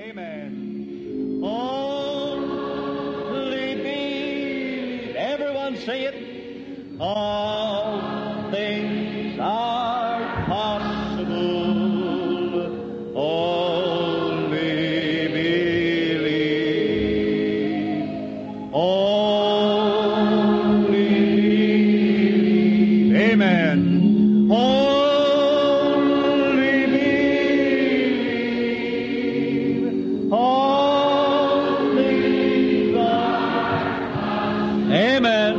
Amen. Only believe. Everyone say it. All things are possible. Only believe. Only believe. Amen. Only believe. All things are. Amen.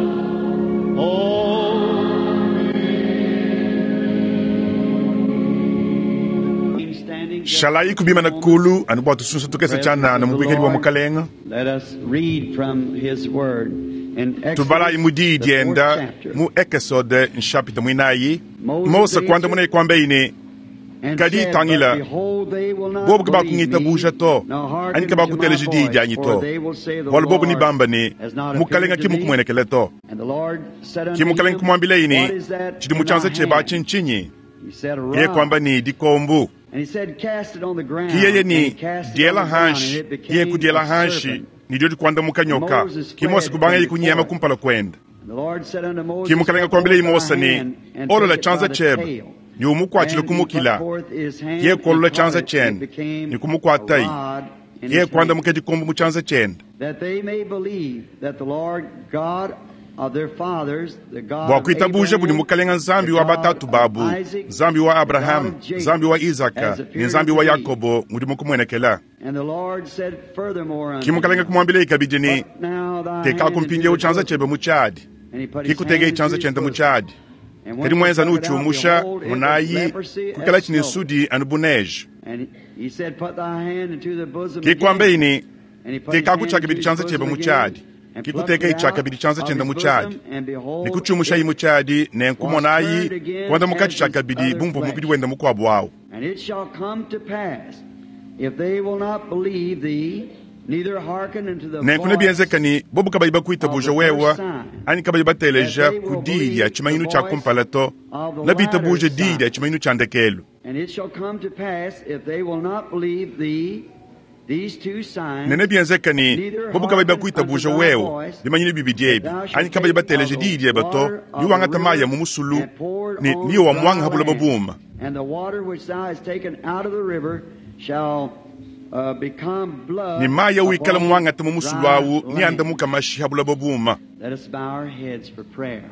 Only. Shalayi kubimana kulu anu bua tusunsa tukese tshianana mu buikadi bua mukalenga. Let us read from his word in Tubalayi mu diyi Exodus, the fourth dienda chapter. mu Ekesode nshapita muinayi. Mose kuandamuna kwambeyi ne And Kadi said, tangila, But behold, they will not bobu believe kabakungitabuja me, to nor hearken anyi to my kabakuteleja diyi voice, dianyi for to they will say, The bualu bobu Lord nibamba ne has not mukalenga appeared ki to me. mukumuenekele to. And the Lord said Ki unto mukalenga him, kumuambileyi What ne is that tshidi mu in tshianza thy tshiebe hand? atshi ntshinyi? He said, A Yeye rod. kuamba ne dikombu. And he said, Cast it on the ground. Ki yeye And ne he cast it diela on the ground, and hanshi. it Yeye became kudiela a hanshi serpent. ne dio dikuandamuka nyoka. Moses Ki Mose fled kubangaye from kunyema before it. kumpala kuenda. And the Lord said unto Moses, Ki mukalenga Put kuambileyi forth Mose thy ne hand, and olola take it by tshianza the tshiebe tail. ne umukuatshile And he put kumukila. forth his hand Yeye and kuolola caught tshianza it, and it tshiende became ne kumukuatayi. a rod in Yeye his hand. kuandamuka dikombu mu tshianza tshiende. That they may believe that the Lord God of their fathers, the God bua of kuitabuja budi Abraham, mukalenga nzambi the wa God batatu of babu Isaac, nzambi wa the God abrahamu of Jacob, nzambi wa izaka has ne appeared nzambi wa unto thee. yakobo ngudi mukumuenekela And the Lord said furthermore ki unto mukalenga him, kumuambileyi kabidi ne Put now thy hand tekaku into mpindiewu the tshianza bosom. tshiebe mu tshiadi And he put ki his hand kutekeyi into tshianza his tshiende mu bosom. tshiadi And when kadi he muenza took it out, nutshiumusha behold, it was munayi leprosy as kukala tshine snow. nsudi anu bu neige And he said, Put thy hand into the bosom ki kuambeyi again. ne And he put his tekaku hand tshiakabidi into his tshianza tshiebe bosom mu again, tshiadi and ki plucked kutekeyi it out tshiakabidi tshianza of tshiende his mu tshiadi bosom, and behold, ne kutshiumushayi it mu tshiadi ne was nkumonayi turned again kuandamuka as his tshiakabidi other bu muvua mubidi flesh. wende mukuabu awu And it shall come to pass, if they will not believe thee, neither hearken unto the nenku voice nebienzeka ne bobu kabayi of bakuitabuja the wewa first sign, anyi kabayi bateleja that they ku will diyi believe dia the tshimanyinu tshia voice kumpala to of the na bitabuje latter diyi dia sign. tshimanyinu tshia ndekelu And it shall come to pass, if they will not believe thee, these two ne signs, nebienzeka ne neither bobu kabayi hearken unto bakuitabuja thy wewa voice, bimanyinu bibidi that ebi thou shalt anyi kabayi take of bateleja the diyi diebe to water of the niwangata mayi river a mu musulu and pour it ne on niyo dry wamwanga buloba land. buma And the water which thou hast taken out of the river shall become ne blood mayi awikala upon muwangata mu musulu dry awu land. niandamuka mashi ha buloba buma Let us bow our heads for prayer.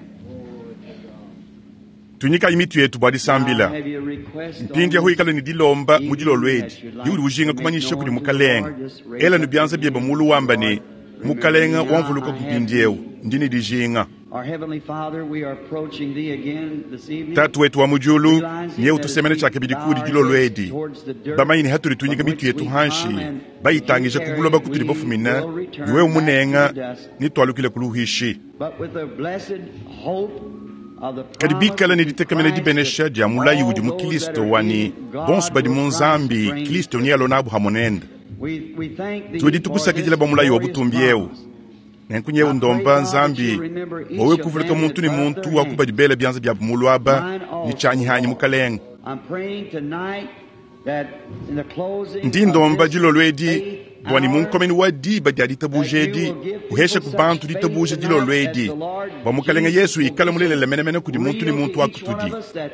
tunyikayi mitu yetu bua Now, disambila have you a request on mpindi aho this ikala ne dilomba mu evening dilolo edi that you'd iudi like ujinga to make kumanyisha known kudi to the mukalenga Lord? Just raise ela ne up your bianza biebe hand mulu and say, wamba ne Lord, remember me mukalenga now. wamvuluka I ku have mpindiewu need. ndi ne dijinga Our Heavenly Father, we are approaching Thee again this evening, tatu wetu wa mu diulu realizing nye that as utusemene we tshiakabidi bow kudi our dilolo heads edi towards the dirt bamanyine hatuli tunyika from mitu which yetu we hanshi come and you bayitangija ku carry, buloba kutuli we bafumina will return niwewe back to the munenga dust, nitwalukile ku luhishi but with the blessed hope of the kadi promise bikala ne in ditekamena Christ that dibenesha dia mulayi all udi mu those that kilisto are wani in bonso God badi will mu Christ nzambi bring. kilisto ni alonabu hamonende We thank tudi Thee for this tukusakidila bua mulayi wa glorious butumbi ewu promise. nenku nyewu I pray, ndomba God, that nzambi you remember each wawe of kuvuluka them that muntu ne put up muntu their wa kubadi hands, bela bianza biabu mulu aba mine ne also, tshianyihanyi Lord. mukalenga I'm praying tonight that in the closing ndi of ndomba this dilolo edi faith bua ne mu hour, nkomeni wa diba dia that ditabuja you edi will give uheshe people ku such bantu faith ditabuja dilolo tonight that edi the Lord bua mukalenga Jesus yesu will ikala be mulelela menemene kudi muntu ne real muntu to wa each one kutudi of us, that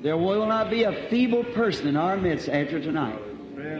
there will not be a feeble person in our midst after tonight.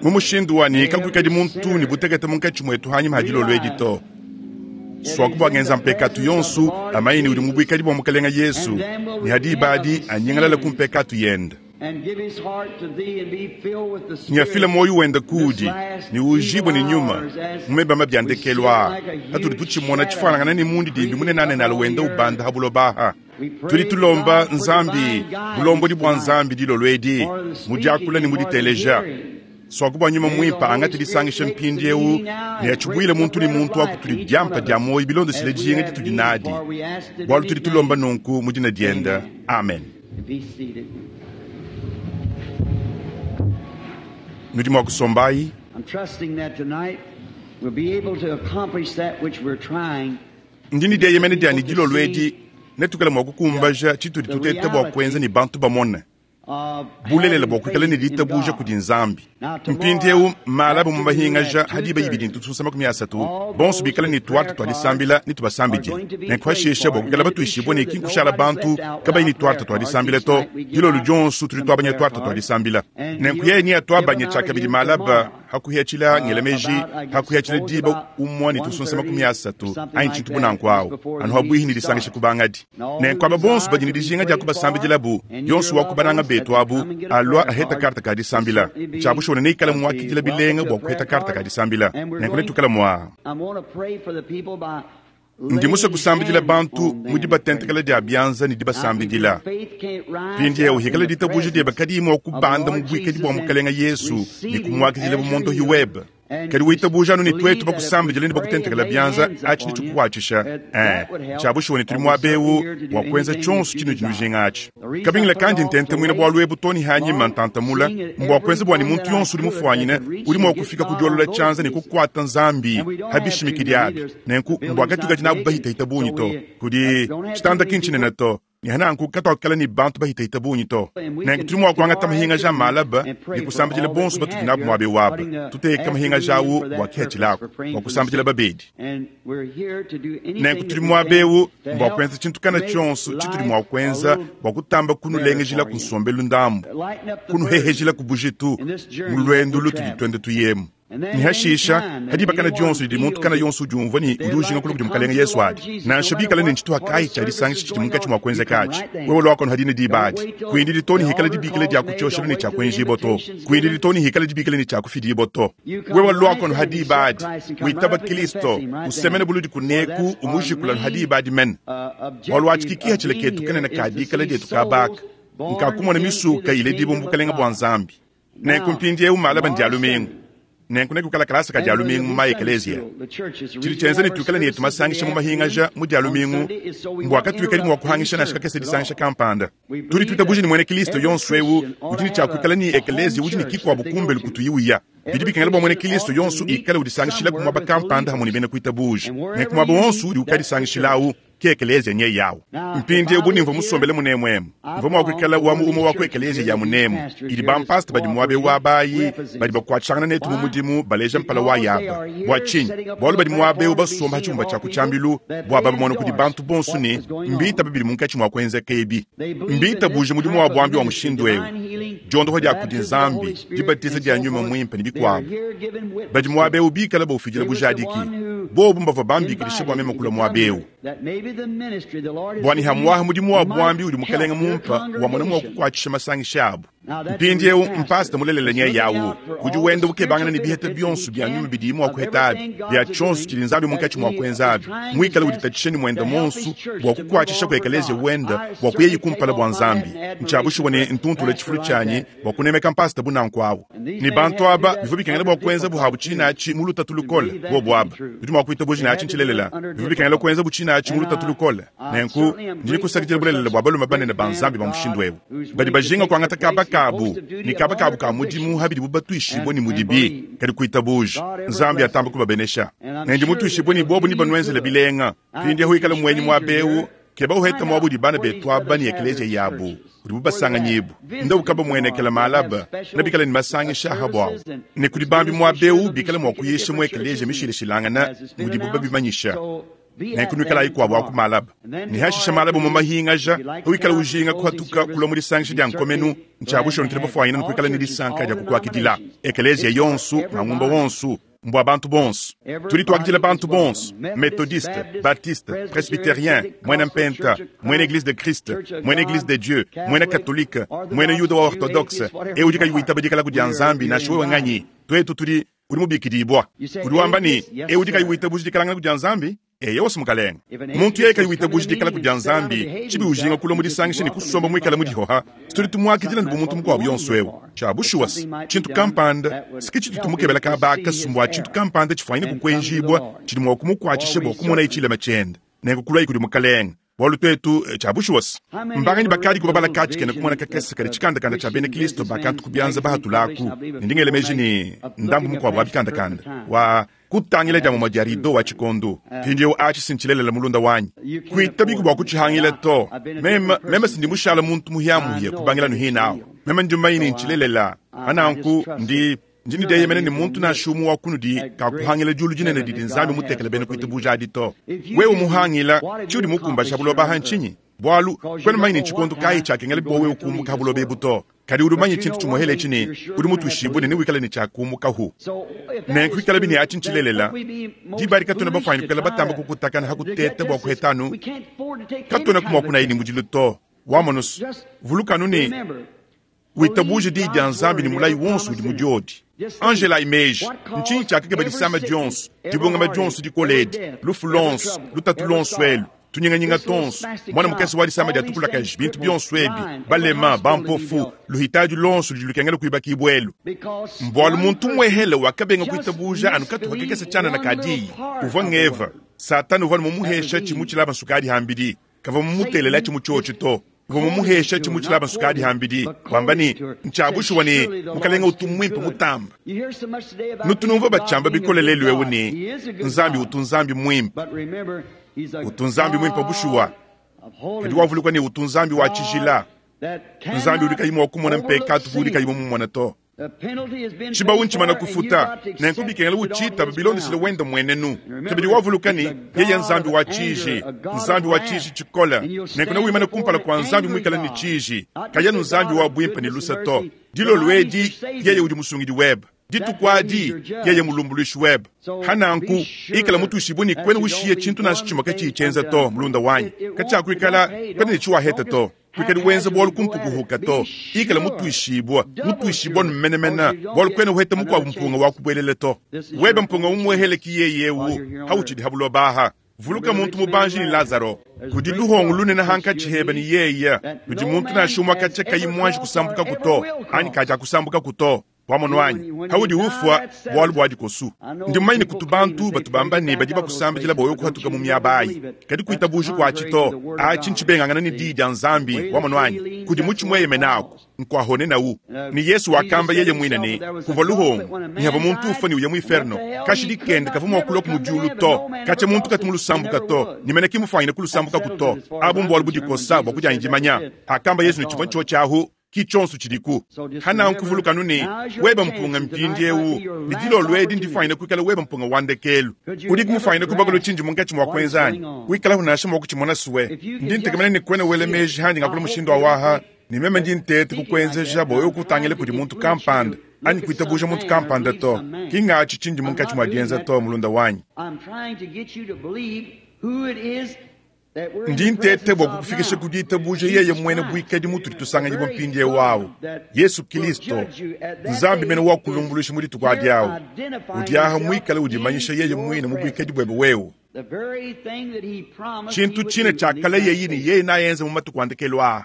mu mushindu wani May kakuikadi every muntu ne sinner butekete munkatshi muetu hanyima ha dilolo edi realize to that swaku he's in bua the mpekatu presence of the yonsu Lord amayini udi mu Jesus buikadi bua mukalenga yesu and then will ne hadi repent of ibadi his anyingalala ku sins mpekatu yende and give his heart to thee and be filled with the nyafila Spirit moyo wenda this kudi last ni evil ujibwe ni nyuma hours as mumebama bya we see it ndekelu aa like a hatuli huge tuchimona shadow chifanangana ni mundi dimbi creeping munenane up nalo on wenda the earth. ubanda habulobaha We tuli pray, tulomba God, for nzambi divine guidance bulombodi bua tonight, nzambi dilolo edi for the mudiakula speaking ne and for the muditeleja hearing. swaku bua nyuma May the muimpa Holy angati Spirit disangisha take the mpindi ewu meeting now ne and break achibuile the muntu ne bread of muntu life to akutuli each one diampa of dia us moyo bilondesile as we dijinga have ditudi need, nadi for we ask it in bualu tudi His tulomba name. nunku mu dina dienda Amen. amen Be seated. nudi mua kusombayi I'm trusting that tonight we'll be able to accomplish that which we're trying ndi ne to get dieyemene dianyi people to dilolo see edi netukale mua the, kukumbaja tshitudi the tuteta bua kuenza reality ne bantu bamone Bulelela bua kuikala ne ditabuja kudi Nzambi. Mpindieu malaba mu mahingaja ha diba ibidi ntutusa 30, bonso bikale ne tuarte tua disambila ne tubasambidile. Nenku pashishe bua kuikala batuishibue ne ki nkushala bantu kabayi ne tuarte tua disambila to, dilolo dionso tudi tuabanya tuarte tua disambila. Nenku yeye neatuabanye tshiakabidi malaba ha kuhiatshila ngela meji ha kuhiatshila diba umue ne tusunsa 30 anyi tshintu bu nanku awu anu habuihi ne disangisha ku bangadi. Nenku aba bonso badi ne dijinga dia kubasambidilabu, yonso wa ku bananga betu abu alua aheta karte ka disambila. Tshia bushuwa neikale muakidila bilenga bua kuheta karte ka disambila. Nenku netuikale mua Ndi musue kusambidila bantu mu dibatentekela dia bianza ne dibasambidila. Mpindieu hikala ditabuja diebe kadiyi mua kubanda mu buikadi bua Mukalenga Yesu ne kumuakidila bu mondohi webe. Kadi witabuja anu ne tuetu bakusambidila ne bakutentekela bianza, atshi netshikukuatshisha. Eh, tshia bushuwa ne tudi muaba eu bua kuenza tshionso tshinudi nujinga atshi. Kabingila kandi ntentemuina bualu ebu to ne hanyima ntantamula, mbua kuenza bua ne muntu yonso udi mufuanyine udi mua kufika ku diolola tshianza ne kukuata Nzambi ha bishimikidi abi. Nenku mbua katuikadi nabu bahitahita bungi to. Kudi tshitanda ki ntshinene to, ne hananku katuakukala ne bantu bahitahita bungi to. Nenku tudi mua kuangata mahingaja a malaba ne kusambidila bonso batudi nabu muaba eu aba, tuteka mahingaja au bua kihatshilaku bua kusambidila babedi. Nenku tudi muaba eu mbua kuenza tshintu kana tshionso tshitudi mua kuenza bua kutamba kunulengejila ku nsombelu ndambu, kunuhehejila ku bujitu mu luendu lutudi tuenda tuyemu. Ne hashisha, ha diba kana dionso didi muntu kana yonso udiumvua ne udi ujinga kulua kudi Mukalenge Yesu adi, nansha bikale ne ntshituha kayi tshia disangisha tshidi munkatshi mua kuenzeka atshi, wewe luakono hadine diba adi. Kuindidi to ne hikala dibikila dia ku tshioshelu ne tshia kuenjibua to. Kuindidi to ne hikala dibikila ne tshia kufidibua to. Wewe luakono ha diba adi, witaba Kilisto, usemene buludi kuneku, umujikula ha diba adi mene. Bualu atshi ki kihatshila ketu kanene ka dikala dietu kabaka, nkakumona misuka iledibua mu bukelenge bua Nzambi. Nenku mpindieu malaba ndia lumingu. Nenku nekukala kalasa ka dia lumingu mu maekeleziya. Tshidi tshienza ne tuikale ne yetu masangisha mu mahingaja mu dia lumingu mbua katuikadi mua kuhangisha nansha kakese disangisha kampanda. Tudi tuitabuja ne muena Kilisto yonso eu udi ne tshia kuikala ne ekeleziya udi ne kikuabu kumbelu kutuyi uya. Bidi bikengela bua muena Kilisto yonso ikale udisangishila ku muaba kampanda hamue ne bena kuitabuja. Nenku muaba wonso udi ukadisangishilawu ke ekeleziya nyeyawu. Mpindieu bu nimvua musombele munemu emu, mvua mua kuikala wa mu umue wa ku ekeleziya ya munemu idi bampasta badi muaba eu abayi badi bakuatshishangana netu mu mudimu baleja mpala wa yaba. Bua tshinyi? Bualu badi muaba eu basomba ha tshibumba tshia ku tshiambilu bua babamone kudi bantu bonso ne mbitaba bidi munkatshi mua kuenzeka ebi. Mbitabuje mudimu wa buambi wa mushindu eu, diondopa dia kudi Nzambi, dibatiza dia nyuma muimpe ne bikuabu. Badi muaba eu bikale baufidila bujadiki. Bobu mbavua bambikidishe bua meme kulua muaba eu. Bua ne hamuaha mudimu wa buambi udi Mukalenge mumpa wamona mua kukuatshisha masangisha abu. Mpindieu mpasta mulelela nyeye awu udi wenda ukebangana ne biheta bionso bia nyuma bidiye mua kuheta abi, bia tshionso tshidi Nzambi munkatshi mua kuenza abi, muikale uditatshisha ne muenda muonso bua kukuatshisha ku ekeleziya wenda bua kuyayi kumpala bua Nzambi. Ntshia bushuwa ne ntuntula tshifulu tshianyi bua kunemeka mpasta bu nanku awu. Ne bantu aba bivua bikengela bua kuenza buabu tshine atshi mu lutatu lukole. Bobu aba nudi mua kuitabuja ne atshi ntshilelela. Bivua bikengela kuenza bu tshine atshi mu lutatu lukole. Nenku ndi ne kusakidila bulelela bua balume banene ba Nzambi ba mushindu eu badi bajinga kuangata kaba kabu ne kaba kabu ka mudimu ha bidibu batuishibue ne mudibi kadi kuitabuja. Nzambi atamba kubabenesha. Ne ndi mutuishibue ne bobu ne banuenzele bilenga. Mpindieu ikala muenyi muaba eu, keba uheta muaba udi bana betu aba ne ekeleziya yabu udibu basanganyibu nda ukaba muenekela malaba ne bikale ne masangisha aha buawu ne kudi bambi muaba eu bikale mua kuyisha mu ekeleziya mishilashilangana mudibu babimanyisha. Nenku nuikalayi kuabu aku malaba ne hashisha malaba mu mahingaja wikala ujinga kuhatuka kulua mu disangisha dia nkomenu ntshia bushuwa ntudi bafuanyine kuikala ne disanka dia kukuakidila ekeleziya yonso mangumba wonso mbua bantu bonso. Tudi tuakidila bantu bonso, methodiste, baptiste, presbytérien, muena mpenta, muena église de Christ, muena église de Dieu, muena catholique, muena yuda wa orthodoxe, eu udi kayi witaba dikala dia Nzambi nansha wewe nganyi. Tuetu tudi udi mubikidibua. Udi wamba ne eu udi kayi witabuja dikalangana dia Nzambi, eyo wose Mukalenge. Muntu yeye kayi witabuja dikala dia Nzambi, tshibi ujinga kulua mu disangisha ne kusomba muikale mudihoha, tudi tumuakidila ne bumuntu mukuabu yonso eu. Tshia bushuwa tshintu kampanda siki tshitu tumukebela kabaka sumbua tshintu kampanda tshifuanyine kukuenjibua tshidi mua kumukuatshisha bua kumona itshilema tshiende. Nenku kulua kudi Mukalenge. Bualu tuetu tshia bushuwa mbanganyi bakadi kubabala katshi kena kumona kakese kadi tshikandakanda tshia bena Kristo bakantu kubianza bahatulaku ne ndingele meji ne ndambu mukuabu wa bikandakanda wa kutangila dia mumue dia rido wa tshikondo. Mpindieu atshi sintshilelela mulunda wanyi kuitabiku bua kutshihangila to. Meme sindi mushala muntu muhiamuhia kubangila nuhinawu. Meme ndi mumanye ne ntshilelela. Pa nanku ndi, ndi ne dieyemena ne muntu nansha umue wa kunudi kakuhangila diulu dinene didi Nzambi mutekele bena kuitabuja adi to. Wewe muhangila, tshiudi mukumbaje ha buloba aha ntshinyi? Bualu, kuena mumanye ne ntshikondo kayi tshiakengela bua wewe kumbuka ha buloba ebu to. Kadi udi mumanye tshintu tshimuehele etshi ne, udi mutuishibue ne newikale ne tshia kumukahu. Nenku ikalabi ne atshi ntshilelela, diba adi katuena bafuanyine kuikala batamba kukutakana ha kuteta bua kuheta anu katuenaku mua kunaya ne mudilu to. Wamonu's, vuluka anu ne, witabuje Diyi dia Nzambi ne mulayi wonso udi mu diodi. Anjelayi meji, ntshinyi tshiakakeba disama dionso, dibungama dionso dikole edi, lufu luonso, lutatu luonso elu, tunyinganyinga tuonso, muana mukese wa disama dia tukulakaji, bintu bionso ebi, balema, bampofu, luhitadi luonso ludi lukengela kuibakibua elu? Mbualu muntu umuehele wakabenga kuitabuja anu katupa kakese tshianana ka diyi, uvua ng'Eva. Satana uvua mumuhesha tshimu tshilaba nsukadi hambidi. Kavua mumutelela mu tshiotshi to. Uvua mumuhesha tshimu tshilaba nsukadi hambidi, wamba ne, Ntshia bushuwa ne, Mukalenge utu muimpe mutambe. Nutu numvua batshiamba bikole lelu eu ne, Nzambi utu Nzambi muimpe. Utu Nzambi muimpe bushuwa. Kadi wavuluka ne, utu Nzambi wa tshijila, Nzambi udi kayi mua kumona mpekatu bu udi kayi mumumone to. Tshibawu ntshimana kufuta, nenku bikengela utshitaba bilondeshile wende mmuenenu. Kabidi wavuluka ne, yeye Nzambi wa tshiji, Nzambi wa tshiji tshikole, nenku newimane kumpala kua Nzambi muikale ne tshiji, kayi anu Nzambi wa buimpe ne luse to. Dilolo edi, yeye udi Musungidi webe. Dituku adi, yeye Mulumbuluishi webe. Pa nanku, ikala mutuishibue ne kuena ushiya tshintu nansha tshimue katshiyi tshienza to, mulunda wanyi. Katshiakuikala kuena ne tshiwaheta to. Kuikadi wenza bualu ku mpukuhuka to. Ikala mutuishibua, mutuishibua nu menemene, bualu kuena uheta mukuabu mpunga wa kubuelela to. Webe mpunga umuehele ki yeye eu, hautshidi ha buloba aha. Vuluka muntu mubanji ne Lazaro. Kudi luhongo lunene hankatshi hebe ne yeye, ludi muntu nansha umue katshia kayi muanji kusambukaku to, anyi katshiakusambukaku to. Wamonu anyi? Paudi ufua, bualu bua dikosu. Ndi mumanye ne kutu bantu batu bamba ne badi bakusambidila bua wewe kuhatuka mu miaba ayi. Kadi kuitabuji kuatshi to. Atshi ntshibengangana ne Diyi dia Nzambi. Wamonu anyi? Kudi mutshi mueyemena aku, nkuahone nawu. Ne Yesu wakamba yeye muine ne, kuvua luhongo, ne havua muntu ufua ne uya mu iferno, kashidi kende kavua mua kuluaku mu diulu to. Katshia muntu katu mulusambuka to, ne mene ki mufuanyine kulusambukaku to. Abu mbualu budikosa bua kudianyi dimanya. Hakamba Yesu ne tshivua ntshiotshi ahu. Ki tshionso tshidiku. Hananku vuluka anu ne, weba mpunga mpindieu, ne dilolo edi ndifwanyine kuikala weba mpunga wa ndekelu. Udiku mufwanyine kubakula tshindi munkatshi mua kuenza anyi? Wikalahu nansha mua kutshimona sue. Ndi ntekemena ne kuena wela meji handi ngakula mushindu awaha, ne meme ndi nteta kukuenzeja bua wewe kutangila kudi muntu kampanda anyi kuitabuja muntu kampanda to. Ki ngatshi tshindi munkatshi mua dienza to, mulunda wanyi. Ndi nteta bua kukufikisha ku ditabuja yeye muena buikadi mutudi tusanganyibua mpindieu awu, Yesu Kilisto, Nzambi mene wa kulumbuluisha mu dituku adi awu, udi aha muikale udimanyisha yeye muine mu buikadi buebe wewe. Tshintu tshine tshiakalayeyi ne yeye naenze mu matuku a ndekelu aa.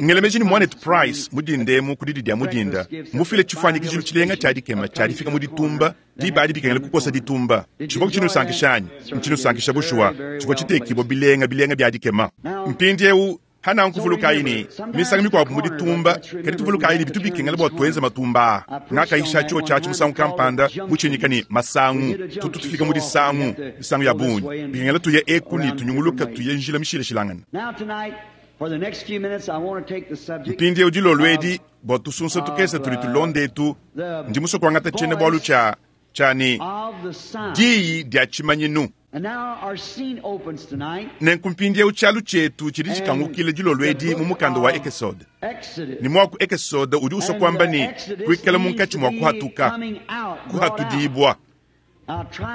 Ngela meji ne muanetu Price mu dinda emu ku didi dia mu dinda mmufile tshifuanyikijilu tshilenga tshia dikema tshia difika mu ditumba diba adi bikengela kukosa ditumba. Tshivua tshinusankisha anyi? Ntshinusankisha bushuwa. Tshivua tshitekibua bilenga bilenga bia dikema. Mpindieu, hananku vulukayi ne, misangu mikuabu mu ditumba, kadi tuvulukayi ne bitu bikengela bua tuenze matumba aa. Ngakayisha tshiotshi atshi musangu kampanda mutshinyika ne masangu. Tutu tufika mu disangu misangu ya bungi, bikengela tuye eku ne tunyunguluka tuye njila mishilashilangane. Mpindieu dilolo edi, bua tusunsa tukese tudi tulonda etu, ndi musue kuangata tshiena-bualu tshia, tshia ne, Diyi dia tshimanyinu. Nenku mpindieu tshialu tshietu tshidi tshikangukila dilolo edi mu mukanda wa Ekesode. Ne muaku Ekesode udi usua kuamba ne, kuikala munkatshi mua kuhatuka, kuhatudibua.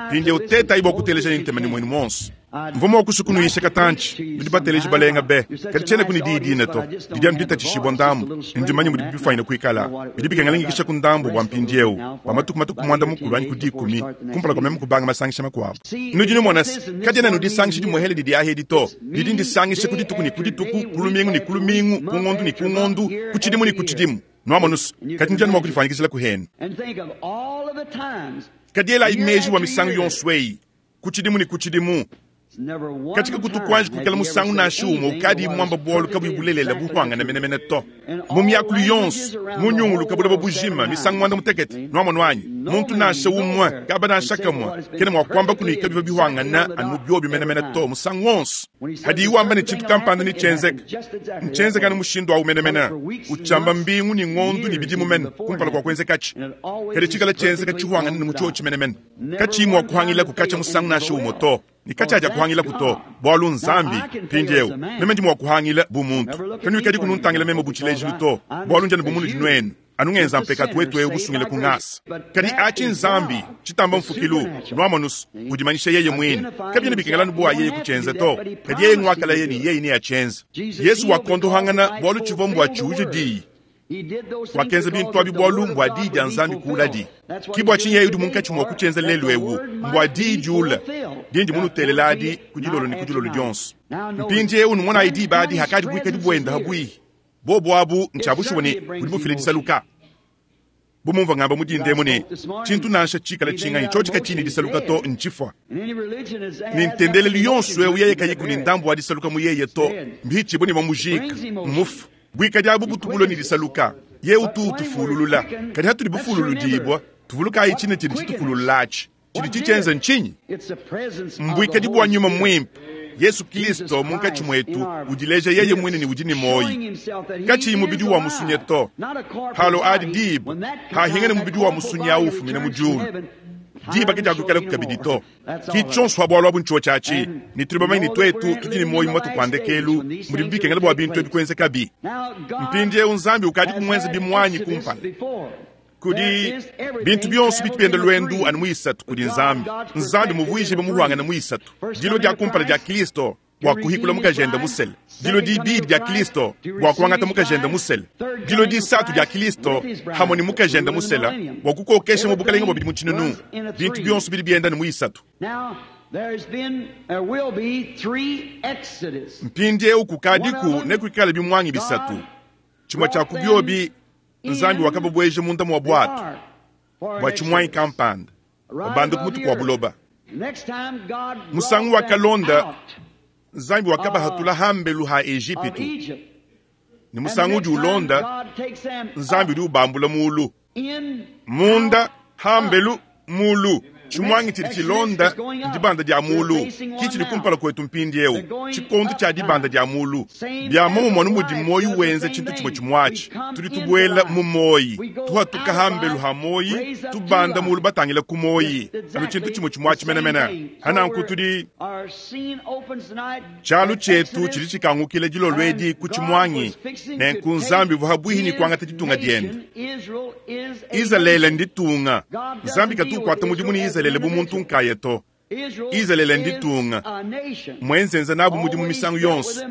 Mpindieu tetayi bua kuteleja ne ntema ne muenu muonso. Mvua mua kusua kunuyisha katantshi, nudi bateleji balenga be, kadi tshienaku ne diyi dine to. Didi anu ditatshishibua ndambu, ne ndi mumanye mudibi bifuanyine kuikala. Bidi bikengela ngikishaku ndambu bua mpindieu, bua matuku matue ku muanda-mukulu anyi ku dikumi, kumpala kua meme kubanga masangisha makuabu. Nudi numona se, kadiena anu disangisha dimuehele didi ahi edi to. Didi ndisangisha ku dituku ne ku dituku, ku lumingu ne ku lumingu, ku ngondu ne ku ngondu, ku tshidimu ne ku tshidimu. Nuamonu se, kadi nudi anu mua kudifuanyikijila ku henu. Kadi elayi meji bua misangu yonso eyi, ku tshidimu ne ku tshidimu, Katshika kutu kuanji kuikala musangu nansha umue ukadi muamba bualu kabuyi bulelela bupuangane menemene to. Mu miakulu yonso, mu nyunguluka buloba bujima misangu muanda mutekete, nuamonu anyi? Muntu nansha umue, kaba nansha kamue, kena mua kuamba kunuika bivua bihuangana anu biobi menemene to musangu wonso. Hadiyi wamba ne tshintu kampanda netshienzeke, ntshienzeke anu mushindu awu menemene, utshiamba mbingu ne ngondu ne bidimu mene kumpala kua kuenzekatshi. Kadi tshikala tshienzeka tshihuangane ne mu tshiotshi menemene, katshiyi mua kuhangilaku katshia musangu nansha umue to. Ne katshiadia kuhangilaku to, bualu n'Nzambi. Mpindieu, meme ndi mua kuhangila bu muntu. Kanuikadi kununtangila meme bu tshilejilu to, bualu ndi anu bu munudi nuenu, anu ngenza mpekatu wetu eu busungile ku ngasa. Kadi atshi n'Nzambi, tshitamba mfukilu, nuamonus, udimanyisha yeye muine. Kabiena bikengela anu bua yeye kutshienza to, kadi yeye nguakalaya ne yeye neatshienze. Yesu wakondohangana bualu tshivua mbua tshiuje diyi. Wakenza bintu abi bualu mbua diyi dia Nzambi kuuladi. Ki bua tshinyi yeye udi munkatshi mua kutshienza lelu ewu, mbua diyi diula, dindi munutelela adi ku dilolo ne ku dilolo dionso. Mpindiewu numonayi diba adi hakadi buikadi buenda habuihi. Bobu abu ntshia bushuwa ne budi bufila disaluka. Bu mumvua ngamba mu dinda emu ne, tshintu nansha tshikala tshinganyi tshiotshi katshiyi ne disaluka to, ntshifua. Ne ntendelelu yonso eu yeye kayiku ne ndambu wa disaluka mu yeye to, mbihitshibue ne bamujika, mmufue. Buikadi abu butu bulue ne disaluka, yeye utu utufululula. Kadi hatudi bufululudibua, tuvulukayi tshine tshidi tshitufululula atshi. Tshidi tshitshienza ntshinyi? Mbuikadi bua Nyuma Muimpe, Yesu Kilisto munkatshi muetu, udileja yeye muine ne udi ne muoyi, katshiyi mubidi wa musunye to. Halo adi diba hahingana mubidi wa musunye awu ufumina mu diulu, diba kadiakuikalaku kabidi to. Ki tshionso ha bualu abu ntshiotshi atshi, ne tudi bamanye ne tuetu tudi ne muoyi mu matuku a ndekelu mudibi bikengela bua bintu ebi kuenzekabi. Mpindieu Nzambi ukadiku muenze bimuanyi kumpala. Kudi bintu bionso bitu bienda luendu anu mu isatu kudi Nzambi. Nzambi muvuije muhuangane mu isatu. Dilua dia kumpala dia Kristo bua kuhikula mukajende musele. Dilua dibidi dia Kristo bua kuangata mukajende musele. Dilua disatu dia Kristo hamue ne mukajende musela bua kukokesha mu bukalenge bua bidimu tshinunu. Bintu bionso bidi bienda ne mu isatu. Mpindieu kukadiku nekuikale bimuangi bisatu. Tshimue tshia ku biobi Nzambi wakababueja munda mua buatu bua tshimuangi kampanda, babanda ku mutu kua buloba. Musangu wakalonda, Nzambi wakabahatula hambelu ha Ejipitu, ne musangu udi ulonda, Nzambi udi ubambula mulu. Munda, hambelu, mulu. Tshimuangi tshidi tshilonda ndibanda dia mulu, ki tshidi kumpala kuetu mpindieu, tshikondo tshia dibanda dia mulu. Bia muomumue anu mudi muoyo wenza tshintu tshimue tshimuatshi, tudi tubuela mu muoyi, tuhatuka hambelu ha muoyi, tubanda mulu batangila ku muoyi, anu tshintu tshimue tshimuatshi menemene. Hananku tudi tshialu tshietu tshidi tshikangukila dilolo edi ku tshimuangi, nenku Nzambi uvua habuihi ne kuangata ditunga diende. Izalele nditunga. Nzambi katu ukuata mudimu ne Izalele bu muntu nkaya to. Izalele nditunga, muenzenza nabu mudimu misangu yonso.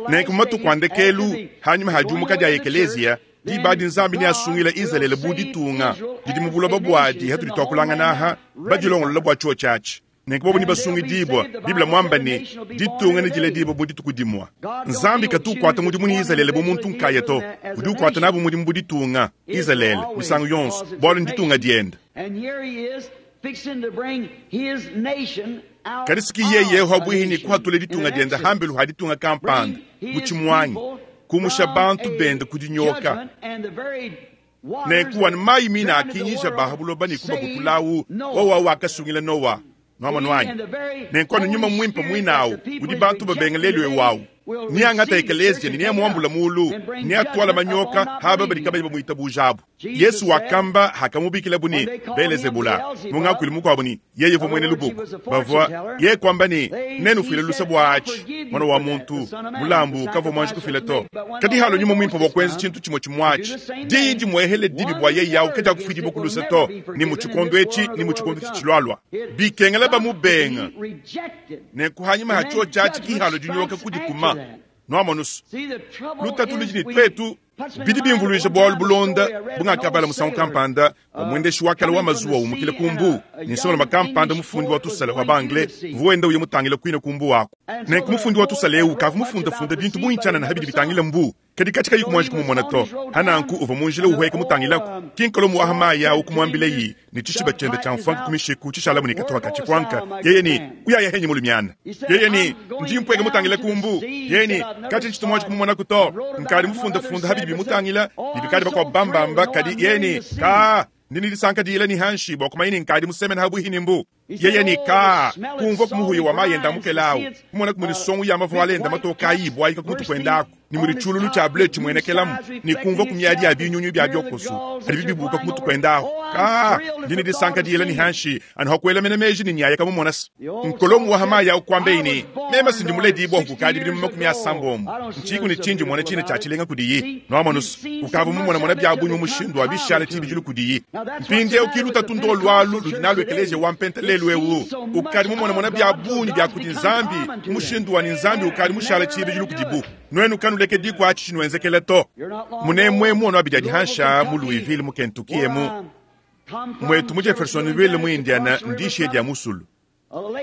Nenku mu matuku a ndekelu, hanyima ha diumuka dia ekeleziya, diba adi Nzambi neasungile Izalele bu ditunga didi mu buloba buadi hatudi tuakulangana aha, badilongolola bua tshiotshi atshi. Nenku bobo nebasungidibua. Bible muamba ne, ditunga nediledibue mu dituku dimue. Nzambi katu ukuata mudimu ne Izalele bu muntu nkaya to. Udi ukuata nabu mudimu bu ditunga, Izalele, misangu yonso, bualu nditunga diende. Kadi siki yeye habuihi ne kuhatula ditunga diende hambelu ha ditunga kampanda mu tshimuangi, kumusha bantu bende ku dinyoka. Nenku anu mayi mine akinyisha ba ha buloba ne kubabutulawu, wowo wakasungila Noa. Nuamonu anyi? Nenku anu Nyuma Muimpe muine awu udi bantu babenga lelu eu awu, neangata ekeleziya ne neamuambula mulu, neatuala manyoka aba badi kabayi bamuitabuja abu. Yesu wakamba hakamubikilabu ne Belezebula, mu ngakuilu mukuabu ne yeye uvua muena lubuku. Bavua yeye kuamba ne, Nenufuile luse bua atshi, Muana wa muntu, mulambu ukavua muanji kufila to. Kadi halua Nyuma Muimpe bua kuenza tshintu tshimue tshimue atshi, diyi dimuehele dibi bua yeye awu kadiakufuidibua ku luse to, ni mu tshikondo etshi ni mu tshikondo tshitshilualua. Bikengela bamubenga. Nenku hanyima ha tshiotshi atshi ki halua dinyoka kudikuma. Nuamonusu, lutatu ludi ne tuetu. Bidi bimvuluija bualu bulonda bungakabala musangu kampanda bua muendeshi wa kale wa mazuwa umukila ku mbuu ne nsongalume kampanda mufundi wa tusala wa ba-anglais uvua wenda uya mutangile kuine ku mbuu aku. Nenku mufundi wa tusala eu ukavua mufundafunda bintu bungi tshianana pa bidi bitangila mbuu. Kadi katshi kayi kumuanji kumumona to. Hananku uvua mu njila uhueka mutangilaku. Ki nkolomu wa hamayi awu kumuambileyi ne tshishiba tshiende tshia mfuanka ku mishiku tshishalamu ne katuha ka tshifuanka. Yeye ne, Uyaya henyi mulumiana? Yeye ne, Ndi mpueka mutangile ku mbu. Yeye ne, Katshi ntshitu muanji kumumonaku to. Nkadi mufundafunda habidi bimutangila ne bikadi bakuabu bambamba, kadi yeye ne, Kaa, ndi ne disanka diyila ne hanshi bua kumanya ne nkadi musemene habuihi ne mbu. Yeye ne, Kaa, kumvua ku muhuya wa mayi enda mukela awu, kumona ku mudi songu ya mavuala enda matoka ayi ibuayika ku mutu kuenda aku, ne mudi tshiululu tshia bleu tshimuenekelamu, ne kumvua ku miadi ya binyunyu bia biokosu padibi bibuka ku mutu kuenda ahu. Kaa, ndi ne disanka diyila ne hanshi anu ha kuela mena meji ne nyaya kamumona se. Nkolomu wa ha mayi awu kuambeyi ne, Meme si ndi muledibua kukadi bidimu 80, ntshiku ne tshindi mona tshine tshia tshilenga kudiyi. Nuamonuse, ukavua mumonamona bia bungi mu mushindu wa bishala tshibidilu kudiyi. Mpindieu ki lutatu ndolu alu ludi nalu ekeleziya wa Mpenta lelu eu. Ukadi mumonamona bia bungi bia kudi Nzambi mu mushindu wa ne Nzambi ukadi mushala tshibidilu kudibu. Nuenu kanulekediku atshi tshinuenzekela to. Munemue muono abidi adi hansha mu Louisville mu Kentucky emu, muetu mu Jeffersonville mu Indiana ndishiye dia musulu.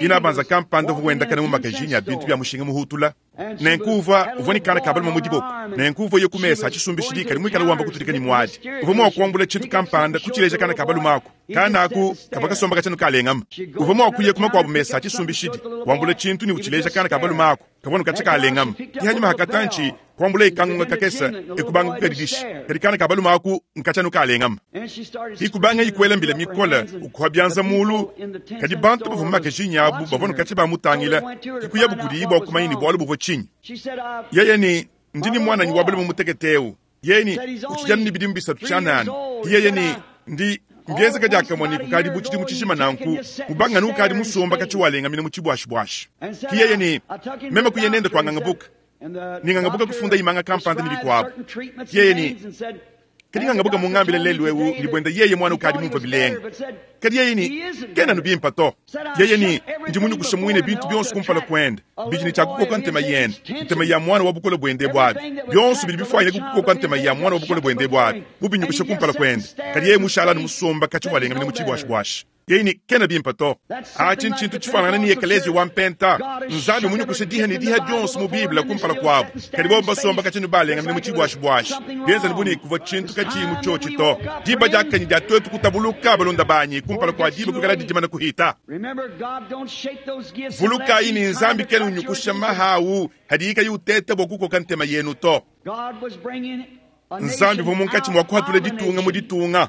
Inabanza kampanda uvua wendakana mu makajinyi a bintu bia mushinga muhutula. Nenku uvua, uvua ne kana ka balume mu diboko. Nenku uvua uya ku mesa a tshisumbishidi kadi muikale wamba kutudika ne muadi. Uvua mua kuambula tshintu kampanda, kutshileja kana ka balume aku. Kana aku kavua kasomba katshia kalengama. Uvua mua kuya ku makuabu mesa a tshisumbishidi, wambula tshintu ne utshileja kana ka balume aku. Kavua nu katshia kalengama. Ke hanyima ha katantshi, kuambulaye kangunga kakese, e kubanga kukadidisha. Kadi kana ka balume aku nkatshia nu kalengama. Ikubangayi kuela mbila mikole, ukuha bianza mulu. Kadi bantu bavua mu makajinyi abu bavua nu katshia bamutangila, ke kuyabu kudiyi bua kumanya ne bualu buvua tshinyi. Yeye ne, Ndi ne muananyi wa balume mutekete eu. Yeye ne, Utshidi anu ne bidimu bisatu tshianana. Yeye ne, Ndi mbienzeka diakamue ne kukadi bu tshidimu tshijima nanku, mubangane ukadi musomba katshi walengamina mu tshibuashibuashi. Ki yeye ne, Meme kuya nende kua ngangabuka, ne ngangabuka kufunda imanga kampanda ne bikuabu. Yeye ne, Kadi ngangabuka mungambile lelu eu ne buenda yeye muana ukadi mumvue bilenga. Kadi yeye ne, Kena anu bimpe to. Yeye ne, Ndi munyukushe muine bintu bionso kumpala kuende, bidi ne tshia kukoka ntema yende, ntema ya muana wa bukole buende ebu abi. Bionso bidi bifuanyine kukoka ntema ya muana wa bukole buende ebu abi, mubinyukushe kumpala kuende. Kadi yeye mushala anu musomba katshi walengamina mu tshibuashibuashi. Yeye ne, Kena bimpe to. Atshi ntshintu tshifuanangane ne ekeleziya wa Mpenta. Nzambi mmunyukushe diha ne diha dionso mu Bible kumpala kuabu, kadi bobu basomba katshi ne balengamina mu tshibuashibuashi, bienza bu ne kuvua tshintu katshiyi mu tshiotshi to. Diba diakanyi dia tuetu kutabuluka, balunda banyi, kumpala kua diba kuikaladi dimane kuhita. Vulukayi ne, Nzambi kena unyukusha maha au hadiyi kayi uteta bua kukoka ntema yenu to. Nzambi uvua munkatshi mua kuhatula ditunga mu ditunga.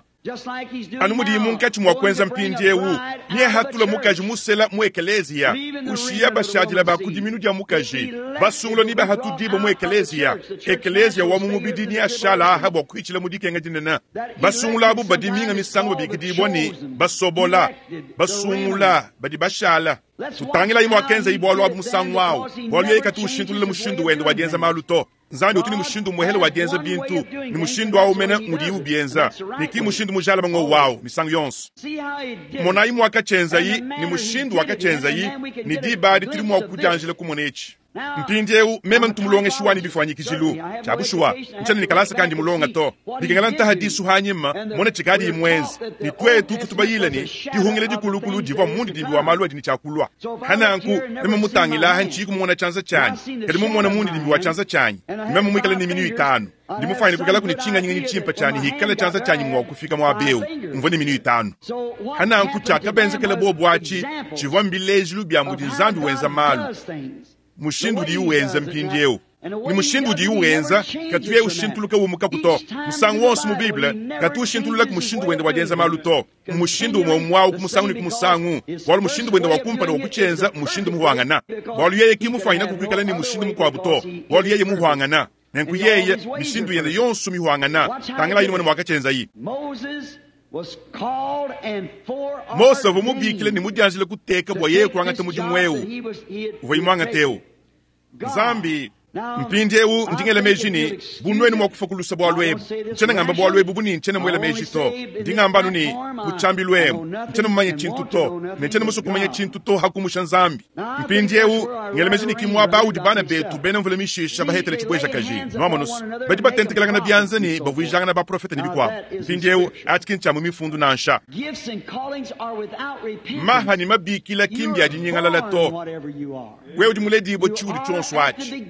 Anu mudiyi munkatshi mua kuenza mpindieu, neahatule mukaji musela mu ekeleziya, ushiya bashadila ba ku diminu dia mukaji, basungula ne bahatudibue mu ekeleziya. Ekeleziya wa mu mubidi neashala aha bua kuhitshila mu dikenga dinene. Basungula abu badi minga misangu babikidibua ne, basobola, basungula, badi bashala. Tutangilayi muakenzayi bualu abu musangu au, bualu yeye katu ushintulula mushindu wende wa dienza malu to. Nzambi utu ne mushindu umuehele wa dienza bintu, ne mushindu au mene ngudiye ubienza, ne ki mushindu mujalame ngowu au misangu yonso. Monayi muakatshienzayi ne mushindu wakatshienzayi, ne diba adi tudi mua kudianjila kumona etshi. Mpindieu meme ntu mulongeshi wanyi bifuanyikijilu. Tshia bushuwa, ntshiena ne kalasa kandi mulonga to. Bikengela ntaha disu hanyima mona tshikadiyi muenze, ne tuetu tutu bayile ne dihungila dikulukulu divua mundidimbi wa malu adi ne tshia kulua. Hananku, meme mutangilaha ntshiyi kumona tshianza tshianyi, kadi mumona mundidimbi wa tshianza tshianyi, ne meme muikale ne minu itanu. Ndi mufuanyine kuikalaku ne tshinganyi tshimpe tshia ne hikala tshianza tshianyi mua kufika muaba eu, mvua ne minu itanu. Hananku, tshiakabenzekela bobu atshi tshivua mbilejilu bia mudi Nzambi wenza malu, mushindu udiye uenza mpindieu. Ne mushindu udiye uenza, katuye ushintuluka umukaku to. Musangu wonso mu Bible, katu ushintululaku mushindu wende wa dienza malu to. Mmushindu umue umue au ku musangu ne ku musangu, bualu mushindu wende wa kumpala wa kutshienza mmushindu muhuangana. Bualu yeye ki mufuanyinaku kuikala ne mushindu mukuabu to, bualu yeye muhuangana. Nenku yeye, mishindu yende yonso mihuangana. Tangilayi numone muakatshienzayi. Mose uvua mubikile ne mudianjile kuteka bua yeye kuangata mudimu eu uvuaye muangate eu. Nzambi. Mpindieu ndi ngela meji ne, bu nuenu mua kufua ku luse bualu ebu. Ntshiena ngamba bualu ebu bu ne ntshiena muela meji to. Ndi ngamba anu ne, mu tshiambilu emu, ntshiena mumanye tshintu to, ne ntshiena musue kumanya tshintu to hakumusha Nzambi. Mpindieu ngela meji ne ki muaba udi bana betu bena mvula mishisha bahetele tshibuejakaji. Nuamonu's, badi batentekelangana bianza ne bavuijangana baprofete ne bikuabu. Mpindieu atshi ki ntshia mu Mifundu nansha. Maha ne mabikila ki mbia dinyingalala to. Wewe udi muledibue tshiudi tshionso atshi.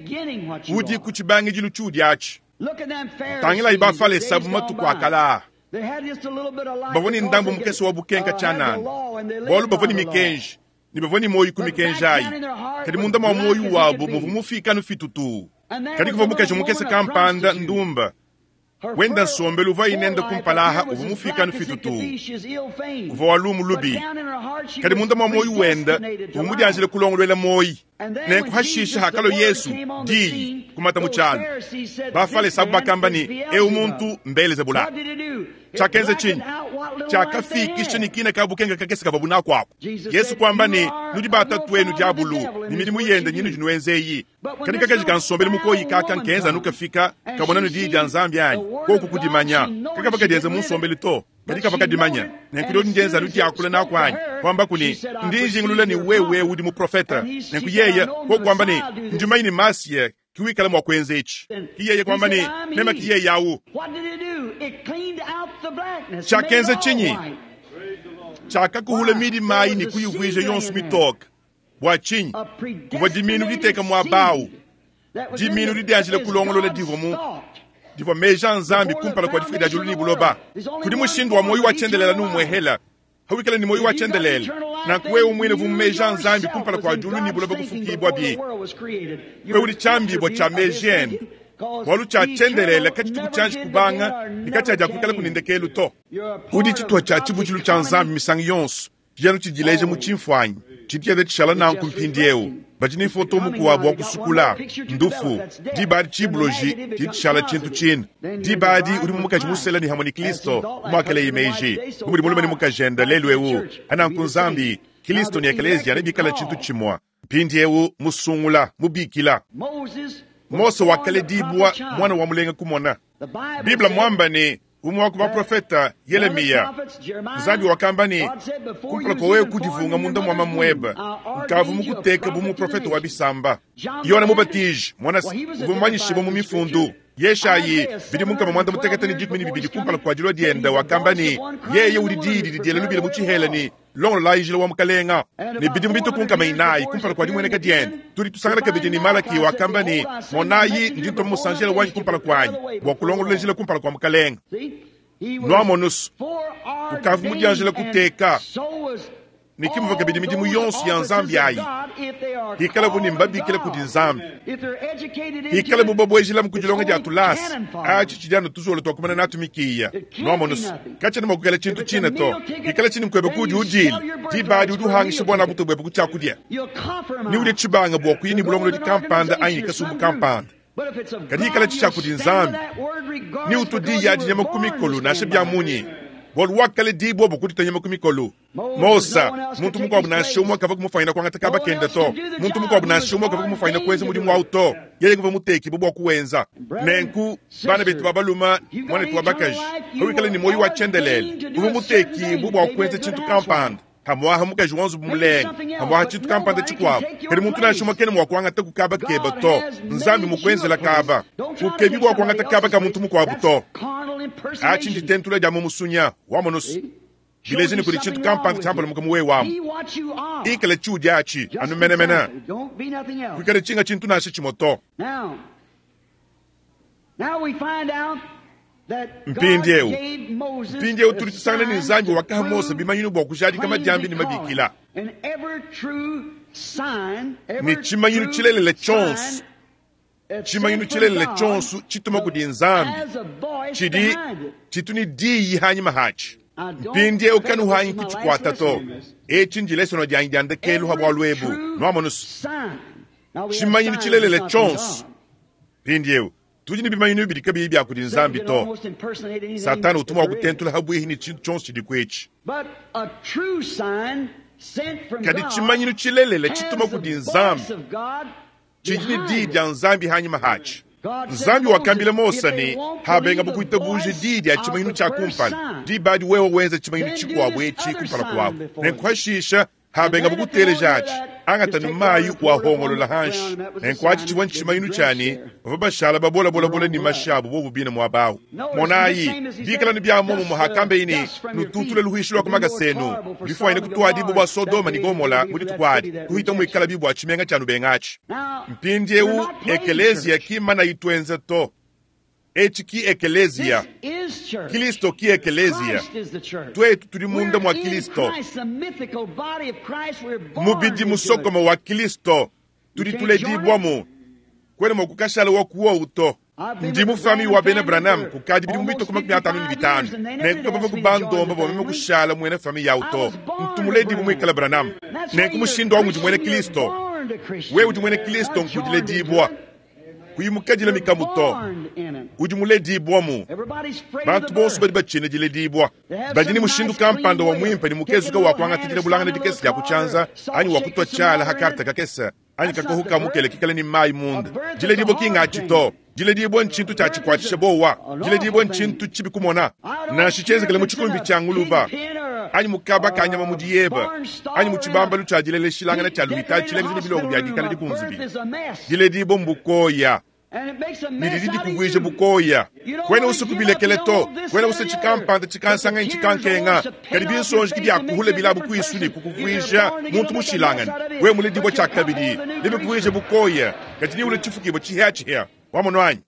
Udi ku tshibangidilu tshiudi atshi. Tangilayi Bafalesa bu matuku a kale aa. Bavua ne ndambu mukese wa bukenka tshianana, bualu bavua ne mikenji ne bavua ne muoyo ku mikenji ayi, kadi munda mua muoyo wabu muvua mufiike anu fitutuu. Kadi kuvua mukaji mukese kampanda ndumba wenda nsombelu uvuaye nende kumpala aha uvua mufiike anu fitutuu, uvua wa lumu lubi, kadi munda mua muoyo wende uvua mudianjile kulongoluela muoyo. Nenku hashishe hakalua Yesu diyi kumata mu tshialu, Bafalesa abu bakamba ne, Eu muntu mBelezebula. Tshiakenza tshinyi? Tshiakafikisha ne kina ka bukenka kakese kavuabu naku aku. Yesu kuamba ne, Nudi ba tatuenu diabulu, ne midimu yende nyinudi nuenza eyi. Kadi kakaji ka nsombelu mukoyi kaka nkenza anu kafika kamona nu diyi dia Nzambi anyi? Koku kudimanya. Kakavua kadienza mu nsombelu to, kadi kavua kadimanya. Nenku diodi ndienza anu diakula naku anyi? Kuambaku ne, Ndi njingulula ne wewe udi muprofete. Nenku yeye koku kuamba ne, Ndi mumanye ne Masiya ki wikala mua kuenza etshi. Ki yeye kuamba ne, Meme ki yeye awu. Tshiakenza tshinyi? Tshiakakuhula midima ayi ne kuyivuija yonso mitoke. Bua tshinyi? Kuvua dimiinu diteka muaba au, dimiinu didianjila kulongolola divua mu divua meji a Nzambi kumpala kua difuka dia diulu ne buloba. Kudi mushindu wa muoyo wa tshiendelele anu umuehela. Pawikala ne muoyo wa tshiendelele, nanku wewe muine uvua mu meji a Nzambi kumpala kua diulu ne buloba kufukibuabi. Wewe udi tshiambibua tshia meji ende, bualu tshia tshiendelele katshituku tshianji kubanga ne katshiadiakuikalaku ne ndekelu to. Udi tshituha tshia tshibutshilu tshia Nzambi misangu yonso. Tshidi anu tshidileja mu tshimfuanyi. Tshidi tshienda tshishala nanku mpindieu. Badi ne foto mukuabu wa kusukula, ndufu. Diba adi tshibuloji tshidi tshishala tshintu tshine. Diba adi udi mu mukaji musela ne hamue ne Kristo, bu muakeleye meji, bu mudi mulume ne mukajende lelu eu. Pananku Nzambi, Kristo ne Ekeleziya nebikale tshintu tshimue. Mpindieu musungula, mubikila. Mose wakaledibua muana wa mulenga kumona. Bible muamba ne, Umue wa ku baprofete, Yelemiya, Nzambi wakamba ne, Kumpala kua wewe kudivunga munda mua mamuebe, nkavua mukuteke bu muprofete wa bisamba. Yone Mubatiji, muana uvua mumanyishibue mu Mifundu. Yeshayi, bidimu 612 kumpala kua dilua diende, wakamba ne, Yeye udi diyi didi diela lubila mu tshihela ne, Longololayi njila wa Mukalenga. Ne bidimu bitue ku 400 kumpala kua dimueneka diende, tudi tusangana kabidi ne Malaki wakamba ne, Monayi, ndi ntuma musanjela wanyi kumpala kuanyi bua kulongolola njila kumpala kua Mukalenga. Nuamonu's, ukavua mudianjila kuteka, ne ke muvua kabidi midimu yonso ya Nzambi ayi, hikalabu ne mbabikila kudi Nzambi, hikalabu babuejilamu ku dilonga dia tulasa, atshi tshidi anu tuzolo tua kumana natu mikiya. Nuamonu's, katshiena mua kuikala tshintu tshine to. Hikala tshine nkuebe kuudi udiila, diba adi udi uhangisha buana butu buebe ku tshiakudia, ne udia tshibanga bua kuya ne bulongolodi kampanda anyi ne kasumbu kampanda. Kadi hikala tshi tshia kudi Nzambi, ne utu diyi adi nyama ku mikolo nansha bia munyi, bualu wakaledibua bua kuditua nyama ku mikolo. Mose, muntu mukuabu nansha umue kavua kumufanyina kuangata kaba kende to. Muntu mukuabu nansha umue kavua kumufanyina kuenza mudimu au to. Yeye nguvua mutekibue bua kuwenza. Nenku, bana betu ba balume, muanetu wa bakaji, pawikala ne muoyo wa tshiendelele, uvua mutekibue bua kuenza tshintu kampanda. Pamu'apa mukaji wa nzubu mulenga, pamu'apa tshintu kampanda tshikuabu. Kadi muntu nansha umue kena mua kuangataku kaba kebe to. Nzambi mmukuenzela kaba. Kukebi bua kuangata kaba ka muntu mukuabu to. Atshi nditentula dia mu musunya. Wamonu's? Bileja ne kudi tshintu kampanda tshiampalamuka mu wewe amu. Ikala tshiudi atshi, anu menemene. Kuikala tshinga tshintu nansha tshimue to. Mpindieu, mpindieu tudi tusangana ne Nzambi wakaha Mose bimanyinu bua kujadika madiambi ne mabikila. Ne tshimanyinu tshilelela tshionso, tshimanyinu tshilelela tshionso tshituma kudi Nzambi tshidi tshitu ne diyi hanyima hatshi. Mpindieu kanuhangi kutshikuata to. Etshi ndilesono dianyi dia ndekelu ha bualu ebu. Nuamonu's? Tshimanyinu tshilelela tshionso. Mpindieu tudi ne bimanyinu bidi kabiyi bia kudi Nzambi to. Satana utu mua kutentula habuihi ne tshintu tshionso tshidiku etshi. Kadi tshimanyinu tshilelela tshituma kudi Nzambi tshidi ne diyi dia Nzambi hanyima hatshi. Nzambi wakambila Mose ne, Habengabu kuitabuja diyi dia tshimanyinu tshia kumpala, diba adi wewe wenza tshimanyinu tshikuabu etshi kumpala kuabu, nenku hashisha habengabu kuteleja atshi, angata ne mayi wahongolola hanshi. Nenku atshi tshivua ntshimanyinu tshia ne bavua bashala babolabolabola ne mashi abu bobu bine muaba au. Monayi, bikala ne bia muomumue hakambeye ne, Nututule luhuishi lua ku makasa enu, bifuanyine kutuadibu bua Sodoma ne Gomola mu dituku adi, kuhita muikalabi bua tshimenga tshia nubenga atshi. Mpindieu, ekeleziya ki mmana ituenza to. Etshi ki ekeleziya. Kilisto ki ekeleziya. Tuetu tudi munda mua Kilisto. Mubidi musokome wa Kilisto, tudi tuledibuamu. Kuena mua kukashala wa kuowu to. Ndi mu famille wa bena Branham kukadi bidimu bitue ku 55, nenku kabavua kubandomba bua meme kushala muena famille yawu to. Ntu muledibue muikale Branham. Nenku mushindu au ngudi muena Kilisto. Wewe udi muena Kilisto nkudiledibua. Kuyi mukadila mikamu to. Udi muledibua-mu. Bantu bonso badi batshina diledibua. Badi ne mushindu kampanda wa muimpe ne mukezuke wa kuangata dilabulangana dikese dia ku tshianza anyi wa kutua tshiala ha karte kakese anyi kakohu ka mukele kikale ne mayi munda. Diledibua ki ngatshi to. Diledibua ntshintu tshia tshikuatshisha buowa. Diledibua ntshintu tshibi kumona. Nansha tshienzekele mu tshikumbi tshia nguluba anyi mu kaba ka nyama mu diyeba anyi mu tshibambalu tshia dileleshilangana tshia lupitadi tshilengeja ne bilongo bia dikala dikunzubile. Diledibua mbukoya ne didi dikuvuija bukoya. Kuena usua kubilekela to. Kuena usua tshikampanda tshikansanga anyi tshikankenga, kadi binsonji ke biakuhula bilabu kuisu ne kukuvuija muntu mushilangane. Wewe muledibua tshiakabidi, nebikuvuije bukoya, kadi neulue tshifukibua tshihiatshihia. Wamonu anyi?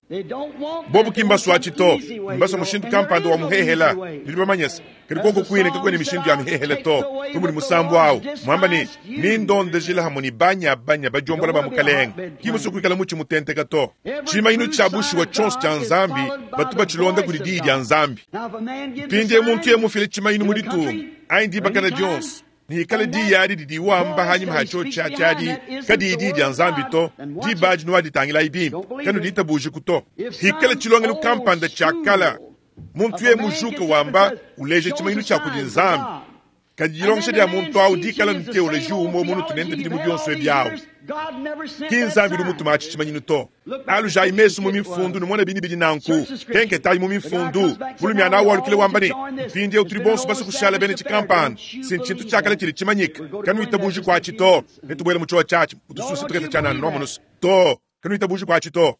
Bobu ki mbasuatshi to, mbasua mushindu kampanda wa muhehela. Nudi bamanye se, kadi kuoku kuine kakuena mishindu ya mihehela to. Bu mudi musambu au muamba ne, Nindondejila hamue ne banyabanya badiombola ba Mukalenge. Ki musue kuikala mutshi mutenteka to. Tshimanyinu tshia bushuwa tshionso tshia Nzambi batu batshilonda kudi Diyi dia Nzambi. Mpindieu muntu yeye mufile tshimanyinu mu ditunga anyi dibakana dionso, ne hikala diyi adi didi wamba hanyima ha tshiotshi atshi adi kadiyi diyi dia Nzambi to, diba adi nuaditangilayi bimpe, kanuditabujiku to. Hikala tshilongelu kampanda tshia kala, muntu yeye mujuke wamba uleja tshimanyinu tshia kudi Nzambi, kadi dilongesha dia muntu au dikala ne teoloji umue munutu nende bidimu bionso ebi au, ki Nzambi udi mutuma atshi tshimanyinu to. Alujayi mesu mu mifundu numone bini bidi nanku. Kenketayi mu mifundu. Mulumiana au walukile wamba ne, Mpindieu tudi bonso basue kushala bena tshikampanda. Si ntshintu tshia kale tshidi tshimanyike. Kanuitabuji kuatshi to. Netubuele mu tshiowa tshiatshi mu tususu tukese tshianana nuamonusu. To, kanuitabuji kuatshi to.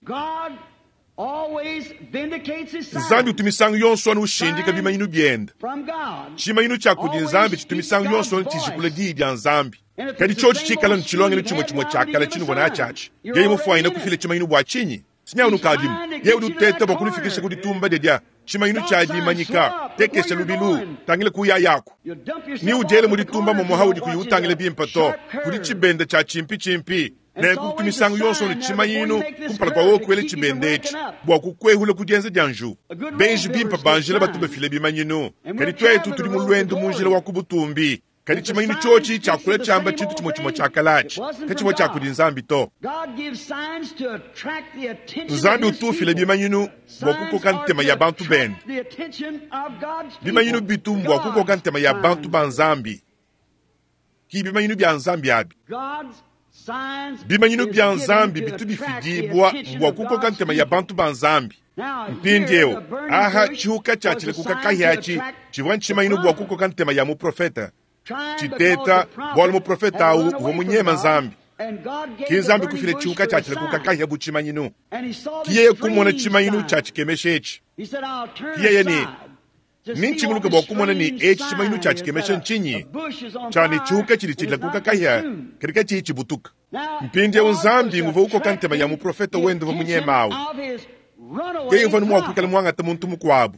Nzambi utu misangu yonso anu ushindika bimanyinu biende. Tshimanyinu tshia kudi Nzambi tshitu misangu yonso anu tshijikula Diyi dia Nzambi. Kadi tshiotshi tshikala ne tshilongelu tshimue tshimue tshia kale tshinuvua natshi atshi, yeye mufuanyine kufila tshimanyinu bua tshinyi? Sinyawu nukadimu. Yeye udi uteta bua kunufikisha ku ditumba dia dia tshimanyinu tshia dimanyika. Tekesha lubilu, tangila kuyayaku. Ne udiele mu ditumba momo haudi kuyi utangila bimpe to. Kudi tshibenda tshia tshimpitshimpi. Nenku kutu misangu yonso ne tshimanyinu kumpala kua wewe kuela tshibenda etshi bua kukuehula ku dienza dia njiwu. Benji bimpe ba njila batu bafila bimanyinu, kadi tuetu tudi mu luendu mu njila wa ku butumbi. Kadi tshimanyinu tshiotshi tshiakula tshiamba tshintu tshimue tshimue tshia kale atshi, katshivua tshia kudi Nzambi to. Nzambi utu ufila bimanyinu bua kukoka ntema ya bantu bende. Bimanyinu bitu mbua kukoka ntema ya bantu ba Nzambi, ki bimanyinu bia Nzambi abi. Bimanyinu bia Nzambi bitu bifidibua mbua kukoka ntema ya bantu ba Nzambi. Mpindieu, aha tshihuka tshia tshilekuka kahia atshi tshivua ntshimanyinu bua kukoka ntema ya muprofete. Tshiteta, bualu muprofete au uvua munyema Nzambi. Ki Nzambi kufila tshihuka tshia tshilekuka kahia bu tshimanyinu. Ki yeye kumona tshimanyinu tshia tshikemesha etshi. Ki yeye ne, Nintshinguluke bua kumona ne etshi tshimanyinu tshia tshikemesha ntshinyi, tshia ne tshihuka tshidi tshilakuka kahia kadi katshiyi tshibutuka. Mpindieu Nzambi nguvua ukoka ntema ya muprofete wende uvua munyema au. Yeye uvua mua kuikala muangate muntu mukuabu,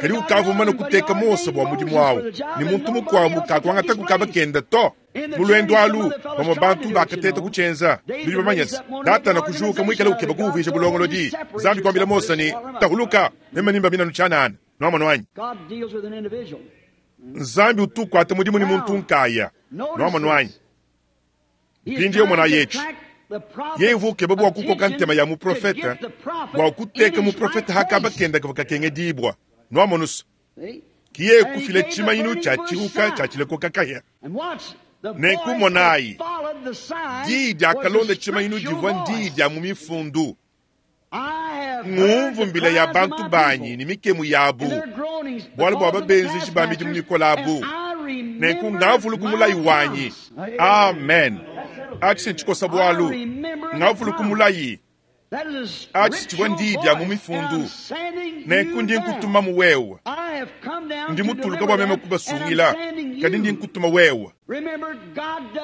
kadi ukavua mumane kuteka Mose bua mudimu au, ne muntu mukuabu kakuangataku kaba kende to. Mu luendu alu, bamue bantu bakateta kutshienza. Nudi bamanye se, Datana kujuka muikale ukeba kuuvuija bulongolodi. Nzambi kuambila Mose ne, Tahuluka, meme nimbamina tshianana. Nuamonu anyi? Nzambi utu ukuata mudimu ne muntu nkaya. Nuamonu anyi? Mpindieu monayi etshi. Yeye uvua ukeba bua kukoka ntema ya muprofete, bua kuteka muprofete ha kaba kende kavua kakengedibua. Nuamonu se, ki yeye kufila tshimanyinu tshia tshihuka tshia tshilekoka kahia. Nenku monayi, diyi diakalonda tshimanyinu divua ndiyi dia mu mifundu. Ngumvu mbila ya bantu banyi ne mikemu yabu, bualu bua babenzeji ba midimu mikole abu. Nenku ngavuluku mulayi wanyi. Amen. Atshi ntshikosa bualu. Ngavuluku mulayi. Atshi tshivua ndiyi dia mu mifundu. Nenku ndi nkutumamu wewe. Ndi mutuluka bua meme kubasungila, kadi ndi nkutuma wewe.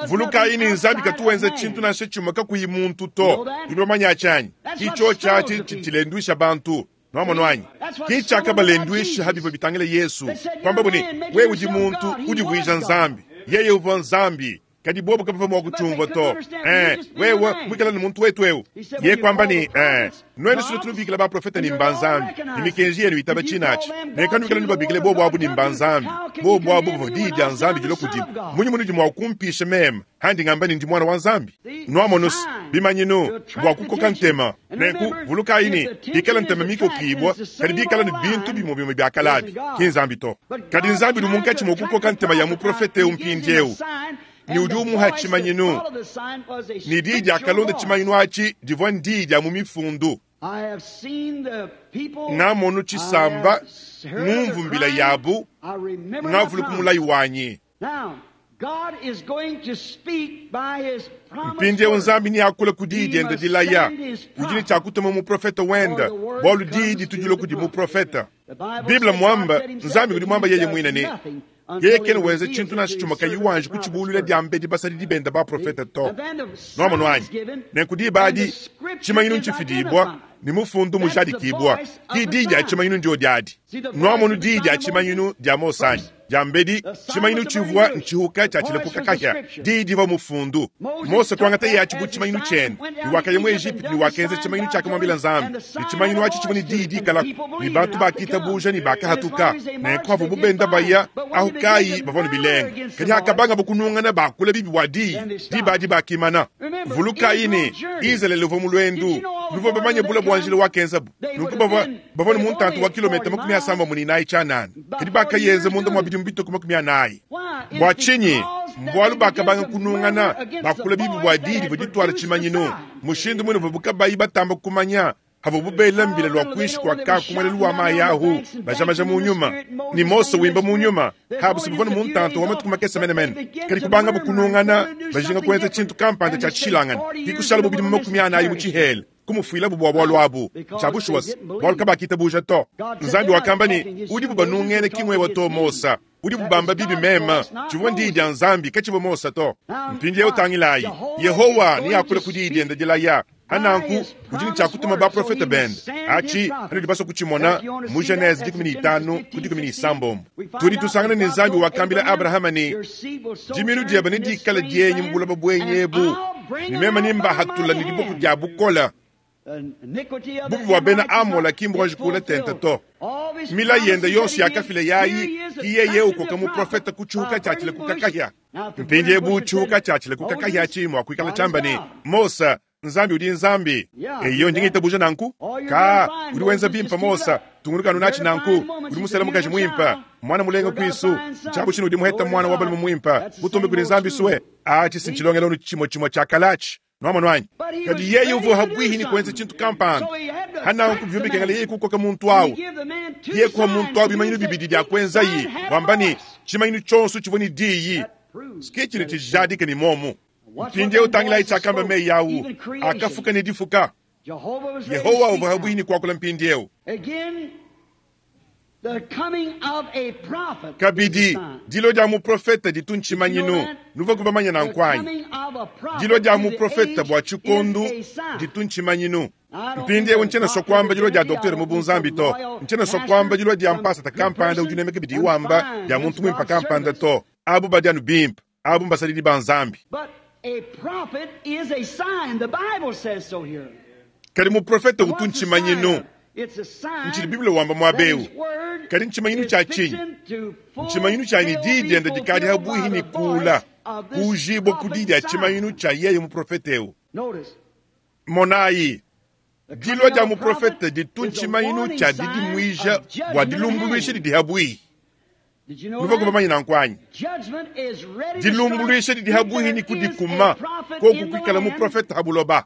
Vulukayi ne, Nzambi katu wenza tshintu nansha tshimue kakuyi muntu to. Nudi bamanye atshi anyi? Ki tshiotshi atshi tshidi tshilenduisha bantu. Nwamonu anyi? Ki cyakabalendwisha ha bivwa bitangila Yesu, kwambabu ne, Wewe udi muntu, udivwija Nzambi. Yeye uvwa Nzambi. Kadi bobo kabavwa mwa kucyumvwa to. Ee, wewe mwikala ne muntu wetu ewu. Yeye kwamba ne, Ee, nwenu sunu tunubikila baprofeta ne mba Nzambi, ne mikenji yenu itaba cinaci. Nenku anwikala nubabikile bobo abu ne mba Nzambi. Bobo abu bavwa Diyi dya Nzambi dilwa kudibu. Munyi munudi mwa kumpisha meme, handi ngamba ne ndi Mwana wa Nzambi? Nwamonu's, bimanyinu, bwa kukoka ntema. Nenku, vulukayi ne, bikala ntema mikokibwa, kadi bikala ne bintu bimwe bimwe bya kalabi, ki Nzambi to. Kadi Nzambi udi munkatshi mwa kukoka ntema ya muprofete ewu mpindyewu, ne udi umuha tshimanyinu. Ne diyi diakalonda tshimanyinu atshi divua ndiyi dia mu Mifundu. Ngamonu tshisamba, ngumvu mbila yabu, ngavuluka mulayi wanyi. Mpindiewu Nzambi neakule ku diyi diende dilaya. Udi ne tshia kutuma muprofete wende, bualu diyi ditu dilua kudi muprofete. Bible muamba, Nzambi udi muamba yeye muine ne, Yeye kena wenza tshintu nansha tshimue kayi wanji kutshibuluila diambedi basadidi bende baprofete to. Nwamonu anyi? Nenku diba adi, tshimanyinu ntshifidibua, ne mufundu mujadikibua. Ki diyi dia tshimanyinu ndiodi adi. Nwamonu diyi dia tshimanyinu dia Mose anyi? Diambedi, tshimanyinu tshivua ntshihuka tshia tshilepuka kahia. Diyi divua mufundu. Mose kuangataye atshi bu tshimanyinu tshiende, ne wakaya mu Ejipitu ne wakenza tshimanyinu tshiakamuambila Nzambi. Ne tshimanyinu atshi tshivua ne diyi dikalaku, ne bantu bakitabuja ne bakahatuka. Nenku havuabu benda baya, ahu kayi bavua ne bilenga. Kadi hakabangabo kunungana bakula bibi bua diyi, diba adi bakimana. Vulukayi ne, Izalele uvua mu luendu. Nuvua bamanye bule bua njila wakenzabu. Nunku bavua, bavua ne muntantu wa kilometa 34 tshianana, kadi bakayenza munda mua bidimu bitue ku 40. Bua tshinyi? Mbualu bakabanga kunungana, bakula bibi bua diyi divua dituala tshimanyinu. Mushindu muine uvuabu kabayi batamba kumanya, havuabu bela mbila lua kuinshi kua ka ku muelelu wa mayi ahu, bajamaja mu nyuma, ne Mose wimba mu nyuma, habu se bavua ne muntantu wa matuku makese menemene. Kadi kubangabu kunungana, bajinga kuenza tshintu kampanda tshia tshishilangane, ke kushalabu bidimu 40 mu tshihela. Kumufuilabu bua bualu abu. Ntshia bushuwa se, bualu kabakitabuja to. Nzambi wakamba ne, Udibu banungene ki ngwewe to, Mose. Udibu bamba bibi meme. Tshivua ndiyi dia Nzambi, katshivua Mose to. Mpindieu tangilayi, Yehowa neakule ku diyi diende dilaya. Pa nanku, udi ne tshia kutuma baprofete bende. Atshi, anudi basue kutshimona, mu Genese 15 ku 16. Tudi tusangana ne Nzambi wakambila Abrahama ne, Dimiinu diebe nedikale dienyi mu buloba buenyi ebu, ne meme nembahatula ne diboko dia bukole. Bubi bua bena Amola ki mbuanji kuula tente to. Milayi yende yonso yakafila yayi, ki yeye ukoka muprofete ku tshihuka tshia tshilakuka kahia. Mpindiebu tshihuka tshia tshilakuka kahia atshi mua kuikala tshiamba ne, Mose, Nzambi udi Nzambi. Eyo, ndi ngitabuja nanku. Ka, udi wenza bimpe, Mose. Tungunuka anu natshi nanku. Udi musela mukaji muimpe, muana mulenga kuisu. Ntshiabu tshine udi muheta muana wa balume muimpe. Butumbi kudi Nzambi sue. Atshi si ntshilongelu anu tshimue tshimue tshia kale atshi. Nwamonu anyi? Kadi yeye uvua habuihi ne kuenza tshintu kampanda. Ha nanku bivua bikengela yeye kukoka muntu au. Yeye kuha muntu au bimanyinu bibidi bia kuenzaye, wamba ne, tshimanyinu tshionso tshivua ne diyi. Ke tshidi tshijadika ne muomu. Mpindieu tangilayi tshiakamba meyi au akafuka ne difuka. Yehowa uvua habuihi ne kuakula mpindieu. Kabidi, dilua dia muprofete ditu ntshimanyinu. Nuvuaku bamanye nanku anyi? Dilua dia muprofete bua tshikondo ditu ntshimanyinu. Mpindieu ntshiena sua kuamba dilua dia doktere mu bunzambi to. Ntshiena sua kuamba dilua dia mpasata kampanda udi unemeka bidiye wamba dia muntu muimpe kampanda to. Abu badi anu bimpe. Abu mbasadidi ba Nzambi. Kadi muprofete utu ntshimanyinu. Ntshidi Bible wamba muaba eu. Kadi ntshimanyinu tshia tshinyi? Ntshimanyinu tshia ne diyi diende dikadi habuihi ne kuula, kuujibua ku diyi dia tshimanyinu tshia yeye muprofete eu. Monayi, dilua dia muprofete ditu ntshimanyinu tshia didimuija bua dilumbuluisha didi habuihi. Nuvuaku bamanye nanku anyi? Dilumbuluisha didi habuihi ne kudikuma, koku kuikala muprofete ha buloba.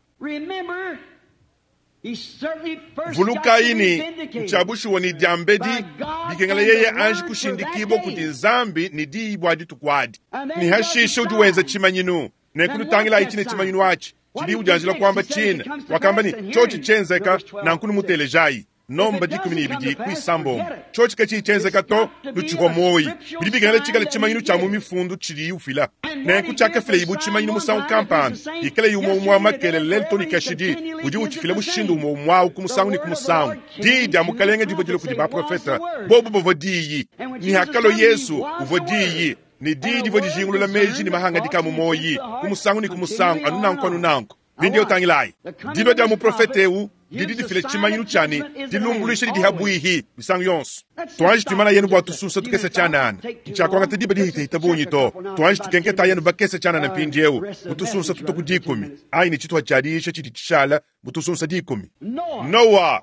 Vulukayi ne, ntshia bushuwa ne diambedi bikengela yeye anji kushindikibua kudi Nzambi ne diyi bua dituku adi, ne hashishe udi wenza tshimanyinu. Nenku nutangilayi tshine tshimanyinu atshi tshidi udianjila kuamba tshine. Wakamba ne, tshiotshi tshienzeka, nanku numutelejayi. Nomba 12 ku isambombo. Tshiotshi katshiyi tshienzeka to, nutshipua muoyi. Bidi bikengela tshikale tshimanyinu tshia mu Mifundu tshidiyi ufila. Nenku tshiakafilayi bu tshimanyinu musangu kampanda, ikalayi umue umue wa makelela lelu too ne kashidi, udi utshifila mushindu umue umue au ku musangu ne ku musangu. Diyi dia Mukalenge divua dilua kudi baprofete, bobu bavua Diyi. Ne hakalua Yezu, uvua Diyi, ne Diyi divua dijingulula meji ne mahangadika a mu muoyi ku musangu ne ku musangu, anu nanku anu nanku. Mpindieu tangilayi, dilua dia muprofete eu didi difila tshimanyinu tshia ne, dilumbuluisha didi habuihi misangu yonso. Tuanji tuimana yenu bua tusunsa tukese tshianana, ntshiakuangata diba dihitahita bungi to. Tuanji tukenketa yenu bakese tshianana mpindieu mu tusunsa tutua ku dikumi, anyi ne tshituha tshia diyisha tshidi tshishala mu tusunsa dikumi. Noa,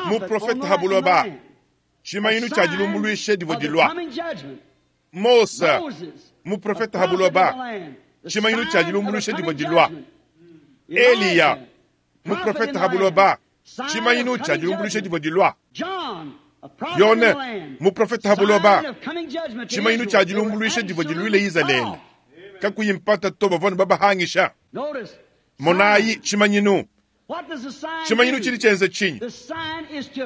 muprofete ha buloba, tshimanyinu tshia dilumbuluisha divua dilua. Mose, muprofete ha buloba, tshimanyinu tshia dilumbuluisha divua dilua. Eliya, muprofete ha buloba, tshimanyinu tshia dilumbuluisha divua dilua. Yone, muprofete ha buloba, tshimanyinu tshia dilumbuluisha divua diluile Izalele. Kakuyi mpata to, bavua babahangisha. Monayi tshimanyinu. Tshimanyinu tshidi tshienza tshinyi?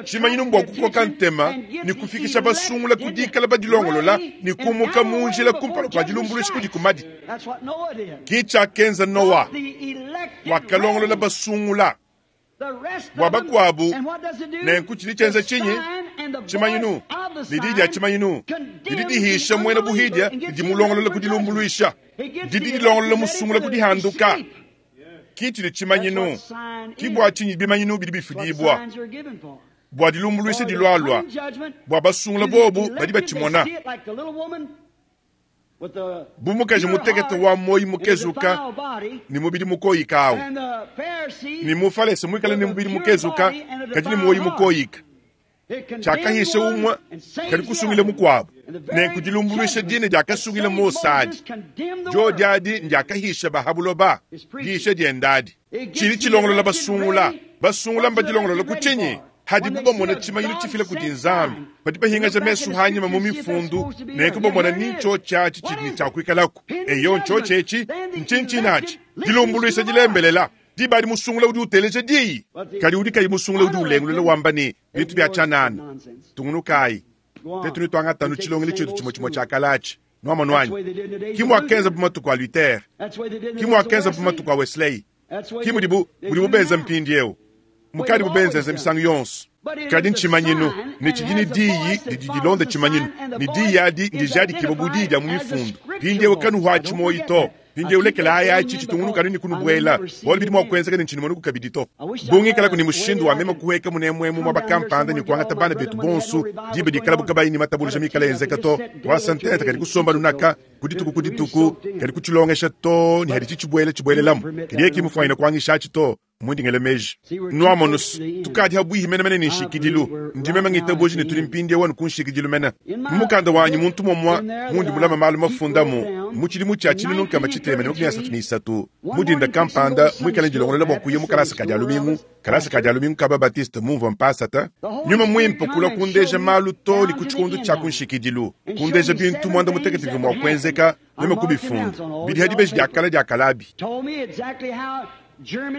Tshimanyinu mbua kukoka ntema ne kufikisha basungula ku dikala badilongolola ne kumuka mu njila kumpala kua dilumbuluisha kudi kumadi. Ke tshiakenza Noa, wakalongolola basungula bua bakuabu. Nenku tshidi tshienza tshinyi? Tshimanyinu ne diyi dia tshimanyinu didi dihisha muena buhidia ne dimulongolola ku dilumbuluisha, didi dilongolola musungula ku dihanduka. Ki tshidi tshimanyinu. Ki bua tshinyi bimanyinu bidi bifidibua bua dilumbuluisha dilualua, bua basungula bobu badi batshimona. Bu mukaji mutekete wa muoyo mukezuka ne mubidi mukoyika awu, ne mufalese muikale ne mubidi mukezuka kadi ne muoyo mukoyika, tshiakahisha umue kadi kusungila mukuabu. Nenku dilumbuluisha dine diakasungila Mose adi, diodi adi ndiakahisha ba ha buloba diyisha diende adi. Tshidi tshilongolola basungula. Basungula mbadilongolola ku tshinyi? Hadibu bamona tshimanyinu tshifila kudi Nzambi, badi bahingaja mesu hanyima mu mifundu, nenku bamona ni ntshiotshi atshi tshidi ne tshia kuikalaku. Eyo, ntshiotshi etshi. Ntshinyi tshinatshi? Dilumbuluisha dilembelela. Diba adi musungula udi uteleja diyi, kadi udi kayi musungula udi ulengulula wamba ne, bintu bia tshianana. Tungunukayi. Tetu netuangate anu tshilongelu tshietu tshimue tshimue tshia kale atshi. Nuamonu anyi? Ki muakenzabu matuku a Luther. Ki muakenzabu matuku a Wesley. Ki mudibu, mudibu benza mpindieu. Mukadibu benzenza misangu yonso. Kadi ntshimanyinu, ne tshidi ne diyi didi dilonda tshimanyinu, ne diyi adi ndijadikibue bu diyi dia mu Mifundu. Mpindieu kanuhuatshi muoyo to. Mpindieu lekelayi atshi tshitungunuka anu ne kunubuela, bualu bidi mua kuenzeka ne ntshinumonaku kabidi to. Bu ngikalaku ne mushindu wa meme kuhueka munemuemu muaba kampanda ne kuangata bana betu bonso diba dikalabu kabayi ne matabuluja mikale enzeka to, kuasa ntenta kadi kusomba nunaka ku dituku ku dituku, kadi kutshilongesha too ne haditshi tshibuela tshibuelelamu. Kadi yeye ki mufuanyine kuangishatshi to. Mundi ngela meji, nuamonus, tukadi habuihi menemene ne nshikidilu. Ndi meme ngitabuja ne tudi mpindieu anu ku nshikidilu mene. Mu mukanda wanyi muntu mumua mundi mulama malu mafundamu mu tshidimu tshia 1633 mu dinda kampanda muikale ndilongolola bua kuya mu kalasa ka dia lumingu, kalasa ka dia lumingu ka ba Baptiste mumvua mpasata, Nyuma Muimpe kulua kundeja malu too ne ku tshikondo tshia ku nshikidilu, kundeja bintu muanda mutekete bivua mua kuenzeka, meme kubifunda. Bidi ha dibeji dia kale dia kalabi.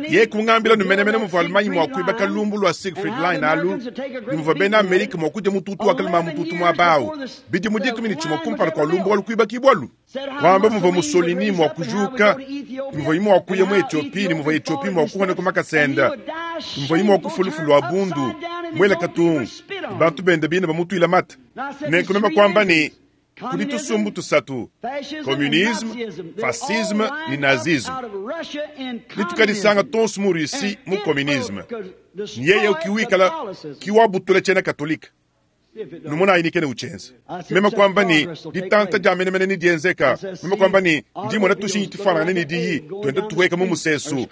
Yeye kungambila nu menemene muvua Allemagne mua kuibaka lumbu lua Siegfried Line alu, ne muvua bena Amerike mua kudia mututu wa kalema mututu muaba au, bidimu 11 kumpala kua lumbu alu kuibakibualu. Wamba muvua Mussolini mua kujuka, ne muvuaye mua kuya mu Ethiopie, ne muvua Ethiopie mua kuhona ku makasa ende, ne muvuaye mua kufua lufu lua bundu, muela katungu, ne bantu bende bine bamutuila mate. Nenku meme kuamba ne, Kudi tusumbu tusatu, communisme, fascisme ne nazisme. Ne tukadisanga tonso mu Russie mu communisme. Ne yeye ki wikala ki wabutula tshiena katolike. Numonayi ne kena utshienza. Meme kuamba ne, ditanta dia menemene ne dienzeka. Meme kuamba ne, ndi mona tushinyi tufuanangane ne diyi tuenda tuhueka mu musesu.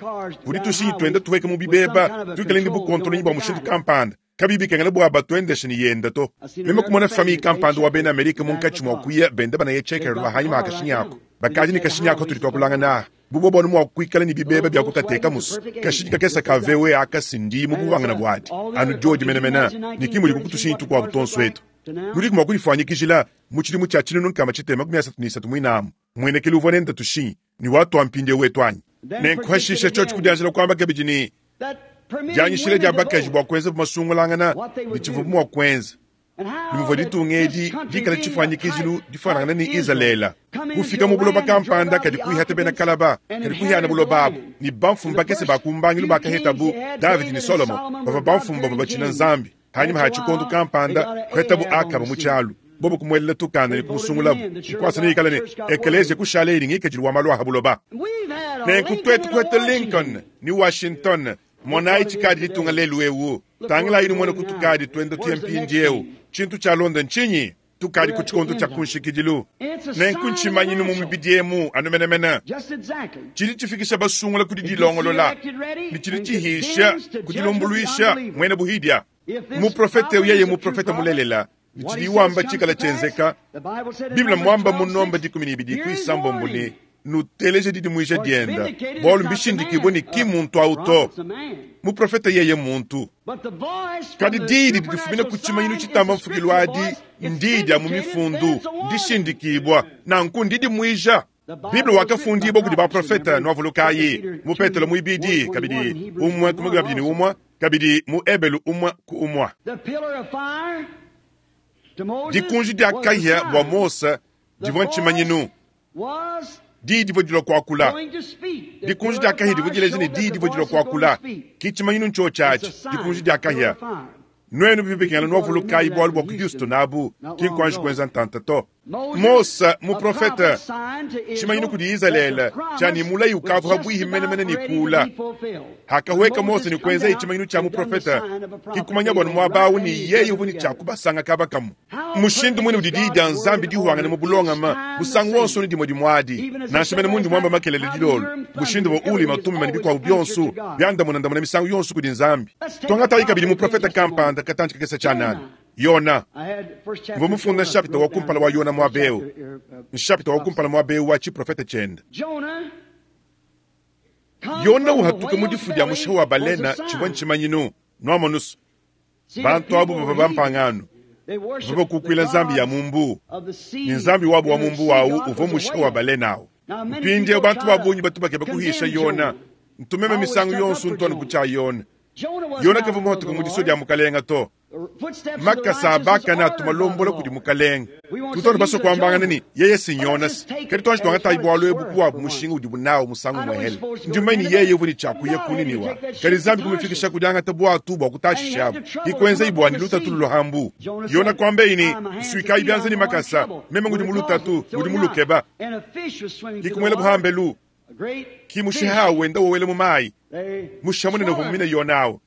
Kudi tushinyi tuenda tuhueka mu bibeba, tuikale ne bukontolonyi bua mushindu kampanda. Kabiyi bikengela bua batuendeshe ne yenda to. Meme kumona famiye kampanda wa bena Amerike munkatshi mua kuya benda banaya checker lua hanyima ha kashinyi aku. Bakadi ne kashinyi aku katudi tuakulangana aha. Bu bobu anu mua kuikala ne bibeba bia kukatekamu's. Kashinyi kakese ka VW aka si ndi mu buhuangane buadi, anu diodi menemene, ne ki mudiku ku tushinyi tukuabu tuonso etu. Nudiku mua kudifuanyikijila mu tshidimu tshia 1633 muinamu, muenekelu uvua nende tushinyi ne watua mpindieu wetu anyi? Nenku hashishe tshiotshi kudianjila kuamba kabidi ne, Dianyishila dia bakaji bua kuenzabu masungulangana ne tshivuabu mua kuenza, ne muvua ditunga edi dikale tshifuanyikijilu difuanangane ne Izalele, kufika mu buloba kampanda kadi kuihata bena kalaba, kadi kuhiana buloba abu, ne bamfumu bakese ba ku mbangilu bakahetabu Davidi ne Solomo, bavua bamfumu bavua batshina Nzambi. Hanyima ha tshikondo kampanda kuhetabu Akaba mu tshialu, bobo kumuelela tukanda ne kumusungulabu nkuasa neikale ne ekeleziya kushala ne ngikadilu wa malu a ha buloba. Nenku tuetu kuheta Lincoln ne Washington, monayi tshikadi ditunga lelu eu. Tangilayi numone kutukadi tuenda tuya mpindieu. Tshintu tshialonda ntshinyi? Tukadi ku tshikondo tshia ku nshikidilu. Nenku ntshimanyinu mu mibidi emu anu menemene tshidi tshifikisha basungula ku didilongolola ne tshidi tshihisha ku dilumbuluisha muena buhidia. Muprofete eu yeye muprofete mulelela, ne tshidiye wamba tshikala tshienzeka. Bible mmuamba mu nomba 12 ku isambombo ne, Nuteleje didimuija dienda, bualu mbishindikibue ne ki mmuntu au to. Muprofete yeye mmuntu. Kadi diyi didi difumina ku tshimanyinu tshitamba mfukilu adi ndiyi dia mu Mifundu, ndishindikibua, nanku ndidimuija. Bible wakafundibua kudi baprofete, nuavulukayi, mu Petelo muibidi, kabidi umue ku makumi abidi ne umue, kabidi mu Ebelu umue ku umue. Dikunji dia kahia bua Mose divua ntshimanyinu. Diyi divua dilua kuakula. Dikunji dia kahia divua dileja ne diyi divua dilua kuakula. Ki tshimanyinu ntshiotshi atshi, dikunji dia kahia. Nuenu bivua bikengela nuavulukayi bualu bua ku Houston abu, ki nkuanji kuenza ntanta to. Mose, muprofete, tshimanyinu kudi Izalele tshia ne mulayi ukavua pabuihi menemene ne kuula. Hakahueka Mose ne kuenzaye tshimanyinu tshia muprofete, ki kumanya bua muaba au ne yeye uvua ne tshia kubasanga kaba kamue. Mushindu muine udi diyi dia Nzambi dihuangane mu bulongame musangu wonso ne dimue dimue adi, nansha mene mundi muamba makelele dilolo, mushindu wa Ulima, Tumima ne bikuabu bionso biandamunandamuna misangu yonso kudi Nzambi. Tuangatayi kabidi muprofete kampanda katantshi kakese tshianana, Yona. Mvua mufunda nshapita wa kumpala wa Yona muaba eu, nshapita wa kumpala muaba eu wa tshiprofete tshiende. Yona uhatuka mu difu dia mushiha wa balena tshivua ntshimanyinu, nuamonusu. Bantu abu bavua bampangano, bavua bakukuila nzambi ya mu mbuu, ne nzambi wabu wa mu mbuu au uvua mushiha wa balena au. Mpindieu bantu ba bungi batu bakeba kuhisha Yona. Ntu meme misangu yonso ntu anu ku tshia Yona. Yona kavua muhatuke mu disua dia mukalenga to. Makasa a bakane atu malombola kudi mukalenga. Tutu anu basue kuambangana ne, yeye si Yonase. Kadi tuanji tuangatayi bualu ebu ku wabu mushinga udibu nawu musangu umuehele. Ndi mumanye ne, yeye uvua ne tshia kuya ku Niniwa. Kadi Nzambi kumufikisha ku diangata buatu bua kutashishabu. Ke kuenzayi bua ne lutatu lulua ha mbu. Yona kuambaye ne, Nsuikayi bianza ne makasa, meme ngudi mu lutatu, ngudi mulukeba. Ke kumuelabu ha mbelu. Ki mushiha wenda wowela mu mayi, mushiha munene uvua mumine Yona awu.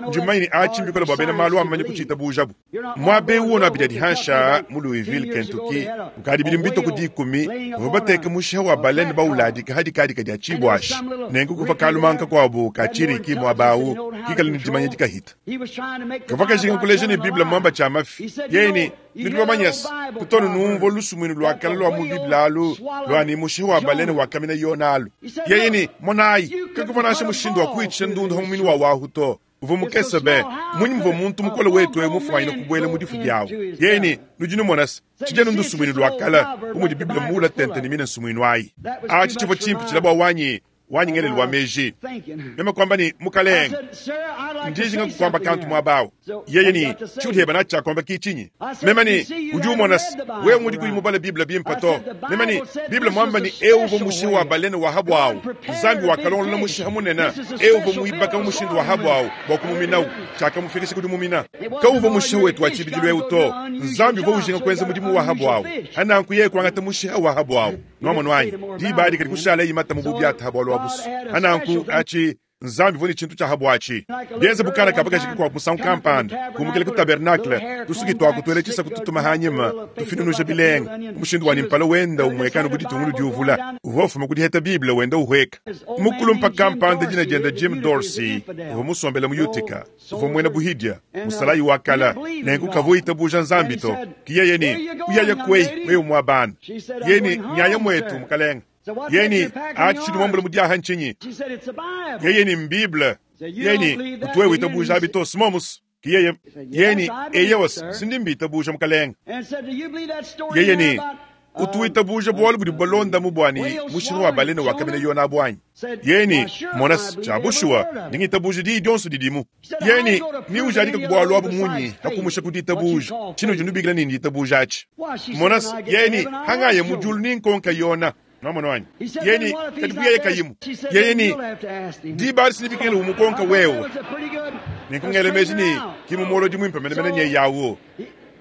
Ndi mumanye ne atshi mbikole bua bena malu amanye kutshiitabujabu. Muaba eu wonu abidi adi hansha mu Louisville, Kentucky, kukadi bidimu bitue ku dikumi, bavua bateke mushiha wa balene bawuladika ha dikadika dia tshibuashi. Nenku kuvua kalumanka kakuabu ka tshiriki muaba awu kikale ne dimanya dikahita. Kavua kajinga kuleja ne Bible mmuamba tshia mafi. Yeye ne, Nudi bamanye se, kutu anu numvua lusumuinu lua kale lua mu Bible alu lua ne, mushihi wa balene wakamina Yona alu. Yeye ne, Monayi, kakuvua nansha mushindu wa kuhitshisha ndundu ha muminu wa wahu to. Uvua mukese be. Mmunyi muvua muntu mukole wetu eu mufuanyine kubuela mu difu diawu? Yeye ne, Nudi numona se, tshidi anu ndusumuinu lua kale, bu mudi Bible muule tente ne mine nsumuinu ayi. Atshi tshivua tshimpitshila bua wanyi wanyi ngelelu wa meji. Meme kuamba ne, Mukalenge, ndi njinga kukuamba kantu muaba awu. Yeye ne, Tshiudi heba natshi tshia kuamba ki tshinyi? Meme ne, Udi umona se, wewe ngudi kuyi mubale Bible bimpe to. Meme ne, Bible muamba ne, eu uvua mushiha wa balene wa habuawu. Nzambi wakalongolola mushiha munene. Eu uvua muibaka mu mushindu wa habuawu bua kumuminawu. Tshiakamufikisha ku dimumina. Kawuvua mushiha wetu wa tshibidilu eu to. Nzambi uvua ujinga kuenza mudimu wa habuawu. Hananku yeye kuangata mushiha wa habuawu. Nwamonu anyi? Diba adi kadi kushala imata mu bubiata ha bualu abusu. Hananku achi Nzambi uvua ne tshintu tshia ha buatshi. Bienze bu kana ka bakaji kakuabu musangu kampanda kumukila ku tabernacle, tusuki tuaku tuela tshisaku tutuma hanyima, tufinunuja bilenga, mu mushindu wa ne mpala wenda umuekanu bu ditungulu diuvula. Uvua ufuma ku diheta Bible wenda uhueka. Mukulumpa kampanda dina diende Jim Dorsey uvua musombele mu Utica. Uvua muena buhidia, musalayi wa kala, nenku kavua witabuja Nzambi to. Ki yeye ne, Uyaya kueyi, wewe muabana. Yeye ne, Nyaya muetu, mukalenge. Yeye ne, Atshi tshidi muambule mu diaha ntshinyi? Yeye ne, Mbible. Yeye ne, Kutu wewe witabuja abi to, simomus. Ki yeye, yeye ne, Eyowa, sindi mbitabuja, mukalenge. Yeye ne, Utu witabuja bualu budi bubalondamu bua ne mushiha wa balene wakamina Yona abu anyi? Yeye ne, Mona, tshia bushuwa, ndi ngitabuja diyi dionso didimu. Yeye ne, Ni ujadika ku bualu abu munyi ha kumusha ku ditabuja? Tshinudi nubikila ne nditabuja atshi. Mona, yeye ne, Hangaya mu diulu ni nkonka Yona. Nwamona anyi? Yeye ne, Kadi bu yeye kayimu? Yeye ne, Diba adi sinibikengela umukonka wewe. Nenku ngela meji ne, ki mumolodi muimpe menemene nyeye awu.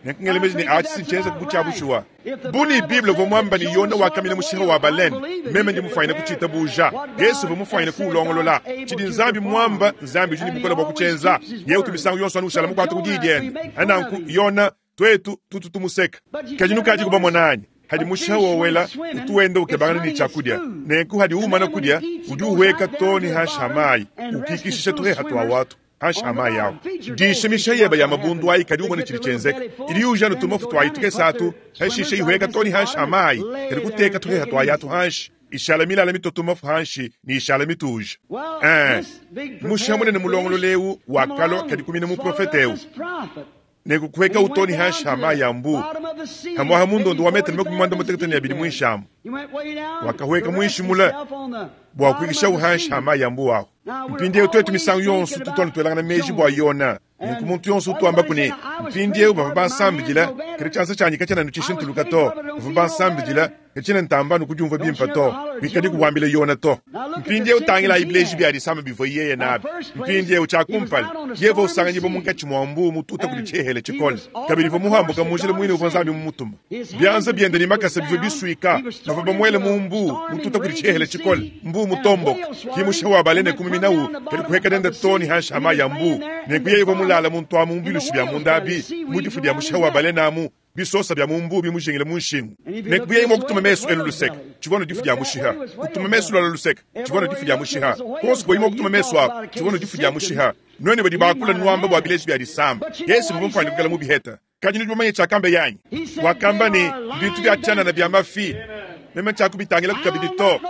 Nenku ngela meji ne, atshi si ntshienza bu tshia bushuwa. Bu ne Bible uvua muamba ne Yona wakamina mushiha wa balene, meme ndi mufuanyine kutshiitabuja. Yesu uvua mufuanyine kuwulongolola. Tshidi Nzambi muamba, Nzambi udi ne bukole bua kutshienza. Yeye utu misangu yonso anu ushala mukuate ku diyi diende. Nanku, Yona, tuetu tutu tumuseka. Kadi nukadiku bamona anyi? Hadi mushiha wowela, utu wenda ukebangana ne tshiakudia. Nenku hadi umana kudia, udi uhueka too ne hanshi ha mayi, ukikishisha tuheha tua watu hanshi ha mayi awu. Disha mishiha yeba ya mabundu ayi kadi umone tshidi tshienzeka. Idi yuja anu tumafu tuayi tukese atu, hashishe ihueka too ne hanshi ha mayi, kadi kuteka tuheha tuayi atu hanshi, ishala milala mitoto mafu hanshi ne ishala mituja. Eh, mushiha munene mulongolola eu wakalua kadi kumina muprofete eu. Nenku kuheka too ne hanshi ha mayi a mbu, hamuaha mundondo wa metele 32 muinshi amu. Wakahueka muinshi mule bua kuikishawu hanshi ha mayi a mbu ahu. Mpindieu tuetu misangu yonso tutu anu tuelangana meji bua Yona. Nenku muntu yonso utu wambaku ne, mpindieu bavua bansambidila, kadi tshianza tshianyi katshiena anu tshishintuluka to. Bavua bansambidila, katshiena ntamba anu kudiumvua bimpe to. Kuikadi kubuambila Yona to. Mpindieu tangilayi bileji bia disama bivua yeye nabi. Mpindieu tshia kumpala, yeye uvua usanganyibua munkatshi mua mbuu mututa kudi tshihele tshikole. Kabidi uvua muhambuka mu njila muine uvua Nzambi mumutuma. Bianza biende ne makasa bivua bisuika, bavua bamuele mu mbuu mututa kudi tshihele tshikole, mbuu mutomboka. Ki mushiha wa balene kumiminawu, kadi kuheka nende too ne hanshi ha mayi a mbuu. Nenku yeye uvua mulala muntu amu mu bilushi bia munda abi, mu difu dia mushiha wa balene amu, bisosa bia mu mbuu bimujingile mu nshingu. Nenku bu yeye mua kutuma mesu elu luseke, tshivua anu difu dia mushiha. Kutuma mesu luala luseke, tshivua anu difu dia mushiha. Kuonso kuvuaye mua kutuma mesu aku, tshivua anu difu dia mushiha. Nuenu badi bakula nuamba bua bileji bia disama, Yesu uvua mufuane kuikala mubiheta. Kadi nudi bamanye tshiakamba yanyi? Wakamba ne, Mbintu bia tshianana bia mafi, meme tshiakubitangilaku kabidi to.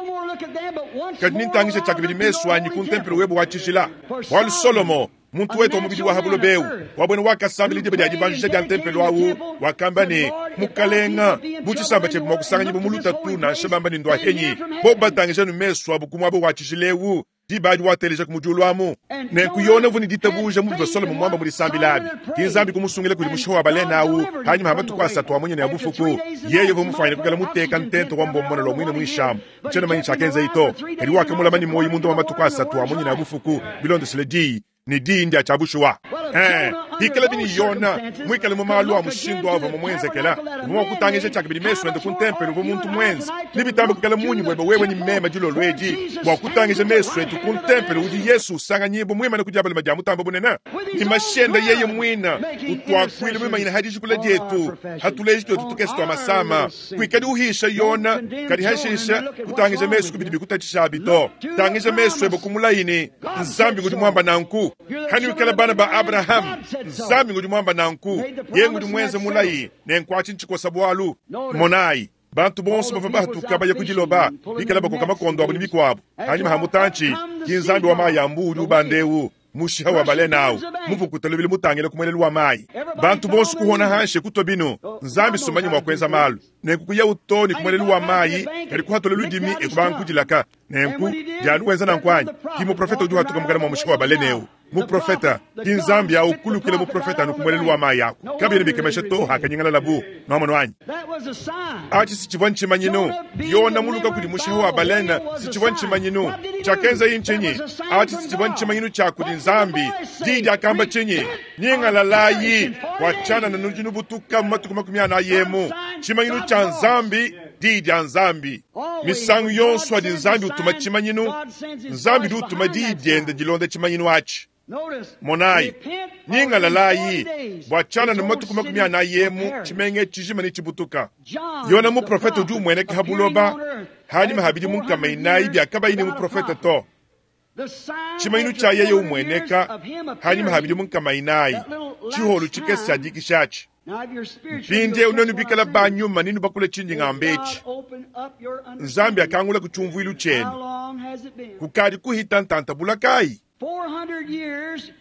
Kadi nintangije tshiakabidi mesu anyi ku ntempelo webe wa tshijila. Bualu Solomo, muntu wetu wa mubidi wa ha buloba eu, wa buena wakasambila diba dia dibanjisha dia ntempelo au, wakamba ne, Mukalenga, bu tshisamba tshiebe mua kusanganyibua mu lutatu, nansha bamba ne ndua henyi, bobu batangija anu mesu abu ku muaba wa tshijila eu, diba adi wateleja ku mu diulu amu. Nenku Yona uvua ne ditabuja mu bivua Solomo muamba mu disambila abi. Ki Nzambi kumusungila kudi mushiha wa balene au hanyima ha matuku asatu a munya ne a bufuku. Yeye uvua mufuanyine kuikala muteka ntenta wa mbombona lua muine muinshi amu. Ntshiena manye tshiakenzaye to, kadi wakamulama ne muoyo munda mua matuku asatu a munya ne a bufuku bilondeshile diyi, ne diyi ndia tshia bushuwa. Eh, pikalabi ne Yona muikale mu malu a mushindu avua mumuenzekela, uvua mua kutangija tshiakabidi mesu ende ku ntempelo uvua muntu muenze. Nebitambe kuikala munyi buebe wewe ne meme dilolo edi bua kutangija mesu etu ku ntempelo udi Yesu usanganyibua muimane ku diabalema dia Mutambe Bunene, ne mashi ende yeye muine utuakuila muimanyine ha dijikula dietu, hatuleji tuetu tukese tua masama. Kuikadi uhisha Yona, kadi hashisha kutangija mesu ku bidi bikutatshisha abi to. Tangija mesu ebe ku mulayi ne, Nzambi ngudi muamba nanku. Hanuikala bana ba Abraham, Nzambi ngudi muamba nanku. Yeye ngudi muenze mulayi, nenku atshi ntshikosa bualu. Monayi, bantu bonso bavua bahatuka baya ku diloba, bikala bakoka makondo abu ne mikuabu. Hanyima ha mutantshi, ki Nzambi wa mayi a mbu udi ubanda eu, mushiha wa balene au, muvukuta lubili mutangile ku muelelu wa mayi. Bantu bonso kuhona hanshi kutua binu. Nzambi sumanye mua kuenza malu. Nenku kuyawu too ne ku muelelu wa mayi, kadi kuhatula ludimi e kubanga kudilaka. Nenku, dianu wenza nanku anyi? Ki muprofete udi uhatuka mukana mua mushiha wa balene eu. Muprofete, ki Nzambi au kulukila muprofete anu ku muelelu wa mayi aku. Kabiena bikemesha to hakanyingalalabu. Nwamonu anyi? Atshi si tshivua ntshimanyinu. Yona muluka kudi mushiha wa balene si tshivua ntshimanyinu. Tshiakenzaye ntshinyi? Atshi si tshivua ntshimanyinu tshia kudi Nzambi. Diyi diakamba tshinyi? Nyingalalayi, bua tshianana nudi nubutuka mu matuku 40 emu. Tshimanyinu tshia Nzambi, diyi dia Nzambi. Misangu yonso adi Nzambi utuma tshimanyinu, Nzambi udi utuma diyi diende dilonda tshimanyinu atshi. Monayi, nyingalalayi, bua tshianana mu matuku 40 emu tshimenga tshijima netshibutuka. Yona muprofete udi umueneka ha buloba hanyima ha bidimu 400 bia kabayi ne muprofete to. Tshimanyinu tshia yeye umueneka hanyima ha bidimu 400, tshiholu tshikese tshia dikisha atshi. Mpindieu nuenu bikala ba nyuma ninu bakula tshindi ngamba etshi. Nzambi akangula ku tshiumvuilu tshienu. Kukadi kuhita ntanta bula kayi? 400 years.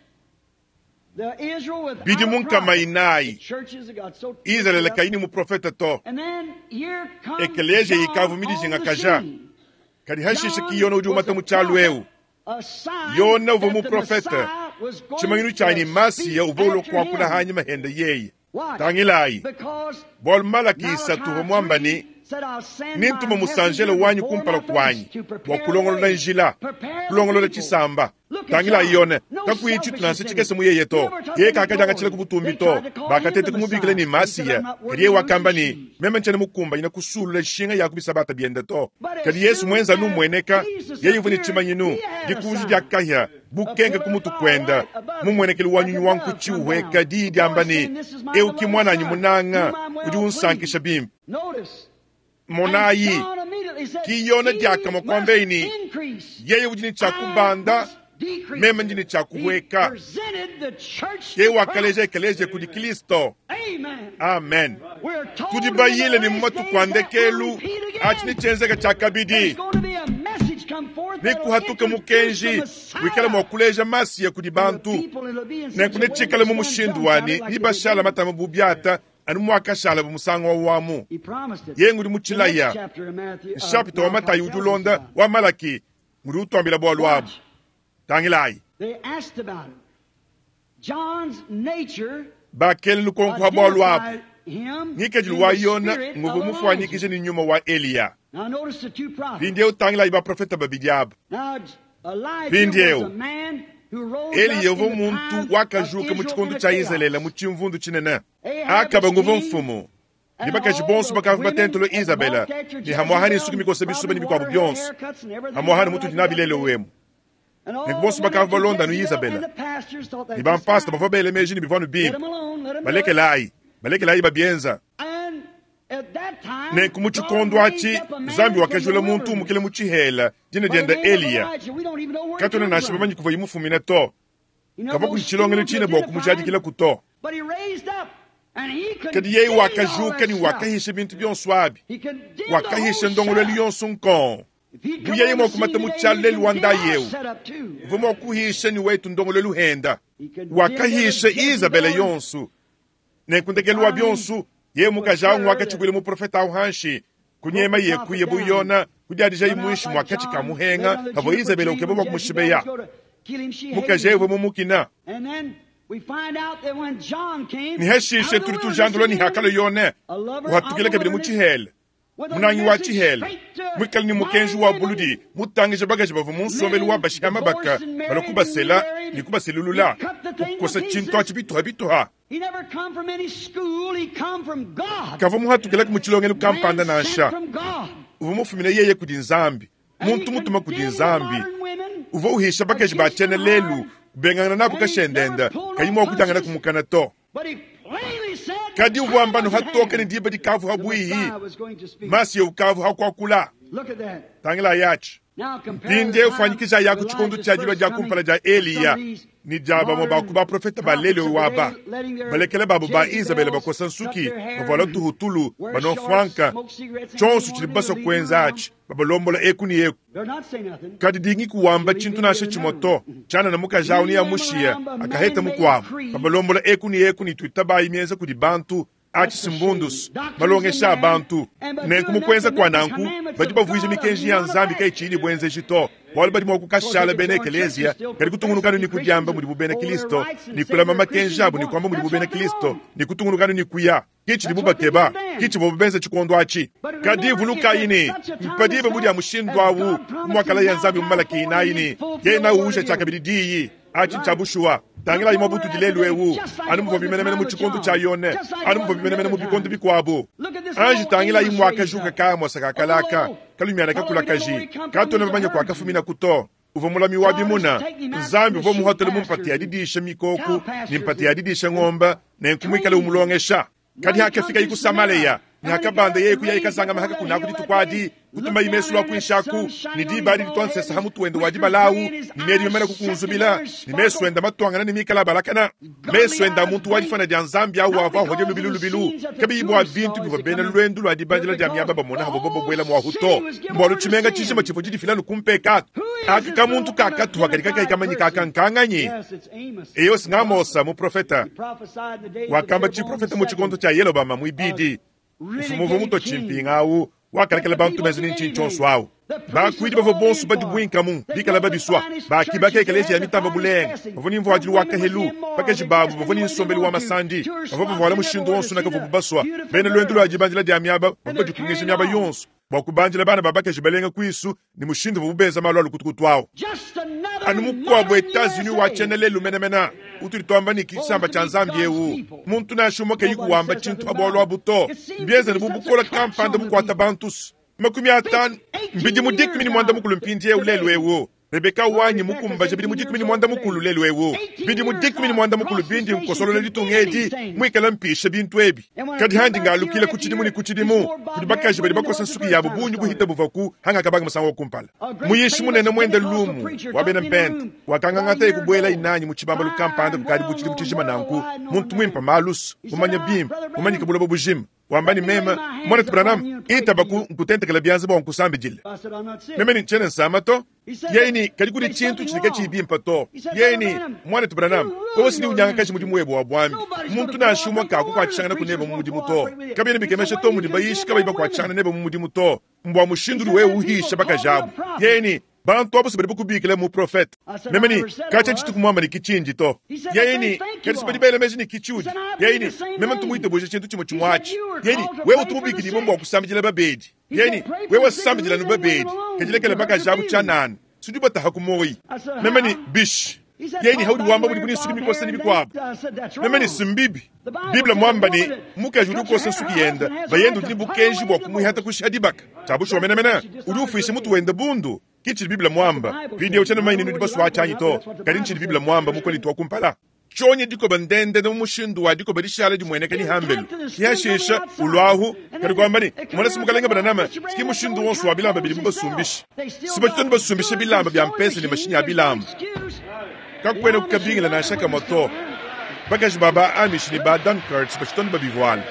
Bidimu 400 Izalele kayi ne muprofete to. Ekeleziya ikavua midijingakaja. Kadi hashishe ki Yona udi umata mu tshialu eu. Yona uvua muprofete, tshimanyinu tshia ne Masiya uvua ulua kuakula hanyima hende yeye. Tangilayi, bualu Malaki 3 uvua muamba ne, Nintuma musanjele wanyi kumpala kuanyi bua kulongolola njila, kulongolola tshisamba. Tangilayi Yone, kakuyi tshitu nansha tshikese mu yeye to. Yeye kakadiangatshila ku butumbi to. Bakateta kumubikila ne Masiya, kadi yeye wakamba ne, Meme ntshiena mukumbanyine kusulula nshinga ya ku bisabata biende to. Kadi Yesu muenza anu umueneka, yeye uvua ne tshimanyinu, dikunji dia kahia, bukenke ku mutu kuenda, mumuenekelu wa nyunyu wa nkutshi uhueka, diyi diamba ne, Eu ki muananyi munanga, udi unsankisha bimpe. Monayi, ki Yona diakamue kuambeyi ne, Yeye udi ne tshia kubanda, meme ndi ne tshia kuhueka. Yeye wakaleja ekeleziya kudi Kristo. Amen. Tudi bayile ne mu matuku a ndekelu atshi ne tshienzeka tshia kabidi. Nekuhatuke mukenji wikale mua kuleja Masiya kudi bantu. Nenku netshikale mu mushindu wa ne nibashala matama bu biata anu muakashala bu musangu wa wamu. Yeye ngudi mu tshilaya. Nshapita wa Matayi udi ulonda wa Malaki ngudi utuambila bualu abu. Tangilayi. Bakela lukonko ha bualu abu. Ngikadilu wa Yona nguvua mufuanyikije ne nyuma wa Eliya. Mpindieu tangilayi baprofete babidi aba. Mpindieu Eliya uvua muntu wakajuka mu tshikondo tshia Izalele mu tshimvundu tshinene. Akaba nguvua mfumu. Ne bakaji bonso bakavua batentelo Izabela ne hamuaha ne nsuki mikosa bisuba ne bikuabu bionso. Hamuaha ne mutudi nabi lelu emu. Ne bonso bakavua balonda anu Izabela. Ne bampasta bavua bele meji ne bivua anu bimpe. Balekelayi, balekelayi babienza. Nenku mu tshikondo atshi Nzambi wakajula muntu umukile mu tshihela dina diende Eliya. Katuena nansha bamanye kuvuaye mufumine to. Kavua kudi tshilongelu tshine bua kumujadikilaku to. Kadi yeye wakajuka ne wakahisha bintu bionso abi. Wakahisha ndongoluelu yonso nkong. Bu yeye mua kumata mu tshialu lelu wa ndayi eu, uvua mua kuhisha ne wetu ndongoluelu henda. Wakahisha Izabela yonso. Nenku ndekelu wa bionso, yeye mukaji awu ngwakatshibuila muprofete awu hanshi, kunyema ye kuya bu Yona, kudiadijayi muinshi mua katshi ka muhenga pavua Izabela ukeba bua kumushibeya. Mukaji eu uvua mumukina. Ne hashishe tudi tujandula ne hakalua Yone, uhatukila kabidi mu tshihela, munangi wa tshihela, muikale ne mukenji wa buludi, mutangije bakaji bavua mu nsombelu wa bashiha mabaka, balua kubasela ne kubaselulula, kukosa tshintu atshi bituha bituha. Kavua muhatukila mu tshilongelu kampanda nansha. Uvua mufumine yeye kudi Nzambi, muntu mutuma kudi Nzambi. Uvua uhisha bakaji ba tshiena lelu, kubengangana nabu kashendenda, kayi mua kutangana kumukana to. Kadi uvua amba hatoke ne diba dikavu habuihi, Masiya ukavu hakuakula. Tangilayi atshi. Mpindieu fuanyikija yaku tshikondo tshia dilua dia kumpala dia Eliya ne dia bamue ba ku baprofete ba lelu waba balekela babu ba Izabela bakosa nsuki, bavuala tuhutulu, banua mfuanka, tshionso tshidi basua kuenza atshi, babalombola eku ne eku. Kadi dingi kuwamba tshintu nansha tshimue to, tshianana mukaji awu ne amushiya akaheta mukuabu, babalombola eku ne eku ne tuitabayi mienza kudi bantu. Atshi simbundus, malongesha a bantu. Nenku mu kuenza kua nanku, badi bavuija mikenji ya Nzambi kayitshiyi ne buenzeji to, bualu badi mua kukashala bena ekeleziya, kadi kutungunukanu ne kudiamba mudibu bena Kristo, ne kulama makenji abu ne kuamba mudibu bena Kristo, ne kutungunukanu ne kuya. Ke tshidibu bakeba, ke tshivuabu benza tshikondo atshi. Kadi vulukayi ne, mpa diba bu dia mushindu awu, bu muakalaya Nzambi mu Malaki 4 ne, Kena uwuja tshiakabidi diyi. Atshi ntshia bushuwa. Tangilayi mua butudi lelu eu, anu muvuabi menemene mu tshikondo tshia Yone, anu muvuabi menemene mu bikondo bikuabu. Anji tangilayi muakajuka kamosa ka kalaka kalumiana kakulakaji, katuena bamanye kuakafuminaku to. Uvua mulami wa bimuna. Nzambi uvua muhatule mu mpata ya didisha mikoko ne mpata ya didisha ngombe, nenku muikale umulongesha. Kadi hakafikaye ku Samaleya, ne hakabanda yeye kuyaye kazangama haka kunaku dituku adi, Kutumayi mesu lwa kwinshi aku, ne diba adi ditua nsesa ha mutu wende wa dibala awu, ne miedi mimane kukunzubila, ne mesu ende matuangana ne mikala abalakana. Mesu ende a muntu wa difana dia Nzambi awu avua ahodya lubilu lubilu, kabiyi bua bintu bivua bena luendu lua dibandila dia miaba bamona havua babuela muahu to, mbualu tshimenga tshijima tshivua tshidifila anu ku mpekatu. Aka kamuntu kakatuha kadi kakayi kamanyika aka nkanganyi? Eyo, s'ng'Amosa muprofeta wakamba tshiprofeta mu tshikondo tshia Yelobama muibidi, mfumu uvua mutua tshimpinga awu wakalekela bantu benza ne ntshinyi tshionso awu. Bakuidi bavua bonso badibuinkamu bikala babisua, bakibaka ekeleziya ya mitamba bulenga, bavua ne mvuadilu wa kahelu, bakaji babu bavua ne nsombelu wa masandi, bavua bavuala mushindu wonso nakavuabu basua. Bena luendu lua dibandila dia miaba bavua badikungisha miaba yonso bua kubandila bana ba bakaji balenga kuisu ne mushindu uvuabu benza malu a lukutukutu awu. Anu mukuabu Etats-Unis wa tshiena lelu menemene utudi tuamba ne ki tshisamba tshia Nzambi eu, muntu nansha umue kayiku wamba tshintu pa bualu abu to. Mbienze anu bu bukole kampanda bukuata bantu 50 mbidimu 14 mpindieu lelu eu. Rebeka wanyi mukumbaje bidimu 15 lelu eu, bidimu 15 bindi nkosolola ditunga edi muikale mpisha bintu ebi. Kadi handi ngalukila ku tshidimu ne ku tshidimu kudi bakaji badi bakosa nsuki yabu bungi buhita buvua ku hangakabanga musangu wa kumpala. Muyishi munene muende lumu wa bena Mpente wakangangata kubuela inanyi mu tshibambalu kampanda kukadi bu tshidimu tshijima nanku, muntu muimpe malusu, mumanye bimpe, mumanyike buloba bujima. Wamba ne, Meme, Muanetu Branham, itaba ku nkutentekela bianza bua nkusambidile. Meme ne, Ntshiena nsama to. Yeye ne, Kadi kudi tshintu tshidi katshiyi bimpe to. Yeye ne, Muanetu Branham, wewe si unyangakaja mudimu webe wa buambi. Muntu nansha umue kakukuatshishangana ku nebe mu mudimu to. Kabiena bikemesha to mudi bayishi kabayi bakuatshishangana nebe mu mudimu to. Mbua mushindu udi wewe uhisha bakaji abu. Yeye ne, Bantu abu si badi bakubikila muprofete. Meme ne, Katshia tshituku muamba ne ki tshindi to. Yeye ne, Kadi si badi bela meji ne ki tshiudi. Yeye ne, Meme ntu muitabuja tshintu tshimue tshimue atshi. Yeye ne, Wewe utu mubikidibue bua kusambidila babedi. Yeye ne, Wewe sambidila anu babedi, kadi lekela bakaji abu tshianana, sudi ubataha ku muoyi. Meme ne, Bishi? Yeye ne, Haudi wamba mudibu ne nsuki mikosa ne bikuabu. Meme ne, Si mbibi. Bible muamba ne, mukaji udi ukosa nsuki yende, bayende udi ne bukenji bua kumuihata kushiha dibaka. Tshia bushuwa menemene, udi ufuisha mutu wende bundu. Ki tshidi Bible muamba. Mpindieu tshiena mumanye ne nudi basue atshi anyi to, kadi ntshidi Bible muamba mu Kolinto wa kumpala. Tshionye dikoba ndendende mu mushindu wa dikoba dishala dimueneka ne hambelu. Ki hashisha uluahu, kadi kuamba ne, Mona si Mukalenge Branham, ki mushindu wonso wa bilamba bidibu basumbisha. Si batshitoni basumbisha bilamba bia mpesa ne mashinyi a bilamba. Kakuena kukabingila nansha kamue to. Bakaji ba ba Amish ne ba Dunkards batshitoni babivuala.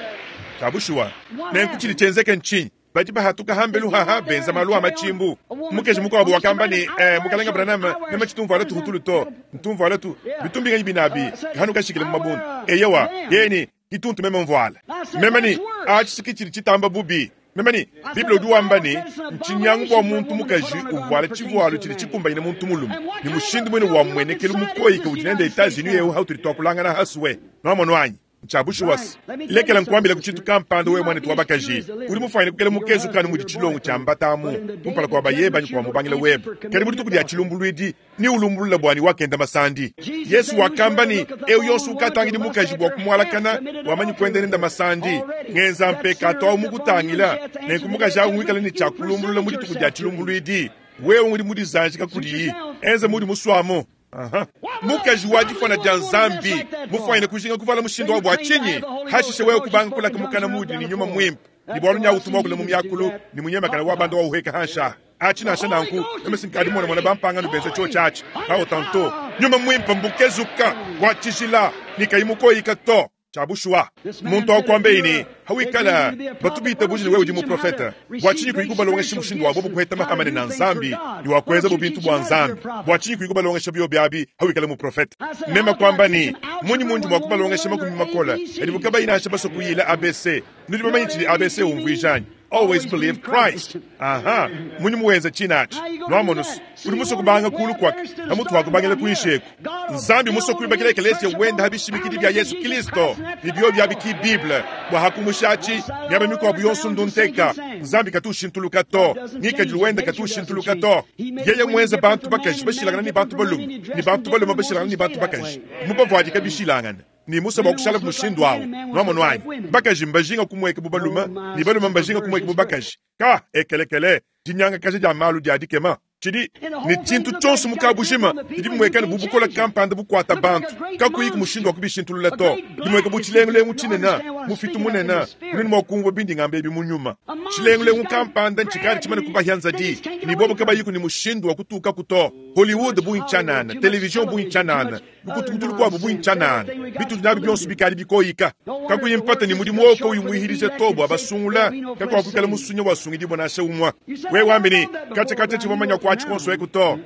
Tshia bushuwa. Nenku tshidi tshienzeke ntshinyi? Badi bahatuka hambelu haha benza malu a matshimbu. Mukeji mukuabu wakamba ne, eh, Mukalenge Branham, meme tshitu mvuala tuhutulu to, ntu mvuala tu bitumbinganyi binabi, kahanu kashikile mu mabundu. Eyowa, yeye ne, kituntu meme mvuala. Meme ne, atshi ki tshidi tshitamba bubi. Meme ne, Bible udi wamba ne, ntshinyangu bua muntu mukaji uvuala tshivualu tshidi tshikumbanyine muntu mulume, ne mushindu muine wa mmuenekelu mukoyike udi nende Etats-Unis eu hautudi tuakulangana hasue. Nuamonu anyi? Ntshia bushuwa se, lekela nkuambilaku tshintu kampanda wewe muanetu wa bakaji. Udi mufuanyine kukela mukezuke anu mudi tshilongo tshia mbata amu kumpala kua bayebe anyi kua mubangila webe. Kadi mu dituku dia tshilumbuluidi, neulumbulule bua ne wakenda masandi. Yesu wakamba ne, Eu yonso ukatangidi mukaji bua kumualakana, wamanyi kuenda nende masandi. Ngenza mpekatu au mukutangila, nenku mukaji au muikale ne tshia kulumbulula mu dituku dia tshilumbuluidi. Wewe udi mudizanjika kudiyi, enza muudi musuamu. Aha. Mukaji wa difona dia Nzambi mufuanyine kujinga kuvala mushindu wa bua tshinyi? Hashishe wewe kubanga kulaka mukana mudi ne nyuma muimpe ne bualu nyawu tumwakula mu miakulu ne munyemakana wa banda wa uheka hansha atshi. Nansha nanku meme sinkadi mona mona bampangano benza tshiotshi atshi awo tanto nyuma muimpe mbukezuka wa tshijila ne kayi mukoyika to. Tshia bushuwa, muntu wa kuambeyi ne, hawikala batu bitabuje ne wewe udi muprofete, bua tshinyi kuyi kubalongesha mushindu wa bobu kuheta mahamane na Nzambi ne wa kuenza bo bintu bua Nzambi? Bua tshinyi kuyi kubalongesha biobi abi hawikala muprofete? Meme kuamba ne, munyi mundi mua kubalongesha makumi makole adibu kabayi nansha basue kuyila ABC? Nudi bamanye tshidi ABC umvuija anyi? Always believe Christ. Aha, munyi muwenza tshinatshi? Nwamonu, udi musue kubanga kulu kwaka pamutu wa kubangila kuinshi eku. Nzambi musue kuibakila ekeleziya wende ha bishimikidi bia Yesu Kristo ne biobi abi ki Bible. Bua hakumushatshi miaba mikuabu yonso ndunteka. Nzambi katu ushintuluka to, ngikadilu wende katu ushintuluka to. Yeye muenze bantu bakaji bashilangane ne bantu balume ne bantu balume bashilangane ne bantu bakaji, mubavuadika bishilangane. Ne musue bua kushala mushindu awu. Nwamonu anyi? Bakaji mbajinga kumueka bu balume ne balume mbajinga kumueka bu bakaji. Ka ekelekele, dinyangakaja dia malu dia dikema. Tshidi ne tshintu tshionso mu kabujima bidi bimueka ne bu bukole kampanda bukuata bantu, kakuyi ku mushindu wa kubishintulula to. Bimueka bu tshilengulengu tshinene, mufitu munene, nudi mua kumvua bindi ngamba ebi mu nyuma. Tshilengulengu kampanda ntshikale tshimane kubahia nzadi, ne bobo kabayiku ne mushindu wa kutukaku to. Hollywood bungi tshianana, television bungi tshianana, lukutukutu lukuabu bungi tshianana, bitudi nabi bionso bikadi bikoyika. Kakuyi mpata ne mudimu wowo kauyi muihilija to bua basungula, kakuakuikala musunya wasungidibua nansha umue. Wewe wambi ne, katshia katshia tshivua manya kuatshi kuonso eku to.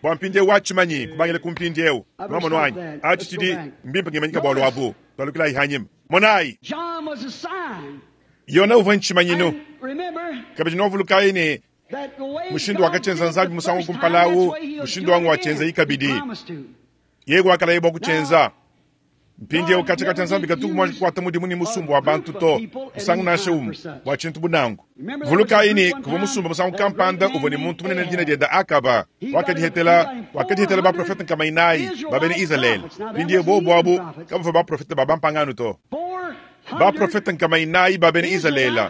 Bua mpindieu watshimanyi kubangila ku mpindieu. Nwamonu anyi? Atshi tshidi mbimpe ngimanyika bualu abu. Tualukilayi hanyima. Monayi. Yona uvua ntshimanyinu. Kabidi nwavulukayi ne mushindu wakatshyenza Nzambi musangu kumpala awu, mushindu wangu watshienzayi kabidi. Yeye wakalaye bua kutshienza. Mpindieu katshia katshia Nzambi katuku mua kukuata mudimu ne musumba wa bantu to, musangu nansha umue, bua tshintu bunangu. Vulukayi ne kuvua musumba musangu kampanda uvua ne muntu munene dina diende Akaba, wakadihetela, wakadihetela baprofete nkama inayi ba bena Izalele. Mpindieu bobu abu kabavua baprofete ba bampangano to. Baprofete nkama inayi ba bena Izalele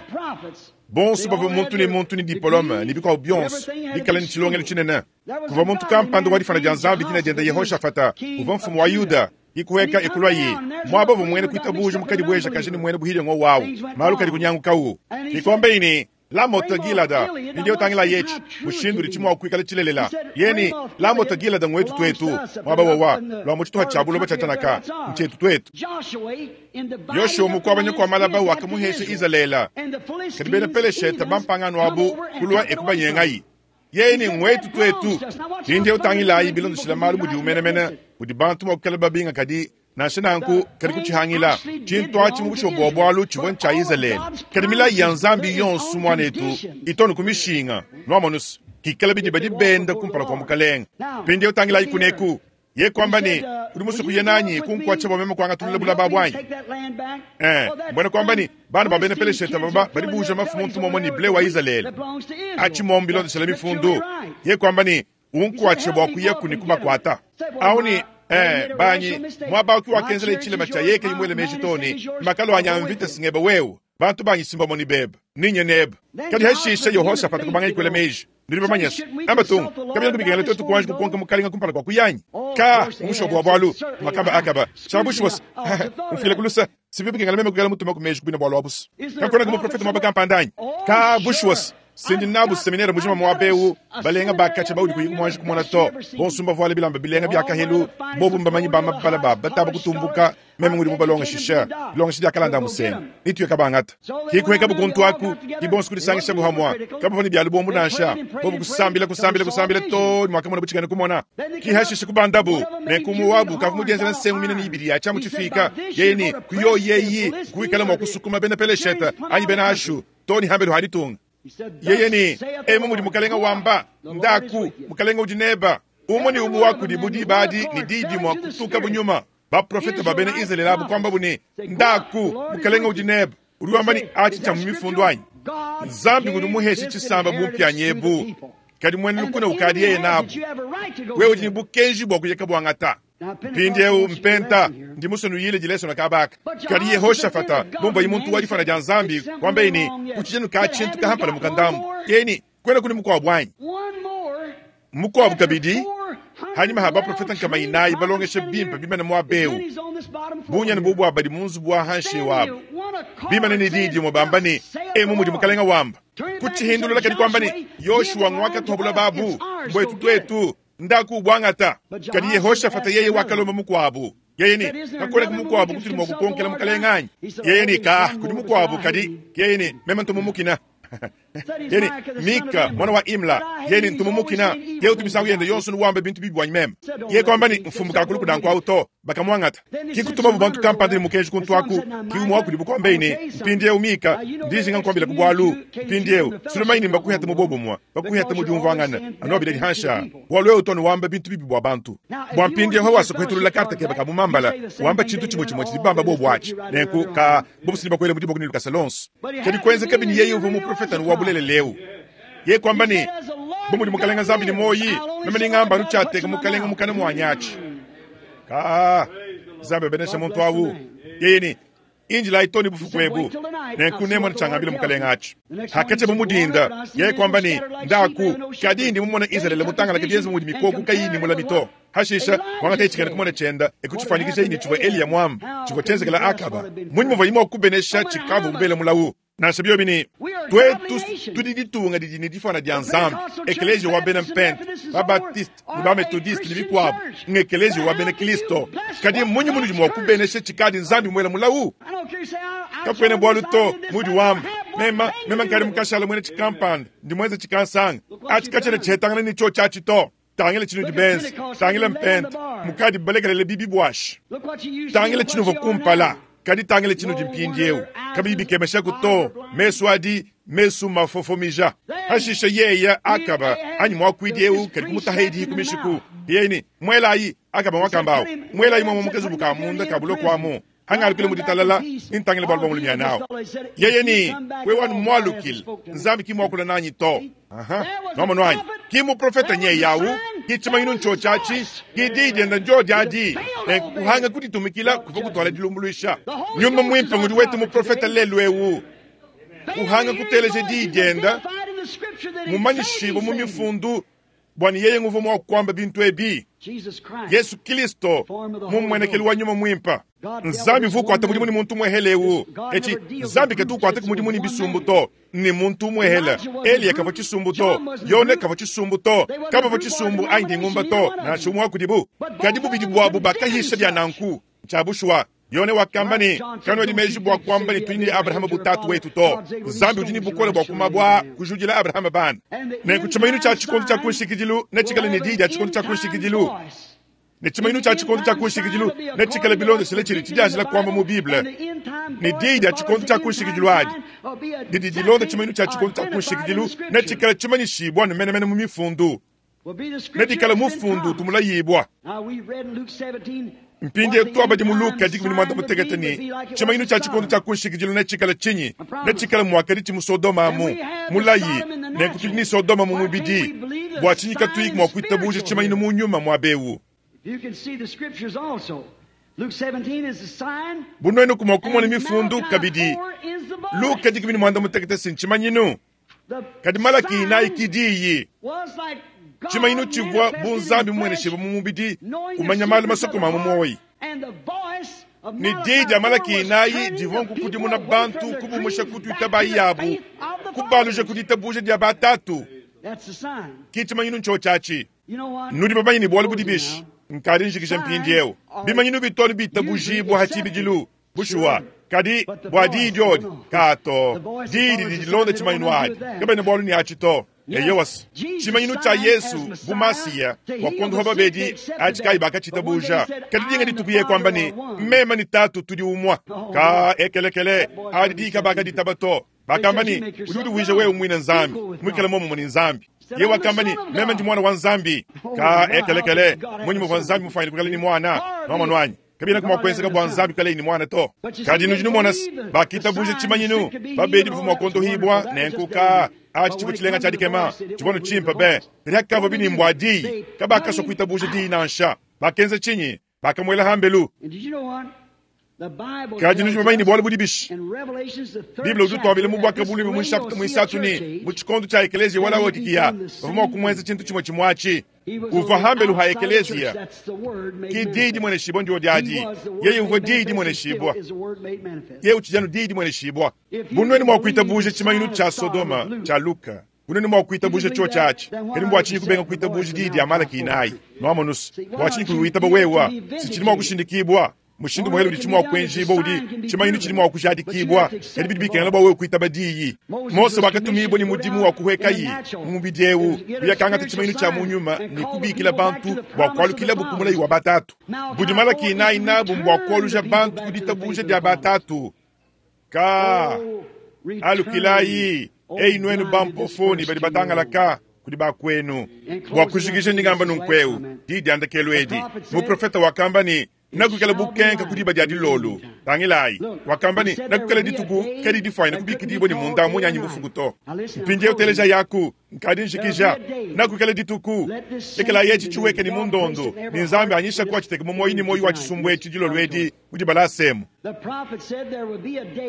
bonso bavua muntu ne muntu ne diplome ne bikuabu bionso, bikale ne tshilongelu tshinene. Kuvua muntu kampanda wa difana dia Nzambi dina diende Yehoshafata, uvua mfumu wa Yuda. Ikuheka ekulwaye mwaba uvua mwene kuitabuja mukadibueja kaji ne mwene buhile ngo wawu malu kadi kunyangukawu. Ikombe ini Lamote Gilada mpindieu tangila yetshi mushindu udi tshimua kuikala tshilelela. Yeni Lamote Gilada ngwetu twetu mwaba wawa lwa mu tshituha tshia buloba tshia Tanaka ntshietu twetu. Yoshua mukuabanya kua malaba wakamuhesha Izalele kadi bena Peleshete bampangano abu kulua ekubanyengayi. Yeni ngwetu twetu. Mpindieu tangilayi bilondeshila malu mudi umenemene mudi bantu mua kukala babinga kadi nansha nanku kadi kutshihangila tshintu atshi mu bushuwa bua bualu tshivua ntshia Izalele. Kadi milayi ya Nzambi yonso muanetu itonu ku mishinga nwamonusu kikala bidi badi benda kumpala kua mukalenge. Mpindieu tangilayi kuneku ye kwamba ne udi musue kuya nanyi kunkuatsha bua meme kuangatulula bulaba buanyi. Mbona kwamba ne bana ba bena Peleshete baba badi buuja mafu muntu momwe ne ble wa Izalele. Atshi mombi bilondeshela mifundu ye kwamba ne unkuatshe bua kuya kuni kumakuata. Awu ne banyi mwaba uki wakenzela tshilema tshia yeke imwele meji toni makalo anya mvita singeba wewe bantu banyi simba moni beba ninye neba. Kadi hashisha Yehoshafata kubanga ikwele meji. Ndiri bamanyasa amba tungu kabila kubikengela twetu kuanji kukonka mukalinga kumpala kwa kuyanyi ka umushobo wa bwalu makamba akaba chabushi wasa umfile kulusa sivi bikengela meme kukela mutuma kumeji kubina bwalu abusu kakona kumuprofeta mwaba kampandanyi ka bushi wasa sindi nabu seminere mujima mwabeu balenga bakacha baudi kuyiku mwanji kumona to bonsumba voale bilamba bilenga byakahelu bobu mbamanyi bamabala baba taba kutumbuka meme ngudi mubalonga shisha bilonga shidi akalanda musenga nituye kabangata kikuheka bukuntu aku kibonso kudisangisha buhamwa kabavua ne byalu bombu nansha bobu kusambila kusambila kusambila to mwakamona butshikane kumona kihashisha kubandabu nenkumu wabu kavu mudienzela nsengu minene ibidi ya tshiamu tshifika yeye ni kuyo yeyi kuikala mua kusukuma bena Peleshete anyi bena Ashu to ni hambelu haditunga. Yeye ni emu mudi mukalenga wamba ndaku mukalenga udi neba umwe ni umu wakudi budi badi ni didi mwa kutuka bunyuma baprofeta ba bena Izalele abu kwamba bune ndaku mukalenga udi neba udi wamba ni achi tsha mu mifundu anyi Nzambi ngudi muheshe tshisamba bumpyanyi ebu kadi mwene lukuna ukadi yeye nabu wewe udi ni bukenji bua kuyeka bwangata. Mpindieu mpenta ndi musonuyile dileso kabaka kadi Yehoshafata bumva muntu wa difana dia Nzambi kwamba ini kuchijenu ka tshintu kahampala mukandambu keni kwena kuni mukwabu anyi mukwabu kabidi hanyuma ha baprofeta nkama inayi balongesha bimpe bimene mwabeu bunyani bubwa badi mu nzubu wa hanshe wabo bimene ne didi mubamba ne emu mudi mukalenga wamba kuchihindulula kadi kwamba ne Yoshua ngwakatuhabula babu mbwetu twetu ndaku bwangata kadi Yehoshafata yeye wakalomba mukwabu yeye ni kakoleka mukwabu kutuli mwa kukonkela mukalenga anyi yeye ni ka kudi mukwabu kadi yeye ni meme ntumumukina yeye ni Mika mwana wa Imla yeye ni ntumumukina yeye utumisangu yende yonso nuwambe bintu bibwanyi meme yeye kwamba ni mfumbuka akulu kudankwa auto bakamwangata kikutuma bubantu kampanda ni mukenji kuntwaku kiumwa kudi bukwambe ni mpindieu Mika ndijinga nkwambila kubwalu mpindieu Sulemani mbakuheta mubobomwa bakuheta mudiumvangana anobile dihansha bwalu eu tonu wamba bintu bibi bwa bantu bwa mpindieu hawasa kuhetulula karta keba kamumambala wamba tshintu chimwe chimwe chidibamba bobwachi nenku ka bobusili bakwele mudibo kuni lukasa lonso kadi kwenza kabini yeye uva muprofeta nuwabulele leu ye kwamba ni bomudi mukalenga Nzambi ni moyi meme ningamba nutshateka mukalenga mukana mwanyachi ka Nzambi abenesha muntu awu yeye ni injila itoni bufuku ebu Nenku nemone tshiangambila mukalenga atshi. Hakatshia mu dinda, yeye kuamba ne, Ndaku, kadi ndi mumone Izalele mutangalake bienze bu mudi mikoko kayiyi ne mulami to. Hashisha, kuangataye tshikena kumona tshienda e kutshifuanyikijaye ne tshivua Eliya muambe tshivua tshienzekela Akaba. Mmunyi muvuaye mua kubenesha tshikavua mubele mulawu? Nansha biobi ne, tuetu tudi ditunga didi ne difuana dia Nzambi, ekeleziya wa bena Mpente, ba-Baptiste ne ba-Methodiste ne bikuabu, ng'ekeleziya wa bena Kristo. Kadi mmunyi munudi mua kubenesha tshikadi Nzambi muele mulawu? Kakuena bualu to, mudi wamba, mema, mema nkadi mukashala muena tshikampanda, ndi muenze tshikansanga. Atshi katshiena tshihetangana ne tshiotshi atshi to. Tangila tshinudi benze, tangila mpente, mukadi balekelele bibi buashi. Tangila tshinuvua kumpala, kadi tangila tshinudi mpindieu. Kabiyi bikemeshaku to, mesu adi mesu mafofomija. Hashishe yeya Akaba anyi muakuidi eu kadi kumutaha ku mishiku. Yeye ne, Muelayi, Akaba wakamba awu, muelayi muamua mu kazubu ka munda ka buloko amu. Hangalukile mu ditalala, nintangile bualu bua mulumyana awu. Yeye ne, Wewe anu mualukile, Nzambi ki muakula nanyi to. Aha, nwamonu anyi? Ki muprofeta nyeye awu, ki tshimanyinu ntshiotshi atshi, ki diyi dienda ndyodi adi. Nenku kuhanga kuditumikila kuvua kutuala dilumbuluisha. Nyuma Muimpe ngudi wetu muprofeta lelu eu. Kuhanga kuteleja diyi dienda, mumanyishibue mu mifundu bua ne yeye nguvua mua kuamba bintu ebi. Yesu Kristo mu mmuenekelu wa Nyuma Muimpe. Nzambi uvua ukuata mudimu ne muntu umuehele eu. Etshi, Nzambi katu ukuata mudimu ne bisumbu to, ne muntu umuehele. Eliya kavua tshisumbu to, Yone kavua tshisumbu to, kabavua tshisumbu anyi dingumba to, nansha umue wa kudibu. Kadi bubidi buabu bakahisha bia nanku. Ntshia bushuwa. Yone wakamba ne, Kanuedi meji bua kuamba ne tudi ne Abrahama bu tatu wetu to. Nzambi udi ne bukole bua ku mabue aa kujudila Abrahama bana. Nenku tshimanyinu tshia tshikondo tshia ku nshikidilu netshikale ne diyi dia tshikondo tshia ku nshikidilu, ne tshimanyinu tshia tshikondo tshia ku nshikidilu netshikale bilondeshile tshidi tshidianjila kuamba mu Bible. Ne diyi dia tshikondo tshia ku nshikidilu adi didi dilonda tshimanyinu tshia tshikondo tshia ku nshikidilu netshikale tshimanyishibua ne menemene mu Mifundu. Nedikale mufundu utu mulayibua. Mpindieu tuabadi mu Luka 16 ne, tshimanyinu tshia tshikondo tshia ku nshikidilu netshikale tshinyi? Netshikale muakaditshi mu Sodoma amu. Mulayi, nenku tudi ne Sodoma mu mubidi. Bua tshinyi katuyi mua kuitabuja tshimanyinu mu nyuma muaba eu? Bu nuenu mua kumona mifundu kabidi, Luka 16 si ntshimanyinu? Kadi Malaki inayi ki diyi. Tshimanyinu tshivua bu Nzambi mumueneshibue mu mubidi, kumanya malu masokome a mu muoyi. Ne diyi dia Malaki inayi divua nkukudimuna bantu, kubumusha ku tuitabayi yabu, kubaluja ku ditabuja dia batatu. Ki tshimanyinu ntshiotshi atshi. Nudi bamanye ne bualu budi bishi? Nkadi njikija mpindieu. Bimanyinu bitu anu bitabujibua ha tshibidilu. Bushuwa, kadi bua diyi diodi, kaa to. Diyi didi dilonda tshimanyinu adi, kabena bualu ne atshi to. Eyowa, tshimanyinu tshia Yesu bu Masiya bua kuondopa babedi atshi kayi bakatshitabuja. Kadi dinga dituku yeye kuamba ne, Meme ne Tatu tudi umue. Kaa ekelekele, adi diyi kabakaditaba to. Bakamba ne, Udi udivuija wewe muine Nzambi, muikale muomumue ne Nzambi. Yeye wakamba ne, Meme ndi Muana wa Nzambi. Kaa ekelekele, mmunyi muvua Nzambi mufuanyine kuikala ne muana? Nwamonu anyi? Kabienaku mua kuenzeka bua Nzambi kuikalaye ne muana to. Kadi nudi numona se, bakitabuja tshimanyinu, babedi bavua mua kuondohibua, nenku kaa, atshi tshivua tshilenga tshia dikema, tshivua anu tshimpe be. Kadi hakavua binimbu a diyi, kabakasua kuitabuja diyi nansha. Bakenza tshinyi? Bakamuela hambelu. Kadi nudi bamanye ne bualu budi bishi? Bible udi utuambila mu Buakabuluibua mu nshapita muisatu ne, mu tshikondo tshia ekeleziya wa Laodikiya bavua mua kumuenza tshintu tshimue tshimue atshi. Uvua hambelu ha ekeleziya, ki diyi dimueneshibua ndio diadi. Yeye uvua diyi dimueneshibua. Yeye utshidi anu diyi dimueneshibua. Bu nuenu mua kuitabuja tshimanyinu tshia Sodoma tshia Luka, bu nuenu mua kuitabuja tshiotshi atshi, kadi mbua tshinyi kubenga kuitabuja diyi dia Malaki inayi? Nuamonu se, bua tshinyi kuyi witaba wewa? Si tshidi mua kushindikibua. Mushindu muhele udi mua kuenjibua udi tshimanyinu tshidi mua kujadikibua, kadi bidi bikengela bua wewe kuitaba diyi. Mose wakatumibua ne mudimu wa kuhuekayi mu mubidi eu, kuyakangata tshimanyinu tshia mu nyuma ne kubikila bantu bua kualukilabu ku mulayi wa batatu. Budi Malaki inayi nabu mbua kualuja bantu ku ditabuja dia batatu. Ka alukilayi, eyi nuenu bampofo ne badi batangalaka kudi bakuenu. Bua kujikija ndi ngamba nunku'eu, diyi dia ndekelu edi. Muprofete wakamba ne, Nakuikala bukenka ku diba dia dilolo. Tangilayi, wakamba ne, Nakuikala dituku kadi difwanyine kubikidibua ne munda munya anyi bufuku to. Mpindieu telejayaku, nkadi njikija. Nakuikala dituku. Lekelayi eci tshiweke ne mu ndondo, ne Nzambi anyisha ku atshiteke mu muoyo ne muoyo wa tshisumbu etshi dilolo edi mu dibala asemu.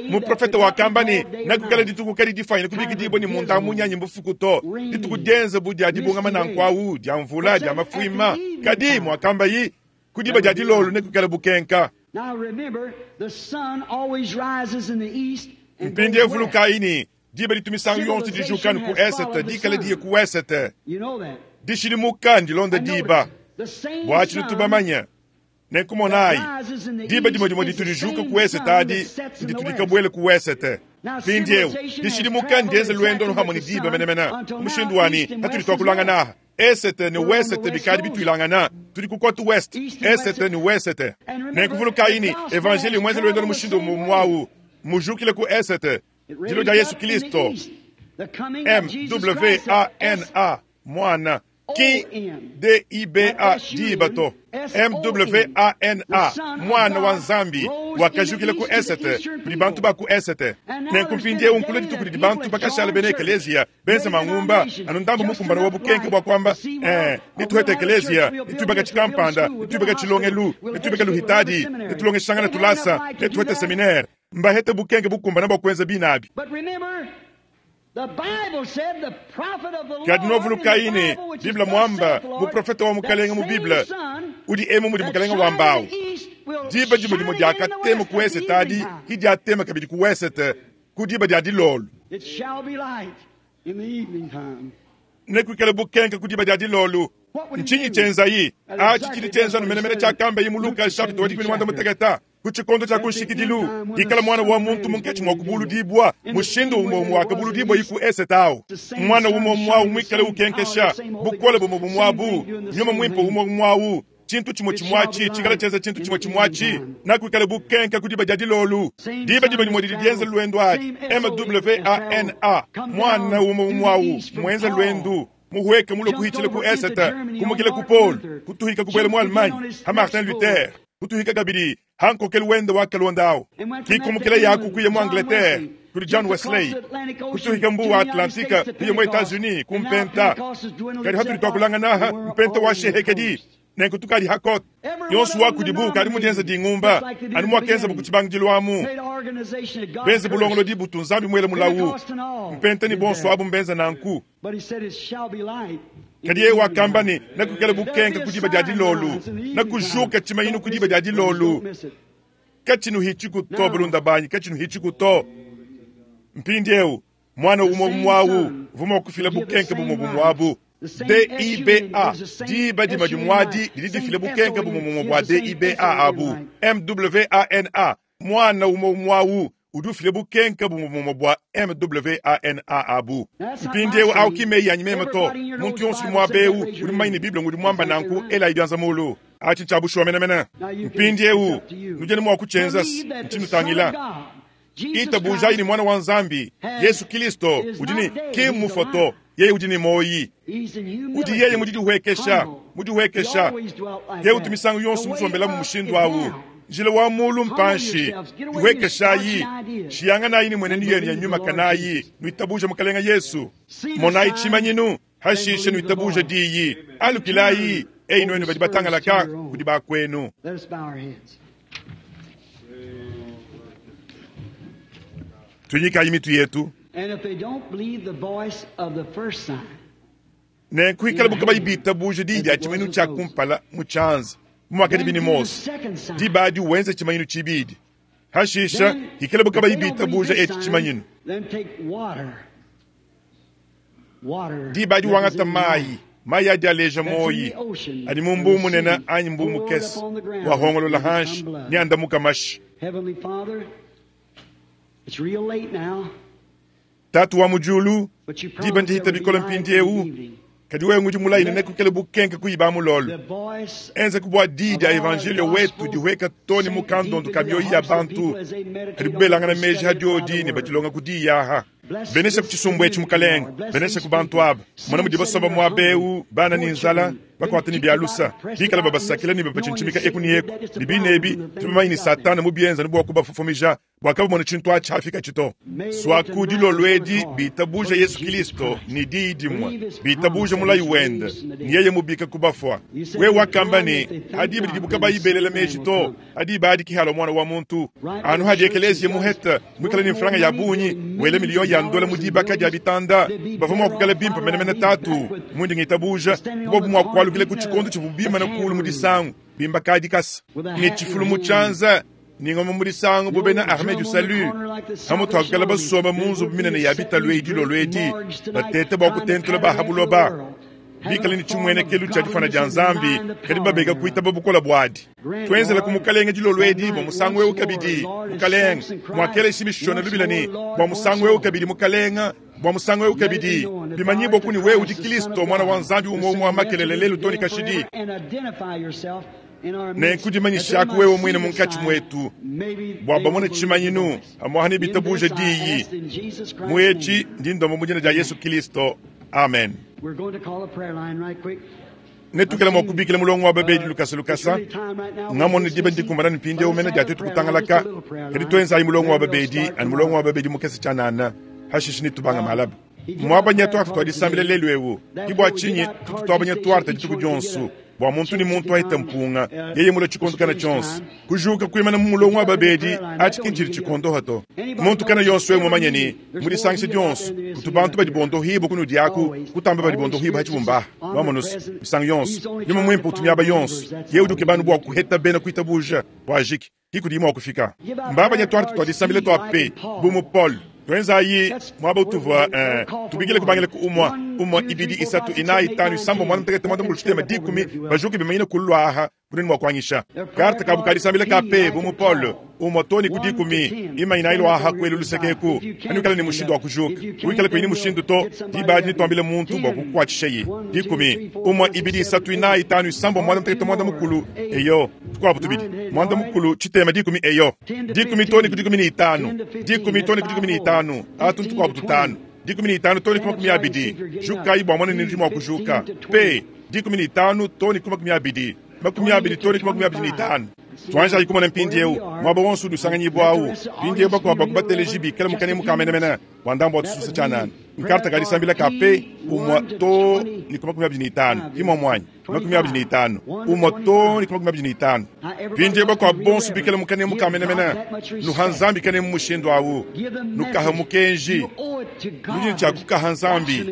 Muprofete wakamba ne, Nakuikala dituku kadi difwanyine kubikidibua ne munda munya anyi bufuku to, dituku dienze bu dia dibungama nanku awu, dia mvula, dia mafuima. Kadi, muakambayi, ku diba dia dilolo nekuikale bukenka. Mpindieu vulukayi ne, diba ditu misangu yonso dijuka anu ku esete, dikale diye ku wesete. Dishidimuka ndilonda diba. Bua tshintu tubamanye. Nenku monayi, diba dimue dimue ditu dijuka ku esete adi nditu dikabuele ku wesete. Mpindieu, dishidimuka ndienze luendo anu hamue ne diba menemene, mu mushindu wa ne, patudi tuakulangana aha, Esete ne wesete bikadi bituilangana, tudi ku kote west, esete ne wesete. Nenku vulukayi ne, Evanjeliyo muenze luendo anu mushindu umue umue awu, mmujukile ku esete, dilua dia Yesu Kilisto, M-w-a-n-a, Muana, ki D-i-b-a, diba to, M-w-a-n-a, Muana wa Nzambi, wakajukila ku esete, kudi bantu ba ku esete. Nenku mpindiewu nkulua dituku didi bantu bakashala bena ekeleziya benze mangumba anu ndambu mukumbana wa bukenke bua kuamba, Ee, netuhete ekeleziya, netuibaka tshikampanda, netuibaka tshilongelu, netuibaka luhitadi, netulongeshangana tulasa, netuhete seminere. Mbahete bukenke bukumbana bua kuenza binabi. Kadi nuavulukayi ne, Bible muamba, muprofete wa Mukalenge mu Bible, udi emu mudi Mukalenge wamba awu. Diba dimue dimue diakatema ku esete adi ki diatema kabidi ku wesete ku diba dia dilolo. Nekuikale bukenke ku diba dia dilolo. Ntshinyi tshienzayi? Atshi tshidi tshienza anu menemene tshiakambaye mu Luka nshapita wa 16. Ku tshikondo tshia ku nshikidilu, hikala Muana wa muntu munkatshi mua kubuludibua, mushindu umue umue wakabuludibuayi ku esete au, Muana umue umue au muikale ukenkesha, bukole bumue bumue abu, Nyuma Muimpe umue umue au, tshintu tshimue tshimue atshi tshikale tshienza tshintu tshimue tshimue atshi, nakuikale bukenke ku diba dia dilolu. Diba dimue dimue didi dienza luendu adi, M-w-a-n-a, Muana umue umue au muenze luendu, muhueke mulue kuhitshila ku esete, kumukila ku Paul, kutuhika kubuela mu Allemagne, ha Martin Luther, kutuhika kabidi ha nkokelu wende wakalonda au, kikumukila yaku kuya mu Angleterre kudi John Wesley, kutuhika mbu wa Atlantique kuya mu Etats-Unis ku mpenta. Kadi hatudi tuakulangana aha mpenta wa shehekedi, nenku tukadi ha kote yonso wa kudibu ukadi mu dienza dingumba anu muakenzabu ku tshibangidilu amu, benze bulongolodi butu Nzambi muele mulawu. Mpenta ne bonso abu mbenza nanku. Kadi yeye wakamba ne, Nakuikala bukenke ku diba dia dilolu, nakujuka tshimanyinu ku diba dia dilolu. Katshinuhitshiku to, balunda banyi, katshinuhitshiku to. Mpindieu muana umue umue au uvua mua kufila bukenke bumue bumue abu. DIBA, diba dimue dimue adi didi difila bukenke bumue bumue bua DIBA abu. MWANA, Muana umue umue au udi ufila bukenke bumue bumue bua MWANA abu. Mpindieu au ki meyi anyi meme to. Muntu yonso udi muaba eu udi mumanye ne Bible ngudi muamba nanku, elayi bianza mulu. Atshi ntshia bushuwa menemene. Mpindieu nudi anu mua kutshienza ntshinutangila. Itabujayi ne Muana wa Nzambi, Yesu Kilisto, udi ne ki mmufue to, yeye udi ne muoyi. Udi yeye mu didihuekesha, mudihuekesha. Ke utu misangu yonso musombelamu mushindu au. Njila wa mulu mpanshi, dihuekeshayi, shiyanganayi ne mmuenenu yenu ya nyuma kanayi, nuitabuja Mukalenge Yesu. Monayi tshimanyinu, hashishe nuitabuja diyi. Alukilayi, eyi nuenu badi batangalaka kudi bakuenu. Tuinyikayi mitu yetu. Nenku hikalabu kabayi bitabuja diyi dia tshimanyinu tshia kumpala mu tshianza bu muakadi ne Mose, diba adi wenze tshimanyinu tshibidi. Hashisha hikalabu kabayi bitabuja etshi tshimanyinu, diba adi wangata mayi, mayi adi aleja muoyi, adi mu mbuu munene anyi mbuu mukese, wahongolola hanshi ne andamuka mashi. Tatu wa mu diulu, diba ndihita bikole mpindieu, kadi wewe ngudi mulayi ne nekuikale bukenke kuiba mulolo. Enza ku bua diyi dia evanjelio wetu dihueka to ne mu kandondu ka mioyo ya bantu kadi belangana meji ha diodi ne badilonga ku diyi aha. Benesha ku tshisumbu etshi, Mukalenge, benesha ku bantu aba. Mona mudi basomba muaba eu, bana ne nzala, Bakuata ne bia lusa, bikala babasakila ne babatshintshimika eku ne eku, ne bine ebi tudi bamanye ne Satana mubienza anu bua kubafofomija bua kabamona tshintu atshi hafikatshi to. Suaku dilolo edi bitabuja Yesu Kilisto ne diyi dimue, bitabuja mulayi wende, ne yeye mubika ku bafua. Wewe wakamba ne, Ha diba didibu kabayi belela meji to, ha diba adi ki halua Muana wa muntu. Anu hadi ekeleziya muhete muikale ne mfranga ya bungi, wela miliyo ya ndola mu dibaka dia bitanda, bavua mua kuikala bimpe menemene Tatu, mundi ngitabuja, bobu mua kualukila ku tshikondo tshivuabu bimane kulu mu disangu, bimba ka dikasa, ne tshifulu mu tshianza, ne ngoma mu disangu bu bena Armee du Salut. Pamutu pa kuikala basomba mu nzubu minene ya bitalu eyi dilolo edi, batete bua kutentula ba ha buloba, bikale ne tshimuenekelu tshia difuana dia Nzambi, kadi babega kuitaba bukole buadi. Tuenzelaku Mukalenge dilolo edi bua musangu eu kabidi, Mukalenge, muakela Shimishona lubila ne, Bua musangu eu kabidi, Mukalenge, bua musangu eu kabidi, bimanyibua ku ne wewe udi Kilisto, Muana wa Nzambi umue umue wa makelele lelu too ne kashidi. Nenku dimanyishaku wewe muine munkatshi muetu, bua bamone tshimanyinu amuaha ne bitabuja diyi. Mu etshi ndi ndomba mu dina dia Yesu Kilisto. Amen. Netuikale mua kubikila mulongo wa babedi lukasa lukasa. Ngamona diba ndikumbana ne mpindieu mene dia tuetu kutangalaka, kadi tuenzayi mulongo wa babedi anu mulongo wa babedi mukese tshianana, hashishe netubanga malaba. Muabanya tuarte tua disambila lelu eu, ke bua tshinyi tutu tuabanya tuarte dituku dionso, bua muntu ne muntu ahete mpunga, yeye mulue tshikondo kana tshionso. Kujuka kuimana mu mulongo wa babedi atshi ki ntshidi tshikondoha to. Muntu kana yonso eu mumanye ne, mu disangisha dionso kutu bantu badi bondohibua kunudi aku, kutamba badi bondohibua ha tshibumba aha. Nuamonu's, misangu yonso, Nyuma Muimpe utu miaba yonso. Yeye udi ukeba anu bua kuheta bena kuitabuja bua ajike. Ki kudiyi mua kufika. Mbabanya tuarte tua disambila tua pe, bu mu Paul. Tuenzayi muaba utuvua, eh, tubikile kubangila ku umua, umua, ibidi, isatu, inayi, itanu, isambombo, muanda mutekete, muanda mukulu, tshitema, dikumi, bajuke bimanyine kulu aha, bunene mua kuanyisha. Karte kabu ka disambila ka pe, bu mu Paul, umua too ne ku dikumi, imanyinayi lua aha kuelu luseke eku, anuikale ne mushindu wa kujuka. Wikale kuyi ne mushindu to, diba adi netuambile muntu bua kukukuatshishaye. Dikumi, umua, ibidi, isatu, inayi, itanu, isambombo, muanda mutekete, muanda mukulu, eyo. Tukuabu tubidi, muanda mukulu, tshitema, dikumi, eyo, dikumi too ne ku 15, dikumi too ne ku 15, atu ntukuabu tutanu, 15 too ne ku 20, jukayi bua mona ne nudi mua kujuka, pe, 15 too ne ku 20, 20 too ne ku 25. Tuanjayi kumona mpindieu muaba wonso udi usanganyibua au. Mpindieu bakuabu ba ku bateleji bikale mu kanemu ka menemene bua ndambu wa tususa tshianana. Nkarta ka disambila ka pe umue too ne ku 25, ki muomu anyi? 25, umue too ne ku 25. Mpindieu bakuabu bonso bikale mu kanemu ka menemene, nuha Nzambi kanemu mushindu au, nukaha mukenji. Nudi ne tshia kukaha Nzambi,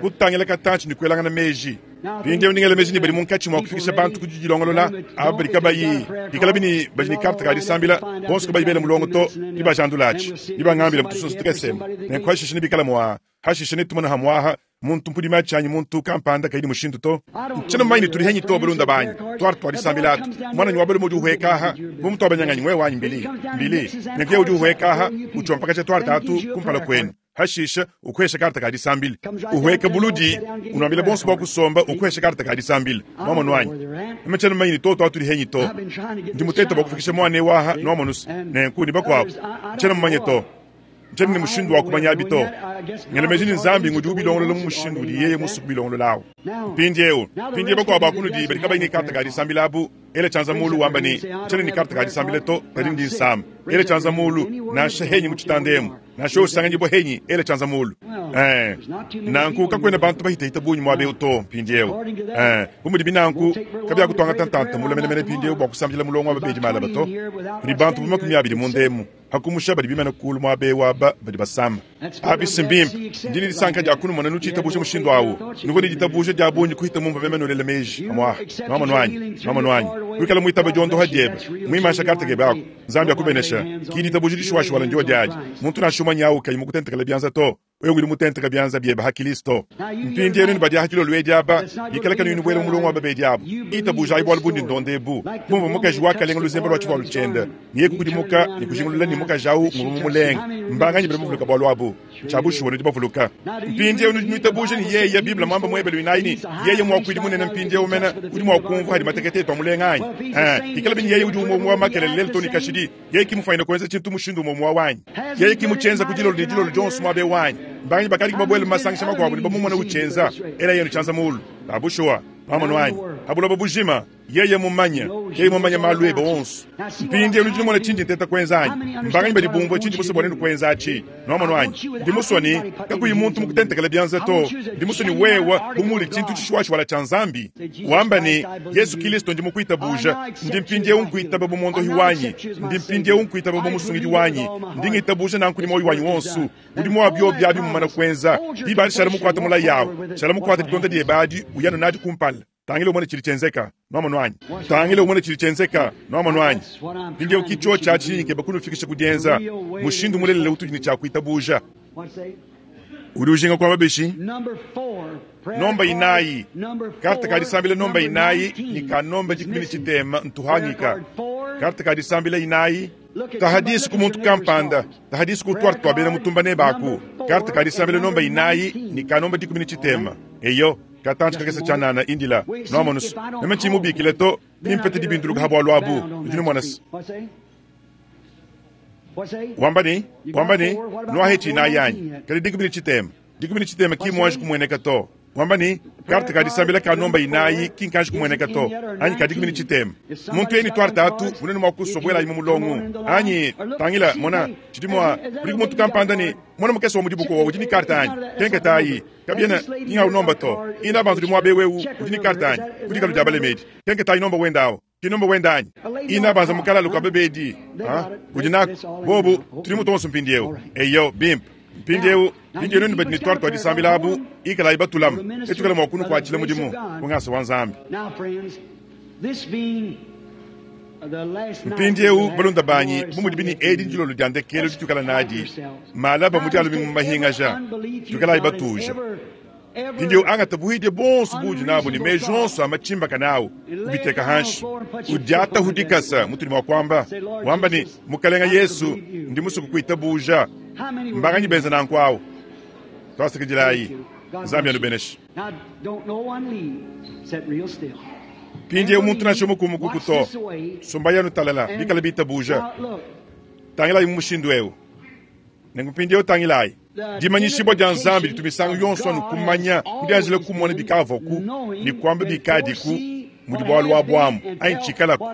kutangila katantshi ne kuelangana meji. Mpindieu ndi ngela meji ne badi munkatshi mua kufikisha bantu ku didilongolola, aba badi kabayi, bikalabi ne badi ne karte ka disambila, bonso kabayi bela mulongo to, nebajandulatshi, nebangambile mu tusunsa tukese emu. Nenku hashishe nebikale mua, hashishe netumone hamuaha muntu mpudi matshi anyi muntu kampanda kayi ne mushindu to. Ntshiena mumanye ne tudi henyi to, balunda banyi. Tuarte tua disambila atu. Muananyi wa balume udi uhueka aha, bu mutuabanyanganyi wewe anyi Mbili? Mbili. Nenku yeye udi uhueka aha, utshiompakaja tuarte atu kumpala kuenu. Hashishe ukuhesha karta ka disambila, uhueka buludi, unuambila bonso bua kusomba, ukuhesha karta ka disambila. Nuamonu anyi? Meme tshiena mumanye ne toto atudi henyi to. Ndi mutete bua kufikisha muana eu aha, nuamonu's, nenku ne bakuabu. Tshiena mumanye to. Ntshiena ne mushindu wa kumanyabi to. Ngela meji ne Nzambi ngudi ubilongolola mu mushindu udi yeye musue kubilongolola awu. Mpindieu, mpindieu bakuabu ba kunudi badi kabayi ne karta ka disambila abu, ela tshianza muulu wamba ne, Ntshiena ne karta ka disambila to, kadi ndi nsama. Ela tshianza muulu, nansha henyi mu tshitanda emu. Nansha usanganyibua henyi, ela tshianza muulu. Ee, nanku kakuena bantu bahitahita bungi muaba eu to mpindieu. Ee, bu mudibi nanku, kabiakutuangata ntanta mule menemene mpindieu bua kusambila mulongo wa babedi malaba to. Kudi bantu bu 20 munda emu, pa kumusha badi bimane kuulu muaba eu aba badi basama. Abi si mbimpe? Ndi ne disanka dia kunumona nutshitabuja mushindu au. Nuvua ne ditabuja dia bungi kuhita mumvua meme nuelela meji. Amuaha. Nuamonu anyi? Nuamonu anyi? Wikala muitabe diondoha diebe, muimansha karte kebe aku. Nzambi akubenesha. Ki ditabuja dishuwashuwala ndio diadi. Muntu nansha umue nyawu kayi mukutentekela bianza to. Wewe udi mutenteka bianza biebe ha Kilisto. Mpindieu nenu badi aha dilolo edi aba, bikala kanuyi nubuela mu mulongo wa babedi abu, itabujayi bualu bundi ndonda ebu. Bumvua mukaji wakalenga luzembe lua tshivualu tshiende, ne yeye kukudimuka ne kujingulula ne mukaji au nguvua mumulenge. Mbanganyi badi bavuluka bualu abu? Tshia bushuwa nudi bavuluka. Mpindieu nudi nuitabuja ne yeye, Bible muamba mu Ebelu inayi ne, yeye muakuidi munene mpindieu mene udi mua kumvua hadi matekete etu amulenga anyi? Ee, bikalabi ne yeye udi umue umue wa makelela lelu too ne kashidi, yeye ki mufuanyine kuenza tshintu mushindu umue umue wa wanyi. Yeye ki mutshienza ku dilolo ne dilolo dionso muaba eu anyi? Mbanganyi bakadi babuele mu masangisha makuabu ne bamumona utshienza? Ela yenu tshianza muulu. Ba bushuwa. Nwamonu anyi? Pa buloba bujima, Yeye mmumanye. Yeye mmumanye maalu ebe onso. Mpindyewu nudi numona cindi nteeta kwenza anyi? Mbanganyi badi bumvwa cindi muswe bwa nenu kwenza aci? Nwamonu anyi? Ndi muswe ne kakuyi muntu mukutentekele byanza to. Ndi muswe ne wewe, bu muudi cintu cishiwashiwala cya Nzambi, wamba ne, Yesu Kilisto, ndi mukwitabuuja. Ndi mpindyewu nkwitaba bu Mwondohi wanyi. Ndi mpindyewu nkwitaba bu Musungidi wanyi. Ndi ngitabuuja nanku ne mwoyi wanyi wonso. Mudimu wa byobi abi mumana kwenza, diba adi shala mukwate mulayi awu. Shala mukwate ditonda dyebe adi, uya anu nadi kumpala. Tangila umone tshidi tshienzeka. Nwamonu anyi? Tangila umone tshidi tshienzeka. Nwamonu anyi? Mpindyewu ki cyoci aci nkeba kunufikisha ku dyenza, mushindu mulelela utudi ne cya kwitabuuja. Udi ujinga kwamba bishi? Nomba inayi, karte ka disambila nomba inayi ne ka nomba dikumi ne tshitema ntuhangika. Karte ka disambila inayi. Taha disu ku muntu kampanda, taha disu ku tuarte tua bena mutumba nebe aku. Karte ka disambila nomba inayi ne ka nomba dikumi ne tshitema. Eyo, katantshi kakese tshianana, indila. Nuamonu's, meme ntshiyi mubikile to, nempete dibinduluka ha bualu abu. Nudi numona's? Wamba ne, wamba ne, Nuahe tshinayi anyi? Kadi 13, 13 ki muanji kumueneka to. Wamba ne, Karte ka disambila ka nomba inayi ki nkanji kumueneka to, anyi ka 13. Muntu yeye ne tuarte atu, munene mua kusua buelayi mu mulongo, anyi? Tangila, mona, tshidi mua, kudiku muntu kampanda ne, Mona mukese wa mu dibuku wa udi ne karte anyi? Kenketayi. Kabiena, ki ng'awu nomba to. Ina bantu udi muaba eu eu udi ne karte anyi? Ku dikalu dia balemedi. Kenketayi nomba wende awu. Ki nomba wende anyi? Ina banza mu kalalu ka babedi. Ha? Udi naku. Bobu, tudi mu tuonso mpindieu. Eyo, bimpe. Mpindieu, mpindieu nuenu badi ne tuarte tua disambila abu, ikalayi batulame. Netuikale mua kunukuatshila mudimu, ku ngasa wa Nzambi. Mpindieu, balunda banyi, bu mudibi ne edi ndilolo dia ndekelu dituikala nadi malaba mu Dia lumingu mu mahingaja, tuikalayi batuja. Mpindieu angata buhidia buonso buudi nabu ne meji onso a matshimbakane au, ubiteka hanshi, udiatahu dikasa, mutudi mua kuamba, wamba ne, Mukalenga Yesu, ndi musue kukuitabuja. Mbanganyi benza nanku au? Tuasakidilayi. Nzambi anubeneshe. Mpindieu muntu nansha umue kumukuku to. Sumbayi anu talala, bikale bitabuja. Tangilayi mu mushindu eu. Nenku mpindieu tangilayi. Dimanyishibua dia Nzambi ditu misangu yonso anu kumanya, kudianjila kumona bikavuaku ne kuamba bikadiku, mudi bualu abu amu anyi tshikalaku.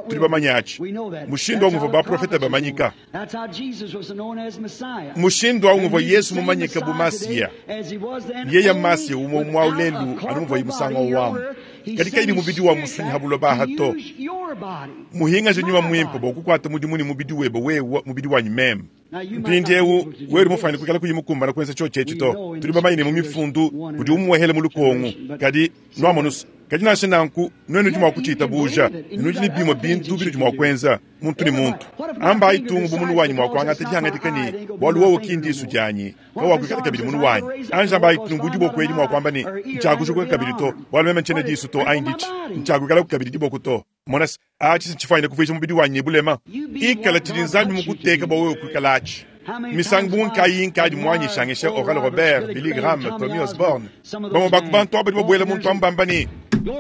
Tudi bamanye atshi. Mushindu au nguvua baprofete bamanyika. Mushindu au nguvua Yesu mumanyike bu Masiya. Yeya Masiya umue umue au lelu anu muvuaye musangu au amu. Kadi kayi ne mubidi wa musunyi ha buloba aha to. Muhingaje nyuma muimpe bua kukuata mudimu ne mubidi webe wewe, mubidi wanyi meme. Mpindiewu, wewe udi mufuane kuikala kuyi mukumbana kuenza tshiotshi etshi to. Tudi bamanye ne mu Mifundu udi umuehela mu lukongu. Kadi, nuamonu's, kadi nansha nanku, nuenu nudi mua kutshiitabuja, ne nudi ne bimue bintu binudi mua kuenza, muntu ne muntu. Ambayi tungu bu munu wanyi mua kuangata dihangadika ne, Bualu wowo ki ndisu dianyi, kawakuikala kabidi munu wanyi. Anji ambayi tungu bu diboko edi mua kuamba ne, Ntshiakujukuka kabidi to, bualu meme ntshiena disu to, anyi ditshi, ntshiakuikalaku kabidi diboko to. Mona se, atshi ntshifuanyine kuvuija mubidi wanyi ne bulema. Ikala tshidi Nzambi mukuteke bua wewe kuikala atshi. Misangu bungi kayi inkadi muanyishangisha Oral Robert, Billy Graham, Tommy Osborn, bamue ba ku bantu aba badi babuela muntu amu bamba ne,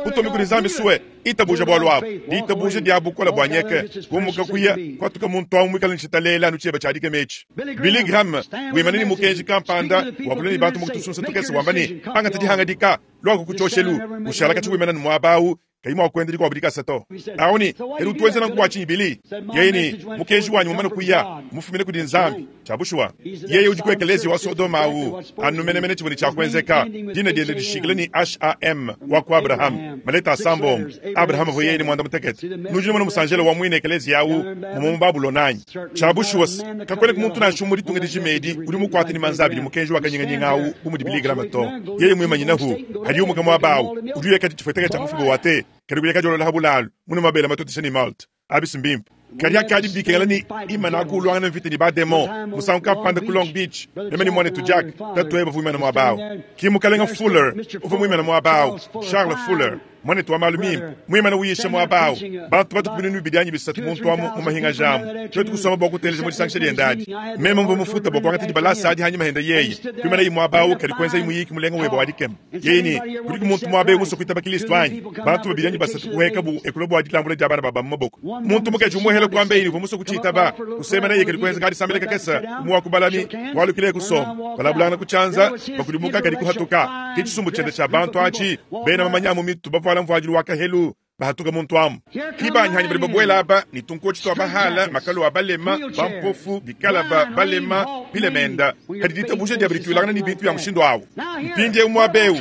Butumbi kudi Nzambi sue, itabuja bualu abu. Ditabuja dia bukole bua nyeke, kumuka kuya, kuatuka muntu amu muikale ne tshitaleela anu tshieba tshia dikema etshi. Billy Graham wimana ne mukenji kampanda, wakula ne bantu mu tusunsa tukese wamba ne, Angata dihangadika, luaku ku tshioshelu, ushala katshi wimana ne muaba au, kayi mua kuenda dikuabu dikasa to. Awu ne, Kadi utu wenza nanku bua tshinyi, Billy? Yeye ne, Mukenji wanyi mumane kuya, mmufumine kudi Nzambi. Tshia bushuwa. Yeye udi ku ekeleziya wa Sodoma awu, anu menemene tshivua ne tshia kuenzeka. Dina diende dishikile ne H-a-m, wa ku Abrahama, maleta asambombo. Abrahama uvua yeye ne muanda-mutekete. Nudi numona musanjelo wa muine ekeleziya awu mumue mu Babulona anyi? Tshia bushuwa's, kakuenaku muntu nansha umue mu ditunga dijima edi udi mukuate ne manza abidi mukenji wa kanyinganyinga awu bu mudi Billy Graham to. Yeye muimanyinahu, padiye umuka muaba awu, udi uya kadi tshifueteka tshia mufuba wa te, kadi kuya kadiolola ha bulalu, munue mabele matotesha ne malt. Abi si mbimpe. Kadi akadi bikengela ne imanaku uluangana mvita ne ba-demon. Musangu kampanda ku Long Beach, meme ne muanetu Jack, tatuebe uvua muimane muaba awu. Ki Mukalenga Fuller uvua muimane muaba awu, Charles Fuller. Muanetu wa malu mimpe, muimane uyisha muaba au, bantu batu ku binunu bibidi anyi bisatu muntu amu mu mahingaja amu. Tuetu kusomba bua kuteleja mu disangisha diende adi. Meme mvua mufuta bua kuangata dibalasa adi hanyima hende yeye. Kuimanayi muaba au kadi kuenzayi muyiki mulenga webe wa dikema. Yeye ne, Kudiku muntu muaba eu musue kuitaba Kilisto anyi? Bantu babidi anyi basatu kuhuekabu e kulua bua dilambula dia bana ba ba mu maboko. Muntu mukaji umuehela kuamba yeye ne uvua musue kutshiitaba. Kusemena kadi kuenza kadisambila kakese, umue wa ku balami kualukila e kusomba. Balabulangana ku tshianza, bakudimuka kadi kuhatuka. Ke tshisumbu tshiende tshia bantu atshi, bena mamanya a mu mitu bavuala mvuadilu wa kahelu, bahatuka muntu amu. Ki banyihanyi badi babuela aba ne tunkotshi tua bahala, makalu a balema, bampofu, bikalaba, balema, bilemenda, kadi ditabuja diabu dituilangana ne bintu bia mushindu au. Mpindieu muaba eu,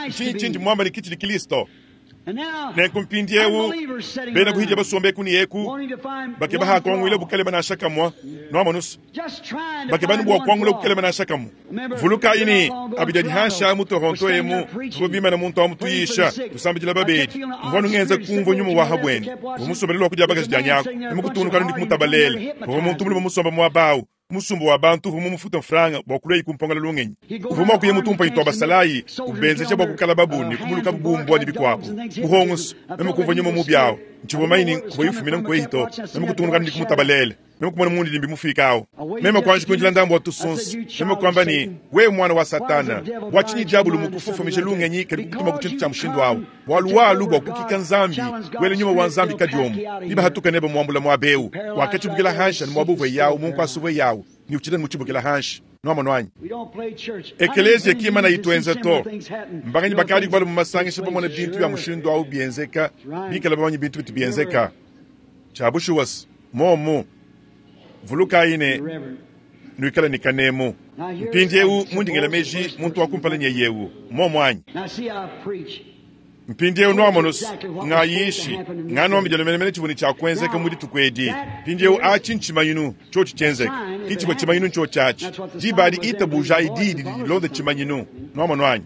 ntshinyi tshindi muamba ne ki tshidi Kristo? Nenku mpindieu bena kuhidia basombe eku ne eku bakeba ha kuanguila bukalema nansha kamue, nuamonusu bakeba bua kuangula bukalema nansha kamue. Vulukayi ne abidi adi hansha mu Toronto emu tuvua bimana muntu amu tuyisha tusambidila babedi mvua nungenza kumvua nyuma wa habwene uvua musombele lua kudia bakaji dia nyaku ne mukutunukanu ndi kumutabalela uvua muntu mulume musomba muaba au. Musumba wa bantu uvua mumufuta mfranga bua kuluayi kumpongela lungenyi. Uvua mua kuya mu tumpanyi tua basalayi, ubenzeja bua kukalababu ne kumulukabu bu mbua ne bikuabu. Muhongoso, meme kumvua nyuma mubi awu. Ntshivua mumanye ne kuvua ifumina nkueyi to. Meme kutungunuka ne kumutabalela. Meme kumona mundidimbi mufiika awu. Meme kuanji kuindila ndambu wa tusunsu. Meme kuamba ne, Wewe muana wa Satana, bua tshinyi diabolo mukufofomija lungenyi kadi kukutuma ku tshintu tshia mushindu awu? Bualu walu bua kukika Nzambi, kuela nyuma wa Nzambi kadiomu, nibahatuka nebe muambula muaba eu, wakatshibukila hanshi anu muaba uvua yawu mu nkuasa uvua yawu, ne utshidi mutshibukila hanshi. Nuamonu anyi? Ekeleziya ki mana ituenza to. Mbanganyi bakadi kubalu mu masangisha bamona bintu bia mushindu au bienzeka, bikala bamanye bintu bitu bienzeka. Tshia bushuwa momu. Vulukayi ne nuikale ne kanemu. Mpindieu mundi ngela meji muntu wa kumpala nyeye eu, momu anyi? Mpindieu nuamono ngayishi nganuambidila menemene tshivua ne tshia kuenzeka mu dituku edi. Mpindieu atshi ntshimanyinu tshiotshi tshienzeka, ki tshivua tshimanyinu ntshiotshi atshi. Diba adi itabujayi diyi didi dilonda tshimanyinu. Nuamonu anyi?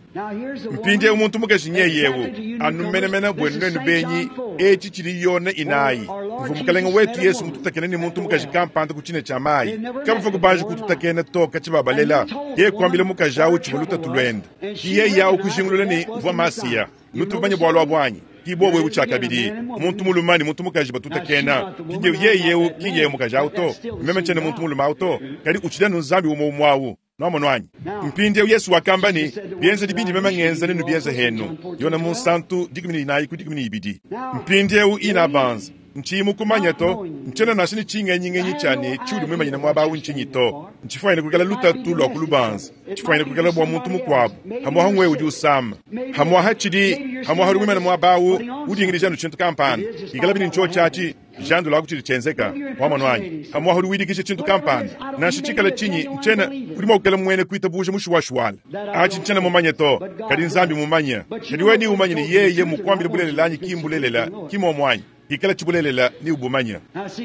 Mpindieu muntu mukaji nyeye eu anu menemene buenu nuenu benyi, etshi tshidi Yone inayi muvua Mukalenge wetu Yesu mututakene ne muntu mukaji kampanda ku tshina tshia mayi. Kabavua kubanji kututakena to katshi babalela. Yeye kuambila mukaji au tshivua lutatu luende. Ki yeye au kujingulula ne uvua Masiya. Nutu bamanye bualu abu anyi? Ki bobu ebu tshiakabidi, muntu mulume ne muntu mukaji batutakena. Mpindieu yeye eu ki yeye mukaji au to, meme ntshiena muntu mulume au to, kadi utshidi anu Nzambi umue umue au. Nuamonu anyi? Mpindieu Yesu wakamba ne, bienzedi bindi meme ngenza nenubienze henu. Yone Munsantu 14 ku 12. Mpindieu ina banza ntshiyi mukumanya to, ntshiena nansha ne tshingenyingenyi tshia ne tshiudi muimanyine muaba au ntshinyi to. Ntshifuanyine kuikala lutatu lua kulubanza, tshifuanyine kuikala bua muntu mukuabu, hamuaha ngwe udi usama, hamuaha tshidi, hamuaha udi muimane muaba au udingidija anu tshintu kampanda, ikala bini ntshiotshi atshi jandula aku tshidi tshienzeka wamonu anyi, hamuaha udi widikisha tshintu kampanda, nansha tshikala tshinyi ntshiena udi mua kukala muene kuitabuja mushuwashuwala. Atshi ntshiena mumanye to, kadi Nzambi mumanye. Kadi wewe ni umanye ne yeye mukuambile bulelela anyi ki mbulelela, ki muomu anyi? Ikala tshibulelela ni ubumanya.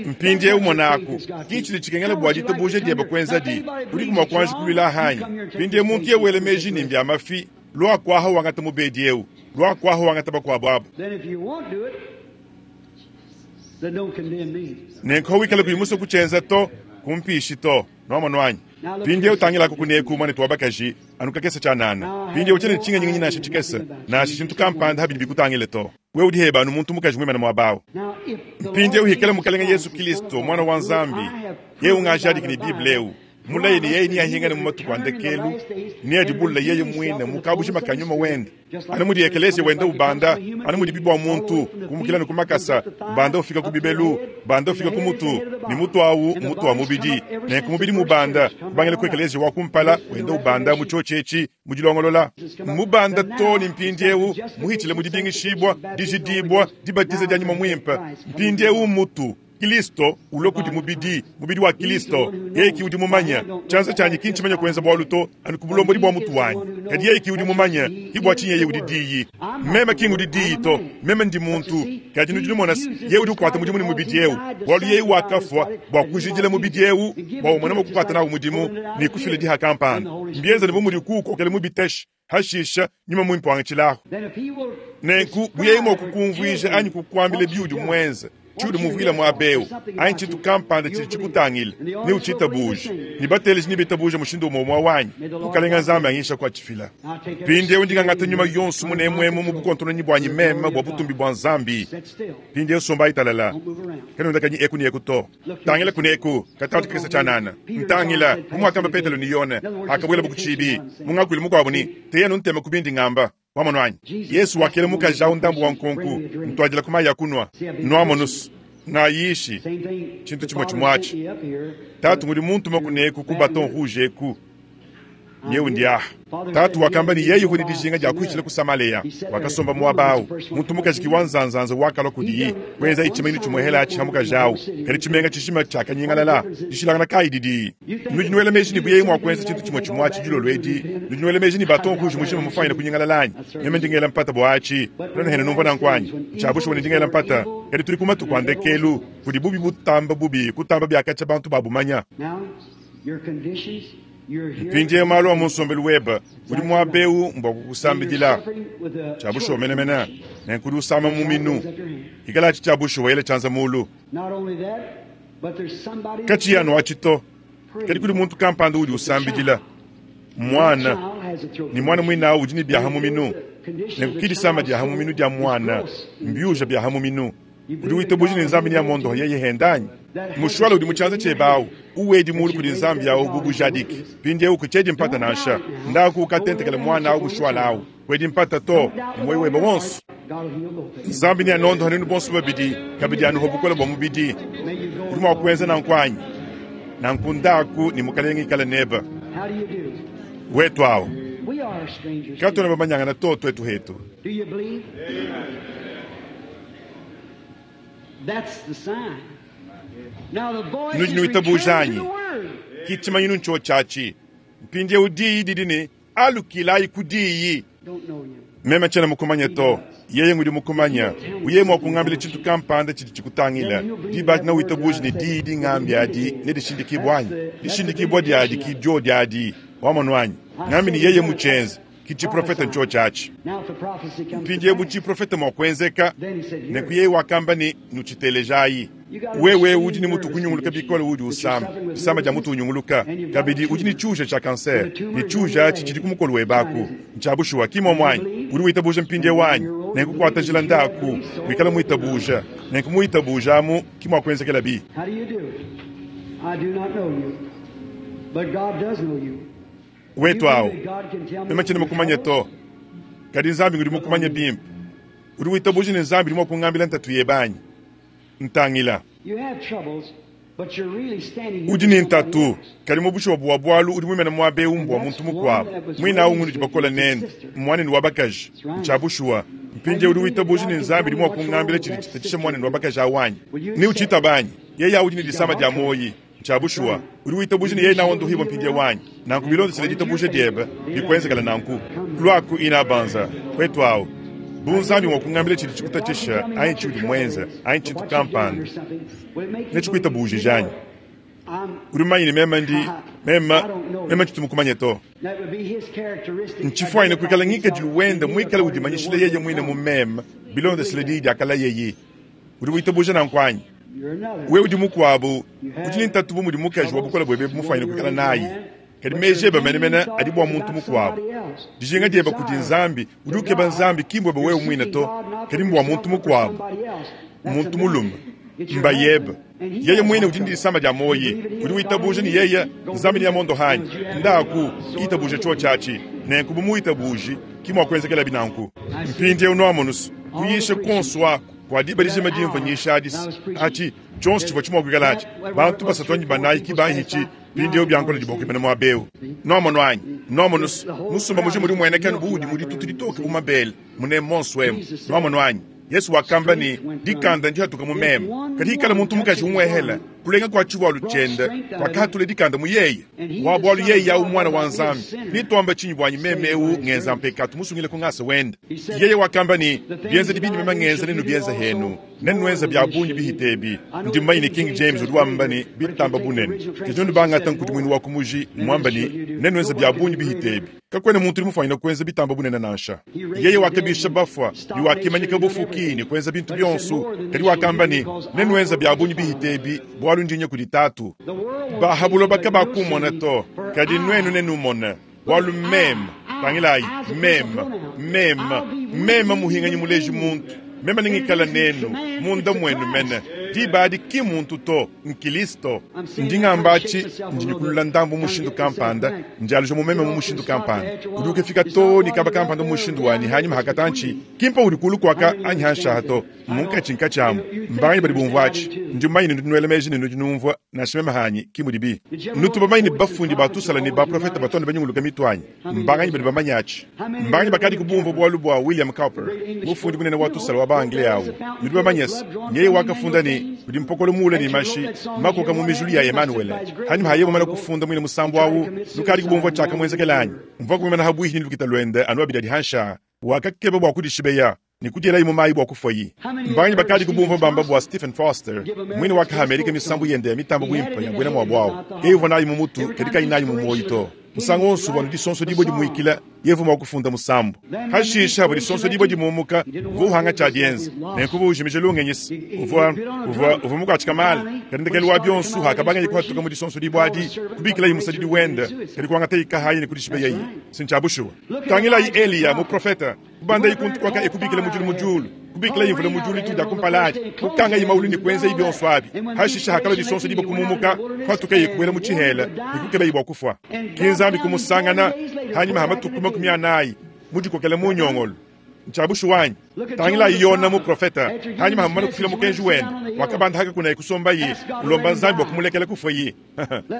Mpindieu monaku, ki tshidi tshikengela bua ditabuja diebe kuenzadi, udiku mua kuanji kuluila hanyi. Mpindieu muntu ye wela meji ne mbia mafi, lua kuaha wangata mubedi eu, lua kuaha wangata bakuabu abu. Then if you won't do it, then don't condemn me. Nenku wikala kuyi musue kutshienza to, kumpishi to. Nuamonu anyi? Mpindieu tangilako kuneku muanetu wa bakaji anu kakese tshianana. Mpindieu tshiena ne tshingenyingenyi nansha tshikese, nansha tshintu kampanda habidi bikutangile to. Wewe udi heba anu muntu mukaji muimane muaba au. Now, if the Mpindieu Lord hikala Jesus Mukalenge Yesu Christ, Kristo the Son of mwana wa God, Nzambi, I have yeye proven by ungajadiki the ne Bible Bible, eu mulaye ne yeye niyahingane mu matuku a ndekelu neyadibulla yeye muine mukabuji makanyuma wende anu mudi ekeleziya wenda ubanda anu mudi bibwa muntu kumukila ne ku makasa ubanda ufika ku bibelu banda ufika ku mutu ne mutu awu mutu wa mubidi nenku mubidi mubanda kubangila ku ekeleziya wa kumpala wenda ubanda mu tshiotshi mu dilongolola mubanda to ne mpindieu muhitshile mu dibingishibwa dijidibwa dibatiza dia nyuma muimpe mpindieu mutu Kristo ulue kudi mubidi, mubidi wa Kristo. Yeye ki udi mumanya tshianza tshianyi ki ntshimanya kuenza bualu to anu ku bulombodi bua mutu wanyi, kadi yeye ki udi mumanya ki bua tshinyi yeye udi diyi. Meme ki ngudi diyi to, meme ndi muntu. Kadi nudi numona se, yeye udi ukuata mudimu ne mubidi eu, bualu yeye wakafua bua kujidila mubidi eu bua umone mua kukuata nawu mudimu ne kufila diha kampanda. Mbienza ne bu mudi kuukokela mu biteshe hashisha nyuma muimpe wangatshilahu. Then if he will Nenku buyeye mua kukumvuija anyi kukuambila biudi muenze. Tshiudi muvuile muaba eu, anyi tshintu kampanda tshidi tshikutangila, neutshitabuje, ne bateleji nebitabuja mushindu umue umue wanyi. Mukalenga Nzambi anyisha kuatshifila. Mpindieu ndi ngangata nyuma yonso munemuemu mu bukontononyi buanyi meme bua butumbi bua Nzambi. Mpindieu sombayi talala, kanuendakanyi eku ne eku to. Tangila kuneku, katantshi kakese tshianana. Ntangila, bu muakamba Petelo ne Yone pakabuelabu ku tshiibi, mu ngakuilu mukuabu ne, Teyanu ntema ku bindi ngamba. Wamonu anyi? Yesu wakela mukaji awu ndambu wa nkonku, Ntuadila ku mayi a kunua. Nuamonus, ngayishi tshintu tshimue tshimue atshi. Tatu ngudi muntuma kuneku ku Baton Rouge eku. Nyewu ndi aha. Tatu wakamba ne yeye uvua ne dijinga dia kuhitshila ku Samalea. Wakasomba muaba awu. Muntu mukaji ki wa nzanzanza wakalua kudiyi, kuenzaye tshimanyinu tshimuehela atshi ha mukaji awu. Kadi tshimenga tshijima tshiakanyingalala. Dishilangana kayi didi? Nudi nuela meji ne bu yeye mua kuenza tshintu tshimue tshimue atshi dilolo edi, nudi nuela meji ne Baton Rouge mujima mufwanyine kunyingalala anyi? Meme ndi ngela mpata bua atshi. Nuenu numvua nanku anyi? Ntshia bushuwa ne ndi ngela mpata. Kadi tudi ku matuku a ndekelu, kudi bubi butamba bubi kutamba bia katshia bantu babumanya. Mpindieu malu a mu nsombelu webe, udi muaba eu mbua kukusambidila. Tshia bushuwa menemene, nenku udi usama muminu. Ikalatshi tshia bushuwa, ela tshianza mulu. Katshiyi anu atshi to, kadi kudi muntu kampanda udi usambidila muana, ne muana muine au udi ne biaha muminu. Nenku ki disama dia muminu dia muana, mbiuja bia muminu. Udi witabuja ne Nzambi neamuondohe yeye hende anyi? Mushuala udi mu tshianza tshiebe au, uwedi mulu kudi Nzambi au bu bujadiki. Mpindieu kutshiedi mpata nansha. Ndaku ukatentekele muana au mushuala au. Kuedi mpata to, ne muoyo webe wonso. Nzambi neanondohe nuenu bonso babidi, kabidi anuhe bukole bua mubidi. Udi mua kuenza nanku anyi? Nanku ndaku ne Mukalenge ikale nebe. Wetu au. Katuena bamanyangana to tuetu hetu. Nudi nuitabuja anyi? Ki tshimanyinu ntshiotshi atshi. Mpindieu diyi didi ne, Alukilayi ku diyi. Meme tshiena mukumanye to, yeye ngudi mukumanye. Uye mua kungambila tshintu kampanda tshidi tshikutangila, diba adi newitabuje ne diyi dingambi adi nedishindikibue anyi? Dishindikibua diadi ki diodi adi. Wamonu anyi? Ngambi ne yeye mutshienze. Ki tshiprofete ntshiotshi atshi. Mpindieu bu tshiprofete mua kuenzeka, nenku yeye wakamba ne, Nutshitelejayi. Wewe udi ne mutu kunyunguluka bikole, udi usama disama dia mutu unyunguluka. Kabidi udi ne tshiuja tshia kansere, ne tshiuja atshi tshidi ku mukolo webe aku. Ntshia bushuwa, ki muomu anyi? Udi witabuja mpindieu anyi? Nenku kuata njila ndaku, wikale muitabuja. Nenku muitabuja amu ki muakuenzekelabi. Wetu awu, meme tshiena mukumanye to, kadi Nzambi ngudi mukumanye bimpe. Udi witabuja ne Nzambi udi mua kungambila ntatu yebe anyi? Ntangila. Udi ne ntatu, kadi mu bushuwa bua bualu udi muimane muaba eu mbua muntu mukuabu. Muine au ngunudi bakole nende, mmuanenu wa bakaji. Ntshia bushuwa. Mpindieu udi witabuja ne Nzambi udi mua kungambila tshidi tshitatshisha muanenu wa bakaji au anyi? Neutshitaba anyi? Yeye au udi ne disama dia muoyi. Ntshia bushuwa. Udi witabuja ne yeye naondohibua mpindieu anyi? Nanku bilondeshile ditabuja diebe, bikuenzekele nanku. Luaku inabanza, wetu au. Bu Nzambi mua kungambila tshidi tshikutatshisha anyi tshiudi muenze anyi tshintu kampanda, netshikuitabujije anyi? Udi mumanye ne meme ndi meme meme tshitu mukumanye to. Ntshifuanyine kuikala ngikadilu wende muikale udimanyishila yeye muine mu meme bilondeshile diyi diakalayeyi. Udi witabuja nanku anyi? Wewe udi mukuabu udi ne ntatu bu mudi mukaji wa bukole buebe mufuanyine kuikala nayi. Kadi meji ebe menemene adi bua muntu mukuabu. Dijinga diebe kudi Nzambi, udi ukeba Nzambi ki mbuebe wewe muine to, kadi mbua muntu mukuabu, muntu mulume, mbayebe. Yeye muine udi ne disama dia muoyi, udi witabuja ne yeye Nzambi neamuondohe anyi? Ndaku, itabuja tshiotshi atshi. Nenku bu muwitabuji, ki muakuenzekelabi nanku. Mpindieu nuamonus, kuyisha kuonso aku kua diba dijima dimvua nyisha adi, atshi tshionso tshivua tshimua kuikala atshi, bantu basatu anyi banayi ki banhitshi. Mpindieu biankola diboko imana muaba eu. Nuamonu anyi? Nuamonu se, musumba mujima udi umueneka anu bu udi mu ditutu ditoke bu mabele, munemu monso emu. Nuamonu anyi? Yesu wakamba ne, Dikanda ndihatuka mu meme. Kadi hikala muntu mukaji umuehela? Kulenga kua tshivualu tshiende kuakahatula dikanda mu yeye. Wa bualu yeye awu Muana wa Nzambi, netuambe tshinyi buanyi meme eu ngenza mpekatu musungile ku ngasa wende? Yeye wakamba ne, Bienzedi bindi meme ngenza nenubienze henu, nenuenze bia bungi bihite ebi. Ndi mumanye ne King James udi wamba ne, bitamba bunene. Kadi nuenu bangata nkudimuinu wa ku muji, muamba ne, nenuenze bia bungi bihite ebi. Kakuena muntu udi mufuanyine kuenza bitamba bunene nansha. Yeye wakabisha bafua ne wakimanyika bufuki ne kuenza bintu bionso, kadi wakamba ne, Nenuenze bia bungi bihite ebi, bualu ndi nya kudi Tatu. Ba ha buloba kabakumona to, kadi nuenu nenumone, bualu meme, tangilayi, meme, meme, meme muhinganyi muleji muntu, meme nengikale nenu munda muenu mene. Diba adi ki mmuntu to, n'Kilisto. Ndi ngamba atshi, ndi nyikulula ndambu mu mushindu kampanda, ndialuja mu meme mu mushindu kampanda. Udi ukefika too ne kaba kampanda mu mushindu wanyi hanyima ha katantshi, ki mpa udi kulu kuaka anyi hanshi aha to, mmunkatshi-nkatshi amu. Mbanganyi badi bumvua atshi? Ndi mumanye ne nudi nuela meji ne nudi numvua, nansha meme hanyi, ki mudibi. Nutu bamanye ne bafundi ba tusala ne baprofete batu anu banyunguluka mitu anyi? Mbanganyi badi bamanye atshi? Mbanganyi bakadiku bumvua bualu bua William Cowper, mufundi munene wa tusala wa ba-Anglais au? Nudi bamanye se, nyeye wakafunda ne, Kudi mpokolo muule ne mashi makoka mu mijulu ya Emanuele. Hanyima ha yeye mumane kufunda muine musambu au, nukadiku bumvua tshiakamuenzekela anyi? Mvua kumimana ha buihi ne lukita luende anu abidi adi hanshi aa. Wakakeba bua kudishibeya ne kudielayi mu mayi bua kufuayi. Mbanganyi bakadiku bumvua bamba bua Stephen Foster, muine wakaha Amerika misambu yende ya mitamba buimpe ya buena muabu au? Yeye uvua nayi mu mutu, kadi kayi nayi mu muoyo to. Musangu wonso uvua anu disonso dibue dimuikila, yeye uvua mua kufunda musambu. Hashishe, havua disonso dibue dimumuka, uvua uhanga tshia dienza, nenku uvua ujimija lungenyi se uvua, uvua, uvua mukuatshika mala. Kadi ndekelu wa bionso, hakabangaye kuhatuka mu disonso dibue adi, kubikilaye musadidi wende, kadi kuangataye kahayi ne kudishibeyeye. Si ntshia bushuwa? Tangilayi Eliya, muprofete. Kubandaye kuntu kuaka e kubikila mudilu mu diulu, kubikilaye mvula mu diulu dituku dia kumpala adi, kukangaye maulu ne kuenzaye bionso abi. Hashishe hakalua disonso diba kumumuka, kuhatukaye kubuela mu tshihela ne kukebaye bua kufua. Ke Nzambi kumusangana hanyima ha matuku 40 mudikokele mu nyongolo. Ntshia bushuwa anyi? Tangilayi Yona muprofete, hanyima ha mumane kufila mukenji wende, wakabanda hakakunaye kusombaye, ulomba Nzambi bua kumulekela kufuaye.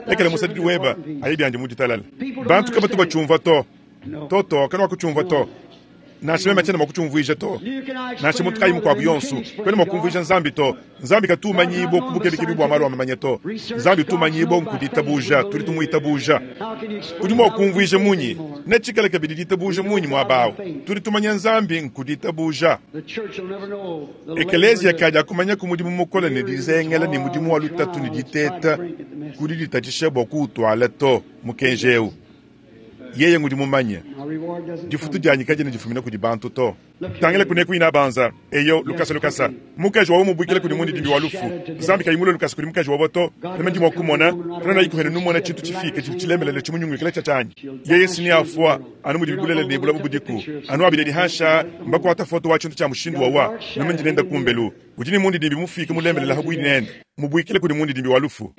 Lekela musadidi webe aye biandi mu ditalala. Bantu kabatu batshiumvua to. Toto, kanuakutshiumvua to. Nansha meme tshiena mua kutshiumvuija to. Nansha muntu kayi mukuabu yonso, kuena mua kumvuija Nzambi to. Nzambi katu umanyibua ku bukebekebi bua malu a mamanya to. Nzambi utu umanyibua nku ditabuja, tudi tumuitabuja. Udi mua kumvuija munyi? Netshikale kabidi ditabuja munyi muaba au? Tudi tumanya Nzambi nku ditabuja. Ekeleziya kadiakumanyaku mudimu mukole ne dizengela ne mudimu wa lutatu ne diteta ku diditatshisha bua kuwutuala to, mukenji eu. Yeye ngudi mumanye. Difutu dianyi kadiena difumina kudi bantu to. Tangila kuneku inabanza. Eyo, lukasa lukasa. Mukaji wawa mubuikila kudi mundidimbi wa lufu. Nzambi kayi mulue lukasa kudi mukaji wawa to. Meme ndi mua kumona, kanuena ikuhene numona tshintu tshifike tshidi tshilemelele tshimunyungulukila tshia tshianyi. Yeye si neafua anu mudi bulelela ne bulaba budiku. Anu abidi adi hansha mbakuata foto wa tshintu tshia mushindu wawa. Meme ndi nenda kumbelu. Udi ne mundidimbi mufike mulembelela habuihi nende, mubuikila kudi mundidimbi wa lufu.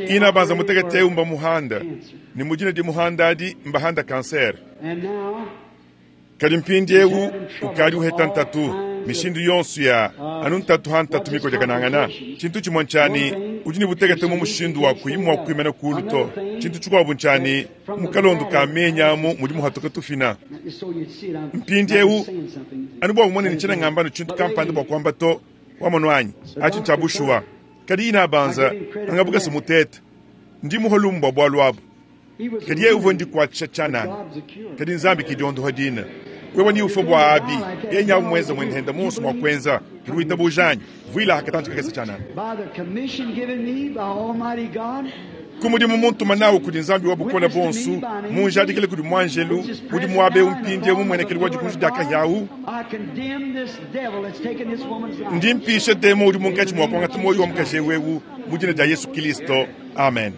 Ina banza mutekete eu mbamuhanda, ne mu dina dimuhanda adi mbahanda kansere. Kadi mpindieu ukadi uheta ntatu mishindu yonso ya anu ntatu ha ntatu mikodiakanangana. Tshintu tshimue ntshia ne, udi ne butekete mu mushindu wa kuyi mua kuimana kulu to. Tshintu tshikuabu ntshia ne, mu kalondo ka menyi amu mudi muhatuka tufina. Mpindieu, anu bua umone ne tshiena ngamba anu tshintu kampanda bua kuamba to, wamonu anyi? Atshi ntshia bushuwa. Kadi inabanza angabukase mutete, ndi muha lumu bua bualu abu. Kadi yeye uvua ndikuatshisha tshianana, kadi Nzambi ki diondoha dina. Wewe ni ufua bua abi, yeye nyawu muenza muende henda muonso mua kuenza, kadi witabuja anyi? Vuila hakatantshi kakese tshianana. Ku mudimu muntuma nawu kudi Nzambi wa Bukole Buonso, munjadikile kudi muanjelu udi muaba eu mpindieu mumuenekelu wa dikunji dia kahia au, ndi mpisha demon udi munkatshi mua kuangata muoyo wa mukaji eu eu mu dina dia Yesu Kilisto. Amen.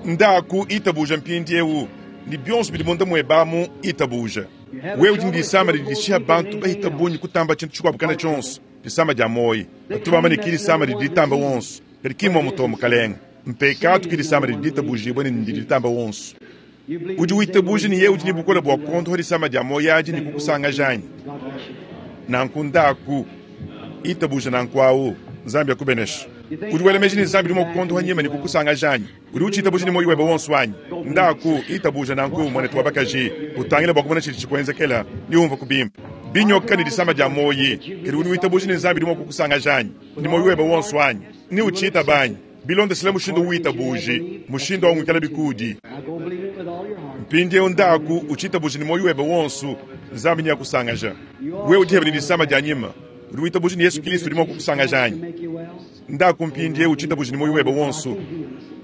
Ndaku itabuja mpindieu ne bionso bidi munda muebe amu, itabuja. Wewe udi ne disama didi dishiha bantu bahita bungi kutamba tshintu tshikuabo kana tshionso, disama dia muoyo. Batu bamba ne ki disama didi ditamba wonso, kadi ki mmuomu to, mukalenge. Mpekatu ki disama didi ditabujibue ne ndidi ditamba wonso. Udi witabuja ne yeye udi ne bukole bua kuondoha disama dia muoyo adi ne kukusangaja anyi? Nanku ndaku, itabuja nanku awu. Nzambi akubeneshe. Udi wela meji ne Nzambi udi mua kukuondoha nyima ne kukusangaja anyi? Udi utshitabuja ne muoyo webe wonso anyi? Ndaku, itabuja nanku, muanetu wa bakaji. Utangile bua kumona tshidi tshikuenzekela, ne umvuaku bimpe. Binyoka ne disama dia muoyi, kadi udi witabuja ne Nzambi udi mua kukusangaja anyi? Ne muoyo webe wonso anyi? Ne utshitaba anyi? Bilondeshile mushindu uwitabuji, mushindu au ngikalabi kuudi. Now go believe it with all your heart. Mpindieu ndaku utshitabuja ne muoyo webe wonso, Nzambi neakusangaja. Wewe udi hebe ne disama dia nyima, udi witabuja ne Yesu Kristo udi mua kukusangaja anyi? Make you well. Ndaku mpindieu utshitabuja ne muoyo webe wonso.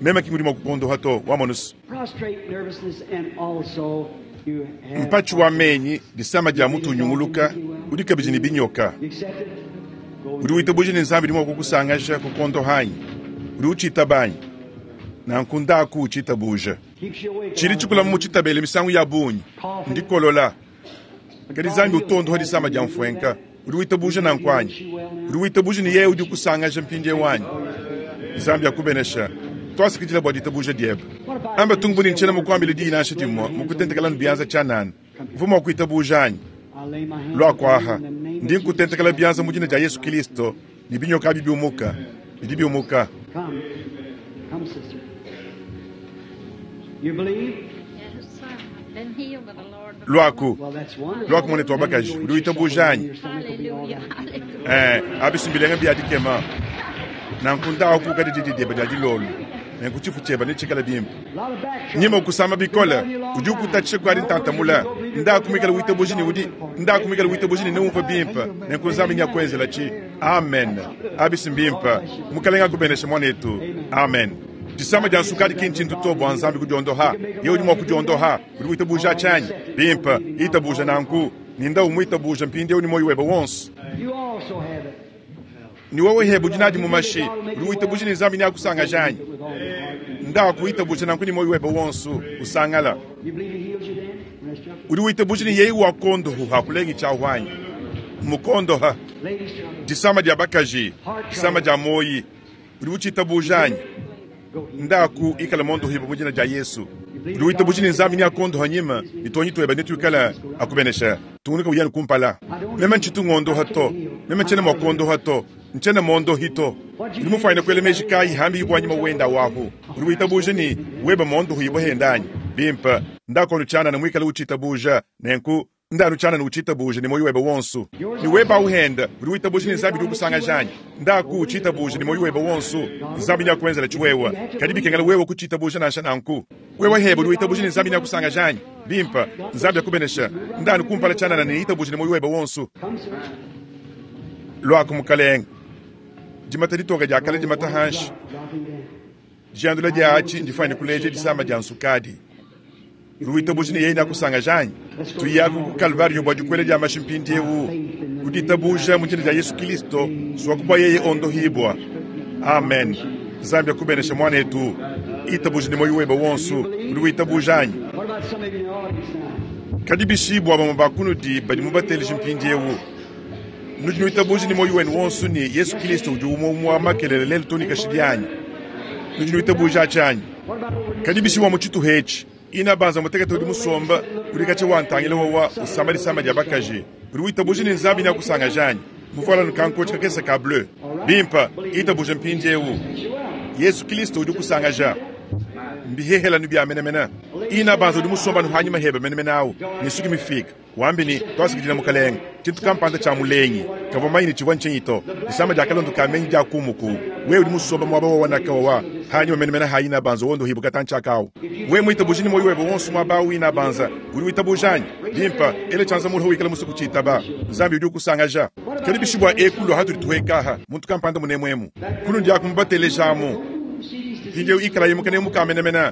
Meme ki ngudi mua kukuondoha to, wamonusu. Prostrate nervousness and also you have Mpatshi wa menyi, disama dia mutu unyunguluka, udi kabidi ne binyoka. You accept it? Go Udi witabuja ne Nzambi udi mua kukusangaja kukuondoha anyi? Udi utshitaba anyi? Nanku ndaku utshitabuja. Keeps you awake. Tshidi tshikula mu tshitabele misangu ya bungi ndikolola. Kadi Nzambi utondoha disama dia mfuenka. Udi witabuja nanku anyi? Udi witabuja ne yeye udi ukusangaja mpindieu anyi? Nzambi akubenesha. Twasikidila bua ditabuja diebe. Amba tungu ni nchena mukuambile diyi nansha dimue mukutentekela bianza tshianana. Uvua mua kuitabuja anyi? I lay my hands Lua kuaha. in the name of Ndi nkutentekela Jesus. bianza mu dina dia Yesu Kristo ne binyoka abi biumuka. Bidi biumuka. Come. Come, sister. You believe? Yes, sir. I've been healed by the Lord. Lwaku. Well, that's wonderful. Lwaku mwanetu wa bakaji. Udi witabuja anyi? Your stomach will be all Hallelujah. right. Hallelujah. Abisumbilenga byadikema nanku ndawo kuka didi dieba dia dilolo nenku tshifu tshieba netshikala bimpe A lot of back trouble. nyima okusamba bikole udi ukutatshisha kuadi ntantamula ndakumikala witabuji ne udi ndakumikala witabuji ne neumva bimpe nenku Nzambi nyakuenzela tshi amen abisimbimpe mukalenga akubenesha mwanetu amen disama dia nsukadi ki ntshintu to bua Nzambi kudiondoha ye udi mua kudiondoha udi witabuja tshianyi bimpe itabuja nanku ninda umwitabuja mpindieu ni moyo webe wonso You also have it. ni wewe hebe udi nadi mumashi udi witabuja ne Nzambi nyakusangaja anyi With all your heart. ndakuitabuja nanku ni moyo webe wonso usangala You believe he healed you then? When I struck udi witabuja ni yeyi wakondoha kulengi tshiahwanyi mukondoha Ladies trouble. disama dia bakaji disama dia moyi udi utshitabuja anyi Go heal. ndaku ikala mondohiba mu dina dia Yesu udi witabuja ne Nzambi niakondoha nyima nitonyi tweba nituikala akubenesha tungunuka uyani kumpala meme ntshitu ngondoha to meme ntshiena mua kuondoha to ntshiena mondohi to udi mufuanyine kuela meji kayi hambi ibwa nyima wenda wahu udi witabuja ni weba mondohi ibwa hendanyi bimpe ndakono tshianana muikala utshitabuja nenku ndanu tshianana utshitabuja ne moyo webe wonso ni weba uhenda udi witabuja ne Nzambi udi ukusangajanyi ndaku utshitabuja ne moyo webe wonso Nzambi nyakuenzela tshiwewa kadi bikengela wewe kuchitabuja nansha nanku wewe hebe udi witabuja ne Nzambi nyakusangajanyi bimpe Nzambi akubenesha ndanu kumpala tshianana ne itabuja ne moyo webe wonso Come, sir. lwaku mukalenga dimata ditoka dia kale dimata hanshi Dropping down. jiandula dia achi ndifanye kuleja disama dia nsukadi udi witabuja ne yeye nakusangajanyi tuyaku ku Kalvario bua dikwele dia mashi mpindiewu uditabuja mu dina dia Yesu Kristo swakubwa yeye ondohibwa amen Nzambi akubenesha mwanetu itabuja ne moyo webe wonso udi witabuja anyi What about some of you in the audience now? kadi bishibwa bamwe bakunudi badi mubateleje mpindiewu nudi nuitabuja ne moyo wenu wonso ni Yesu Kristo udi umwe umwe wa makelele lelo toni kashidi anyi nudi nuitabuja atshanyi What about over kadi bishibwa mu tshituha etshi ina banza mutekete udi musomba udi katshia wantangila wawa usamba disama dia bakaji udi witabuja ne Nzambi nyakusangajanyi muvuala nukankochi kakesa ka bleu bimpa itabuja mpindiewu Yesu Kristo udi kusangaja mbihehelanu bia menemene ina banza udi musomba nuhanyima hebe menemene awu nisuki mifika wambi ni twasikidila mukalenga tshintu kampanda tshia mulengi kavua manyi tshivua ntshinyi to disama dia kalondo ka menyi dia kumuku wewe udi musomba muaba wawanaka wawa hanyima menemene ha ina banza wondo hibuka tantshiakawu we mwitabuja ni moyo webe wonso muaba awu ina banza udi witabuja anyi bimpa ele tshianza muliho wikala musuku tshitaba Nzambi udi ukusangaja kadi bishibwa ekulu hatudi tuhekaha muntu kampanda munemwemu kunu ndiaku mubatelejamu mpindieu ikala yimuka nemuka menemene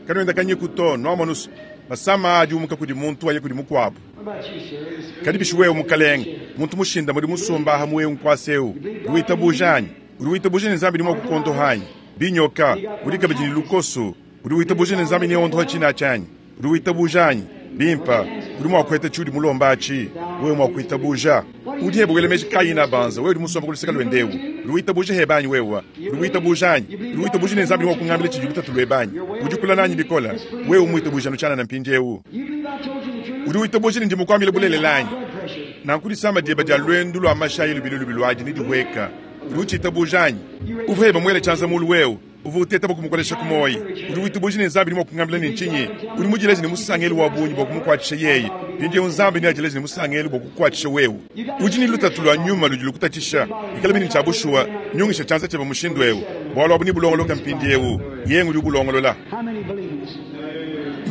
kanoenda kanyiku to nwamonusu masama adi umuka kudi muntu aye kudi mukuabu What about you, sir? This kadi bishi wewe mukalenga muntu mushinda mudi musumba aha muwewu nkwaseu udi witabuja anyi udi witabuja ne Nzambi ni mua kukondoha anyi binyoka udi kabidi ne lukoso udi witabuja ne Nzambi neondoha tshina tshianyi udi witabuja anyi bimpa udi mua kuheta tshiudi mulomba atshi wewe mua kuitabuja udi hebe wela meji kayi na banza wewe udi musomba kuluseka lwendewu udi witabuja hebe anyi wewe udi witabuja anyi udi witabuja ne Nzambi ni mua kungambila tshidi lutatu lwebe anyi udi kula nanyi bikola wewe umwitabuja nutshianana mpindiewu You believe I told you the truth? udi witabuja ne ndi mukuambile bulelela anyi Blood pressure. nanku disama dieba dia lwendu lua mashayi lubilu lubi luadi ne dihweka Udi utshitabuja anyi? Uvua eba muele tshianza mulu wewe. Uvua uteta bua kumukolesha ku muoyo. Udi witabuja ne Nzambi udi mua kungambila ne ntshinyi? Udi mudileje ne musangelu wa bungi bua kumukuatshisha yeye. Mpindieu Nzambi neadileje ne musangelu bua kukuatshisha wewe. Udi ne lutatu lua nyuma ludi lukutatshisha. Bikala bine tshia bushuwa, nyungisha tshianza tshiebe mushindu eu. Bualu abu nebulongoloke mpindieu. Yeye ngudi ubulongolola.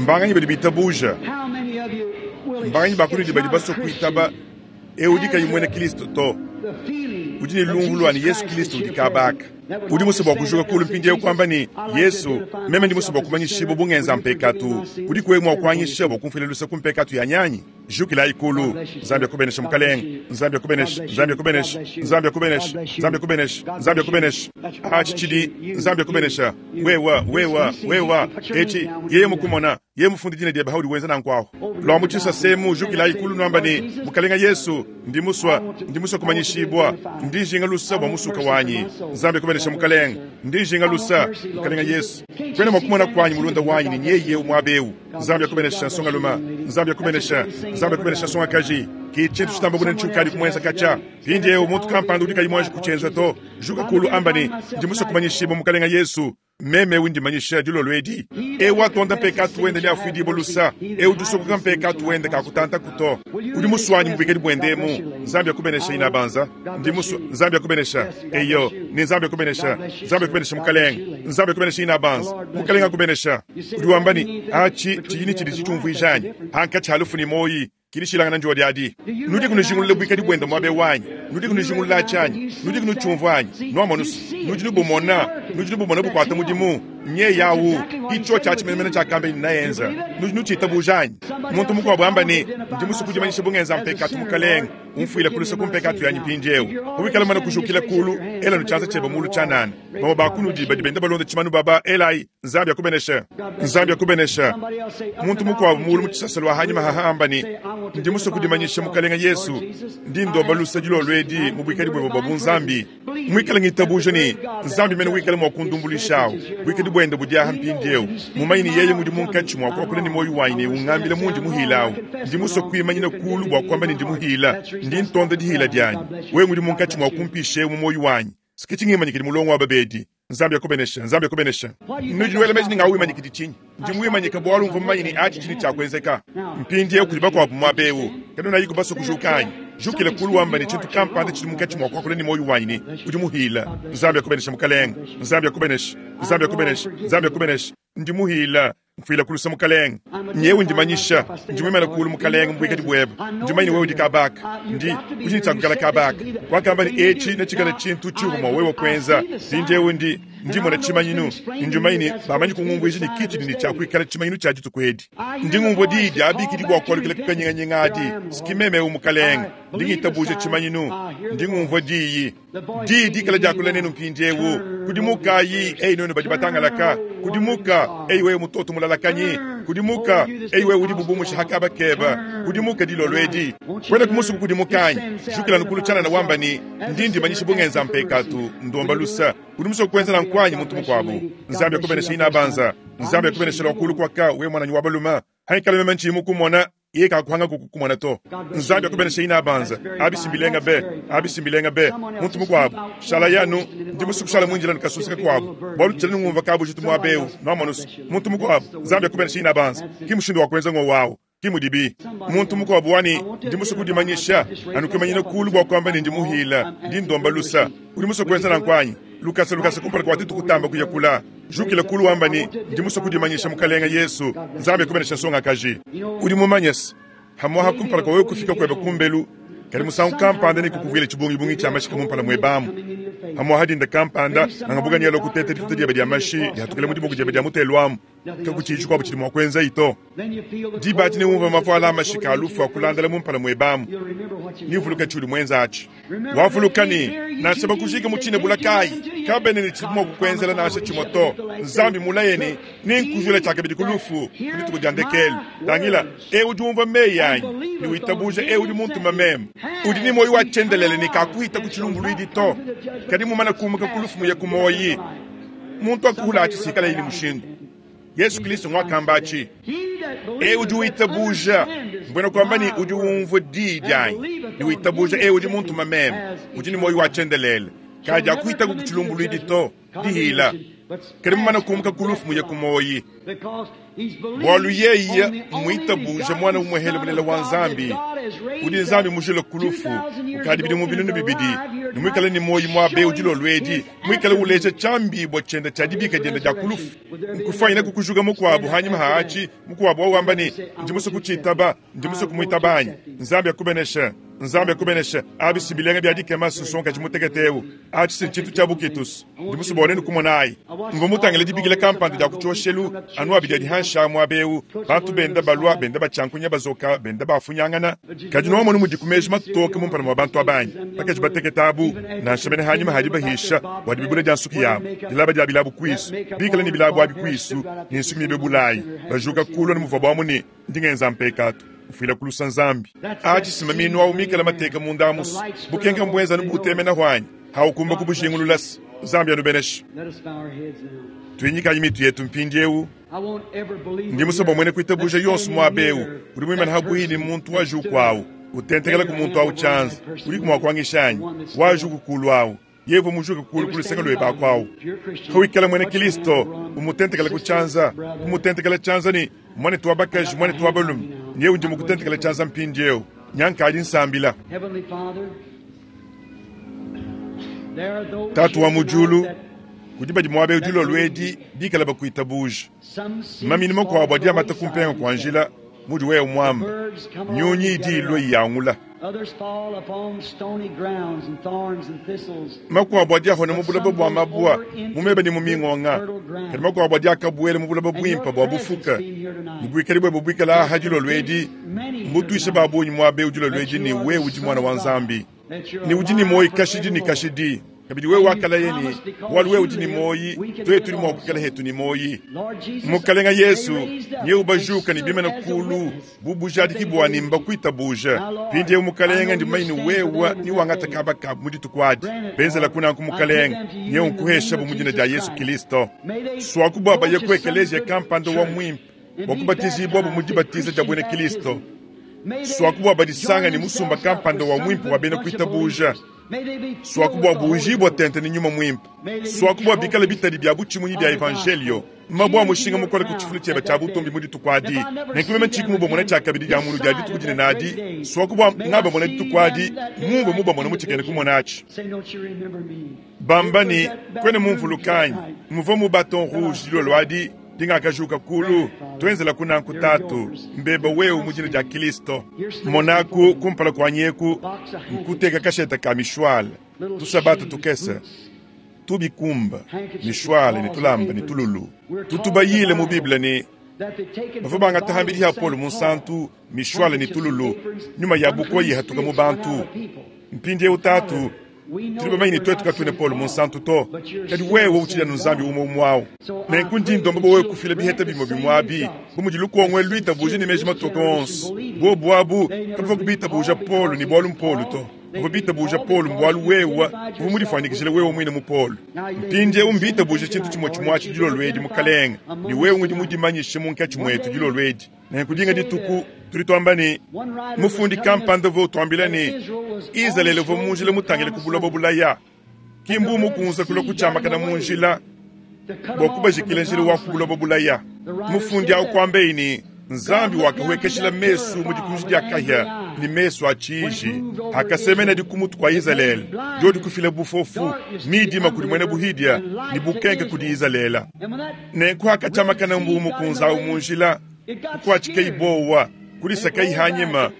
Mbanganyi badi bitabuja? Mbanganyi ba kunudi badi basue kuitaba eu udi kayi muena Kristo to? Udi ne lumvu lua ne Yesu Kristo udi kabaka. Udi musue bua kujuka kulu mpindieu kuamba ne, Yesu, meme ndi musue bua kumanyishibua bu ngenza mpekatu. Udiku wewe mua kuanyisha bua kumfuila luse ku mpekatu yanyi anyi? Jukilayi kulu. Nzambi akubeneshe, Mukalenge. Nzambi akubeneshe. Nzambi akubeneshe. Nzambi akubeneshe. Nzambi akubeneshe. Nzambi akubeneshe. Atshi tshidi Nzambi akubenesha. Wewa, wewa, wewa. Etshi, yeye mukumona, yeye mufunde dina diebe haudi wenza nanku ahu. Lua mu tshisasemu, jukilayi kulu nuamba ne, Mukalenga Yesu, ndi musua, ndi musua kumanyishibua. Ndi njinga lusa bua musuka wanyi. Nzambi akubenesha, Mukalenge. Ndi njinga lusa, Mukalenga Yesu. Kuena mua kumona kuanyi mulunda wanyi ne nyeye eu muaba eu. Nzambi akubenesha, nsongalume. Nzambi akubenesha. Nzambi akubenesha, nsongakaji. Ke tshintu tshitamba bunene tshiukadi kumuenza katshia. Mpindieu muntu kampanda udi kayi muanji kutshienza to, juka kulu amba ne, Ndi musue kumanyishibua Mukalenga Yesu. Meme eu ndi manyisha dilolo edi. Eu watonda mpekatu wende neafuidibue lusa. Eu udi usokoka mpekatu wende kakutantaku to. Udi musuanyi mu buikadi buende emu. Nzambi akubenesha, inabanza. Ndi musue. Nzambi akubenesha. Eyo, ne Nzambi akubenesha. Nzambi akubenesha, Mukalenge. Nzambi akubenesha, inabanza. Mukalenge akubenesha. Udi wamba ne, Atshi tshidi ne tshidi tshitumvuija anyi? Pankatshi ha lufu ne muoyi, kidi tshilangana ndiodi adi. Nudiku nujingulula buikadi buende muaba eu anyi? Nudiku nujingulula atshi anyi? Nudiku nutshiumvua anyi? Nuamonu's, nudi nubumona, nudi nubumona bukuata mudimu. Nyeye au, ki tshiotshi atshi menemene tshiakamba ne naenza. Nudi nutshitabuja anyi? Muntu mukuabu amba ne, Ndi musue kudimanyisha bu ngenza mpekatu, Mukalenge, umfuile ku luse ku mpekatu yanyi mpindieu. Pawikala mumane kujukila kulu, ela nu tshianza tshiebe mulu tshianana. Bamue ba kunudi badi benda balonda tshimanu baba, elayi, Nzambi akubeneshe. Nzambi akubeneshe. Muntu mukuabu mulu mu tshisasa lua hanyima haha amba ne, Ndi musue kudimanyisha, Mukalenge Yesu, ndi ndomba lusa dilolo edi mu buikadi buebe bua bunzambi. Muikale ngitabuja ne, Nzambi mene wikale mua kundumbuluishawu. Buikadi buende budi aha mpindieu. Mumanye ne yeye ngudi munkatshi mua kuakula ne muoyo wanyi ne ungambila mundi muhilawu. Ndi musue kuimanyina kulu bua kuamba ne ndi muhila. Ndi ntonda dihila dianyi. Wewe ngudi munkatshi mua kumpisha mu muoyo wanyi. Sikitshi ngimanyikidi mulongo wa babedi. Nzambi akubeneshe, Nzambi akubeneshe. Nudi nuela meji ne ngawimanyikidi tshinyi? Ndi muwimanyika bualu mvua mumanye ne atshi tshidi tshia kuenzeka. Mpindieu kudi bakuabu muaba eu. Kanunayiku basue kujuka anyi? Jukila kulu wamba ne tshintu kampanda tshidi munkatshi mua kuakula ne muoyo wanyi ne udi muhila. Nzambi akubeneshe, Mukalenge. Nzambi akubeneshe. Nzambi akubeneshe. Nzambi akubeneshe. Ndi muhila. Mfuila ku luse, Mukalenge. Nyewu ndi manyisha. Ndi muimane kulu, Mukalenge, mu buikadi buebe. Ndi mumanye ne wewe udi kabaka. Ndi, udi ne tshia kuikala kabaka. Wakamba ne etshi netshikale tshintu tshiuvua mua wewe kuenza. Mpindiewu ndi, ndi mmona tshimanyinu, ne ndi mumanye ne bamanyi kungumvuija ne ki tshidi ne tshia kuikala tshimanyinu tshia dituku edi. Ndi ngumvua diyi diabikidi bua kualukila ku kanyinganyinga adi. S'ki meme ewu, Mukalenge. Ndi ngitabuja tshimanyinu. Ndi ngumvua diyi. Diyi dikala diakula nenu mpindiewu. Kudimukayi, eyi nuenu badi batangalaka. Kudimuka, eyi wewe mutoto mulalakanyi. Kudimuka, eyi wewe udi bubumusha ha kaba keba. Kudimuka dilolo edi. Kuena ku musuku kudimuka anyi? Jukila nukulu tshianana wamba ne, Ndi ndimanyisha bu ngenza mpekatu, ndomba lusa. Udi musue kuenza nanku anyi, muntu mukuabu? Nzambi akubenesha inabanza. Nzambi akubenesha lua kulu kuaka, wewe muananyi wa balume. Haikala meme ntshiyi mukumona, yeye kakuhanga kukukumona to. Nzambi akubenesha inabanza. Abi mbilenga be, abi mbilenga be. Muntu mukuabu, shala yanu, ndi musue kushala muindila ne kasusa kakuabu, bualu tshiena ngumvua kabujitu muaba eu. Nuamonu's, muntu mukuabu, Nzambi akubenesha inabanza. Ki mushindu wa kuenza ngowu awu. Ki mudibi. Muntu mukuabu wani, ndi musue kudimanyisha, anu kuimanyina kulu bua kuamba ne ndi muhila, ndi ndomba lusa. Udi musue kuenza nanku anyi? Lukasa lukasa kumpala kua tuetu kutamba kuya kula. Jukila kulu wamba ne, ndi musue kudimanyisha, Mukalenge Yesu. Nzambi akubenesha nsongakaji. Udi mumanye se, pamuapa kumpala kua wewe kufika kuebe kumbelu, kadi musangu kampanda nekukuvuile tshibungibungi tshia mashika mu mpala muebe amu. Pamuapa dinda kampanda, nangabuka nealue kuteta dituta diebe dia mashi dihatukila mu diboko diebe dia mutelu amu. Kakutshiyi tshikuabu tshidi mua kuenza to. Diba adi neumvue mavuala a mashika a lufu akulandala mu mpala muebe amu. Neuvuluke tshiudi muenza atshi. Wavuluka ne, nansha bakujike mu tshina bula kayi, kabena ne tshidibu mua kukuenzela nansha tshimue to. Nzambi mmulaye ne, Nenkujule tshiakabidi ku lufu ku dituku dia ndekelu. Tangila, eu udi umvua meyi anyi ne witabuja eu udi muntume meme, udi ne muoyo wa tshiendelele ne kakuhita ku tshilumbuluidi to, kadi mumane kumuka ku lufu muye ku muoyi. Muntu akuhula atshi sikalaye ne mushindu. Yesu Kristo nguakamba atshi. Eu udi witabuja, mbuena kuamba ne udi umvua diyi dianyi ne witabuja eu udi muntuma meme, udi ne muoyo wa tshiendelele. Kadiakuhitaku ku tshilumbuluidi to, dihila. Kadi mumane kumuka ku lufu muye ku muoyi. Bualu yeye mmuitabuje Muana umuehele mulela wa Nzambi, udi Nzambi mujule ku lufu kukadi bidimu 2000, ne muikale ne muoyi muaba eu dilolo edi, muikale uleja tshiambibua tshiende tshia dibika diende dia ku lufu. Nkufuanyine kukujuka mukuabu hanyima ha atshi, mukuabu wa wamba ne, Ndi musue kutshitaba, ndi musue kumuitaba anyi? Nzambi akubeneshe. Nzambi akubeneshe. Abi si bilenga bia dikema, nsongakaji mutekete eu. Atshi si ntshintu tshia bukitus. Ndi musue bua nuenu kumonayi. Mvua mutangile dibikila kampanda dia ku tshioshelu anu abidi adi hanshi aa muaba eu, bantu benda balua, benda batshiankunya, bazoka, benda bafunyangana. Kadi nuamonu mudiku meji matoke mumpala mua bantu aba anyi? Bakaji batekete abu, nansha mene hanyima ha dibahisha bua dibibula dia nsuki yabu, dilaba dia bilabu kuisu, bikale ne bilabu abi kuisu, ne nsuki mibe bulayi, bajuka kulu anu muvuabu amu ne, Ndi ngenza mpekatu, mfuila ku lusa Nzambi. Atshi si maminu awu mikale mateka munda amusu. Bukenka mbuenza anu butemena anyi? Haukumba kubujingulula se. Nzambi anubeneshe. Tuinyikayi mitu yetu mpindieu. Ndi musue bua muena kuitabuja yonso muaba eu udi muimane habuihi ne muntu wa juku awu, utentekela ku muntu awu tshianza. Udiku mua kuangisha anyi? Wa juku kulu awu. Yevu mujuke kulu ku luseke luebe aku awu. Pawikala muena Kilisto, umutentekela ku tshianza, kumutentekela tshianza ne, Muanetu wa bakaji, muanetu wa balume, nyewu ndi mukutentekela tshianza mpindieu. Nya nkadi nsambila. Tatu wa mu diulu, kudi badi muaba eu dilolo edi bikale bakuitabuja. Maminu makuabu adi amata ku mpenga kua njila, mudi wewe muamba. Nyunyi idi ilua iyangula. Makuabu adi ahona mu bulaba bua mabua, mu meba ne mu mingonga. Kadi makuabu adi akabuela mu bulaba buimpe bua bufuka. Ne buikadi buebe buikala aha dilolo edi, mbutuishe ba bungi muaba eu dilolo edi ne wewe udi Muana wa Nzambi, ne udi ne muoyo kashidi ne kashidi. Kabidi wewe wakalaya ne, bualu wewe udi ne muoyi, tuetu tudi mua kuikala hetu ne muoyi. Mukalenga Yesu, nyewu bajuka ne bimana kulu bu bujadiki bua ne mbakuitabuja. Mpindieu Mukalenga, ndi mumanye ne wewe niwangata kaba kabu mu dituku adi. Benzela kunanku Mukalenga, nyewu nkuheshabu mu dina dia Yesu Kilisto. Suaku bua baye ku ekeleziya kampanda wa muimpe bua kubatizibuabu mu dibatiza dia buena Kilisto. Suaku bua badisanga ne musumba kampanda wa muimpe wa bena kuitabuja. Suaku bua buujibua tente ne Nyuma Muimpe. Suaku bua bikale bitadi bia butshimunyi bia Evanjeliyo, mabue a mushinga mukole ku tshifulu tshiebe tshia butumbi mu dituku adi. Nenku meme tshiyi kumubamona tshiakabidi dia mulu dia dituku dinene adi, suaku bua ngabamona dituku adi mumvua mubamona mu tshikena kumona atshi. Bamba ne, Kuena mumvuluke anyi? Mvua mu Baton Rouge dilolo adi dingakajuka kulu. Tuenzelaku nanku, Tatu. Mbeba wewe mu dina dia Kilisto. Monaku kumpala kuanyi eku, nkuteka kashete ka mishwale, tusabata tukese, tubikumba, mishwale ne tulamba ne tululu. Tutubayile mu Bible ne, bavua bangata hambidi ha Paulo Munsantu mishwale ne tululu, nyuma ya bukoya ihatuka mu bantu. Mpindieu, Tatu, Tudi bamanye ne tuetu katuena Paulo Munsantu to, kadi wewe utshidi anu Nzambi umue umue au. Nenku ndi ndomba bua wewe kufila biheta bimue bimue abi, bu mudi lukongo elu luitabuja ne meji matoke onso. Buobu abu kabavua kubitabuja Paulo ne bualu m'Paulo to. Bavua bitabuja Paulo mbualu wewe uvua mudifuanyikijile wewe muine mu Paulo. Mpindieu mbitabuje tshintu tshimue tshimue atshi dilolo edi, Mukalenge, ne wewe ngudi mudimanyishe munkatshi muetu dilolo edi. Nenku dinga dituku tudi tuamba ne, mufundi kampanda uvua utuambila ne, Izalele uvua mu njila mutangile ku buloba bulaya, ki mbu mukunze kulua kutshiamakana mu njila bua kubajikila njila wa ku buloba bulaya. Mufundi au kuambaye ne, Nzambi wakahuekeshila mesu mu dikunji dia kahia ne mesu a tshiji akasemenadi ku mutu kua Izalele, diodi kufila bufofu, midima kudi muena buhidia ne bukenke kudi Izalele. Nenku hakatshiamakana mbuu mukunze au mu njila, kukuatshikayi buowa, kulisakayi hanyima,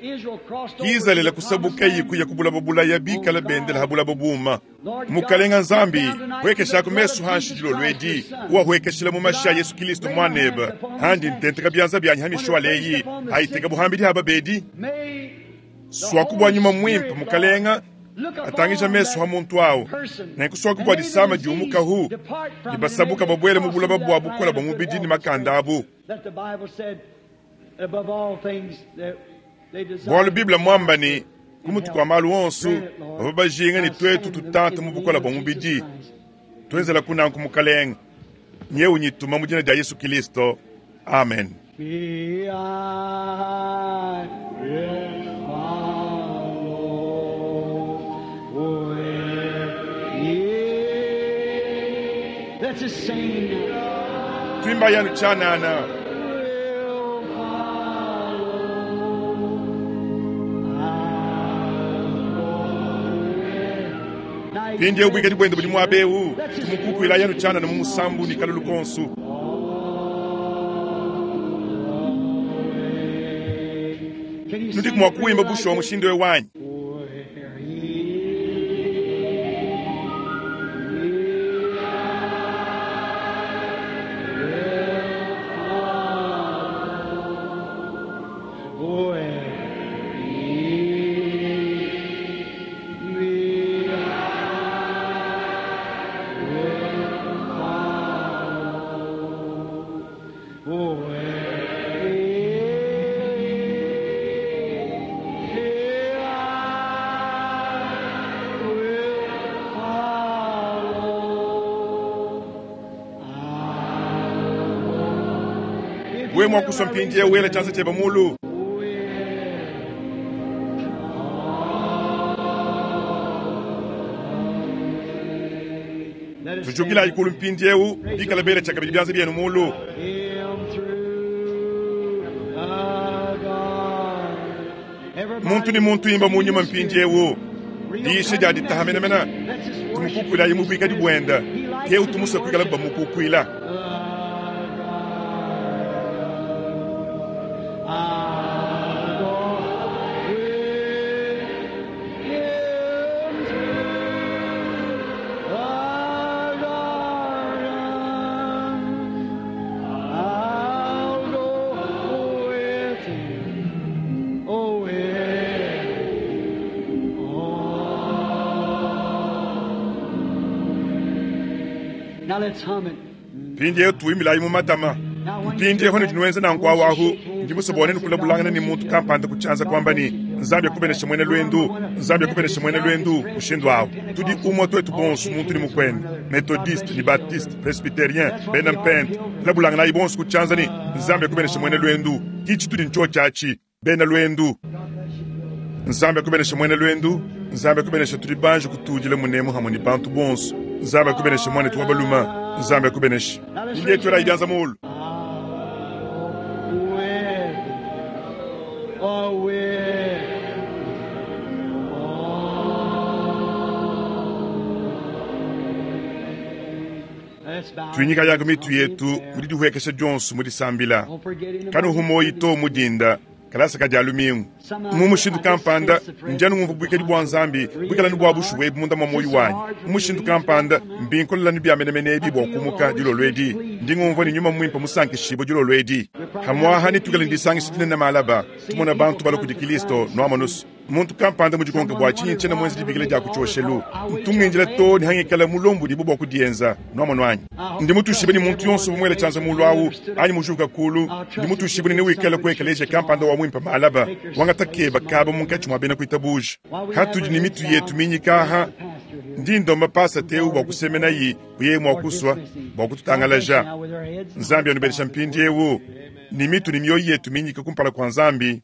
Izalele kusabukayi kuya ku bulaba bulaya bikala bendela ha bulaba buuma. Mukalenga Nzambi, huekeshaku mesu hanshi dilolo edi, uwahuekeshila mu mashi a Yesu Kilisto Muanebe, handi ntenteka bianza bianyi ha mishuala eyi, ayiteka buhambidi ha babedi. Suaku bua Nyuma Muimpe, Mukalenga, atangija mesu ha muntu awu, nenku suaku bua disama diumukahu, ne basabuka babuele mu bulaba bua bukole bua mubidi ne makanda abu. Bualu Bible muamba ne, ku mutu kua malu onso, bavua bajinga ne tuetu tutanta mu bukole bua mubidi. Tuenzelaku nanku, Mukalenge. Nyewu nyituma mu dina dia Yesu Kilisto. Amen. Me, I will follow where you. Let's just sing now. Tuimbayi anu tshianana. Will follow. I'll go with. Now, Mpindieu buikadi buende budi muaba eu Let's just tumukukuilayi anu tshianana mu musambu ne kalulu konso. Can you Nudiku sing mua it kuimba like bushuwa this? mushindu eu wanyi. Where he will follow, where he me I will follow. Where I will follow. If Wewe you mua kusua mpindieu wela tshianza tshiebe mulu. Let us Tujukilayi kulu mpindieu bikala bela tshiakabidi bianza bienu mulu. him through the garden. Muntu ne muntu imba mu nyuma mpindieu. Diisha dia ditaha menemene. Tumukukuilayi mu buikadi buende. Keu tumusue kuikala bamukukuila. I'll go with him through the garden. I'll go with him. Oh, with oh. Now let's hum it. Mpindieu tuimbilayi mu matama. Mpindieu ne dinuenza nanku awu ndi musue ne kulabulangana ne muntu kampanda ku tshianza kuamba ne Nzambi akubeneshe muena luendu, Nzambi akubeneshe muena luendu mushindu awu. Tudi umue tuetu bonso muntu ne mukuende, Methodiste ne Baptiste, Presbyterien, bena Mpente, labulanganayi bonso ku tshianza ne Nzambi akubeneshe muena luendu. Kitshi tudi ntshio tshiatshi, bena luendu. Nzambi akubeneshe muena luendu, Nzambi akubeneshe tudi banji kutudila munemu hamwe ne bantu bonso. Nzambi akubeneshe muanetu wa baluma, Nzambi akubeneshe. Ndiye twelayi bianza mulu. With, oh, with, oh. Let's bow. Tuinyika yako mitu yetu mu didihuekesha dionso mu disambila. Don't forget in the Kanuhu moyi to mudinda kalasa ka dia lumingu. Mu mushindu kampanda ndianu ngumvu buikadi bua Nzambi buikala ne bua bushuwa ebu munda mwa moyi wanyi. Mu mushindu kampanda mbinkolelanu bia menemene ebi bua kumuka dilolo edi. Ndi ngumvua ne nyuma muimpe musankishibue dilolo edi. Hamwaha netuikale ne disangisha dinene malaba tumona bantu balua kudi Kristo nuamonusu. Muntu kampanda mudikonke bua tshinyi tshiena muenze dibikila dia ku tshioshelu. Ntungindila to ne hangikala mulombo dibu bua kudienza nuamono anyi. Ndi mutushibe ne muntu yonso bumuele tshianza mulu awu anyi mujuka kulu. Ndi mutushibe ne newikale ku ekelesia kampanda wa muimpe malaba wangata keba kaba munkatshi mua bena kuitabuja. Hatudi ne mitu yetu minyikaha ndi ndomba pasa teu bua kusemenayi buye mua kusua bua kututangalaja. Nzambi anubenesha mpindiewu ne mitu ne mioyo yetu minyika kumpala kua Nzambi.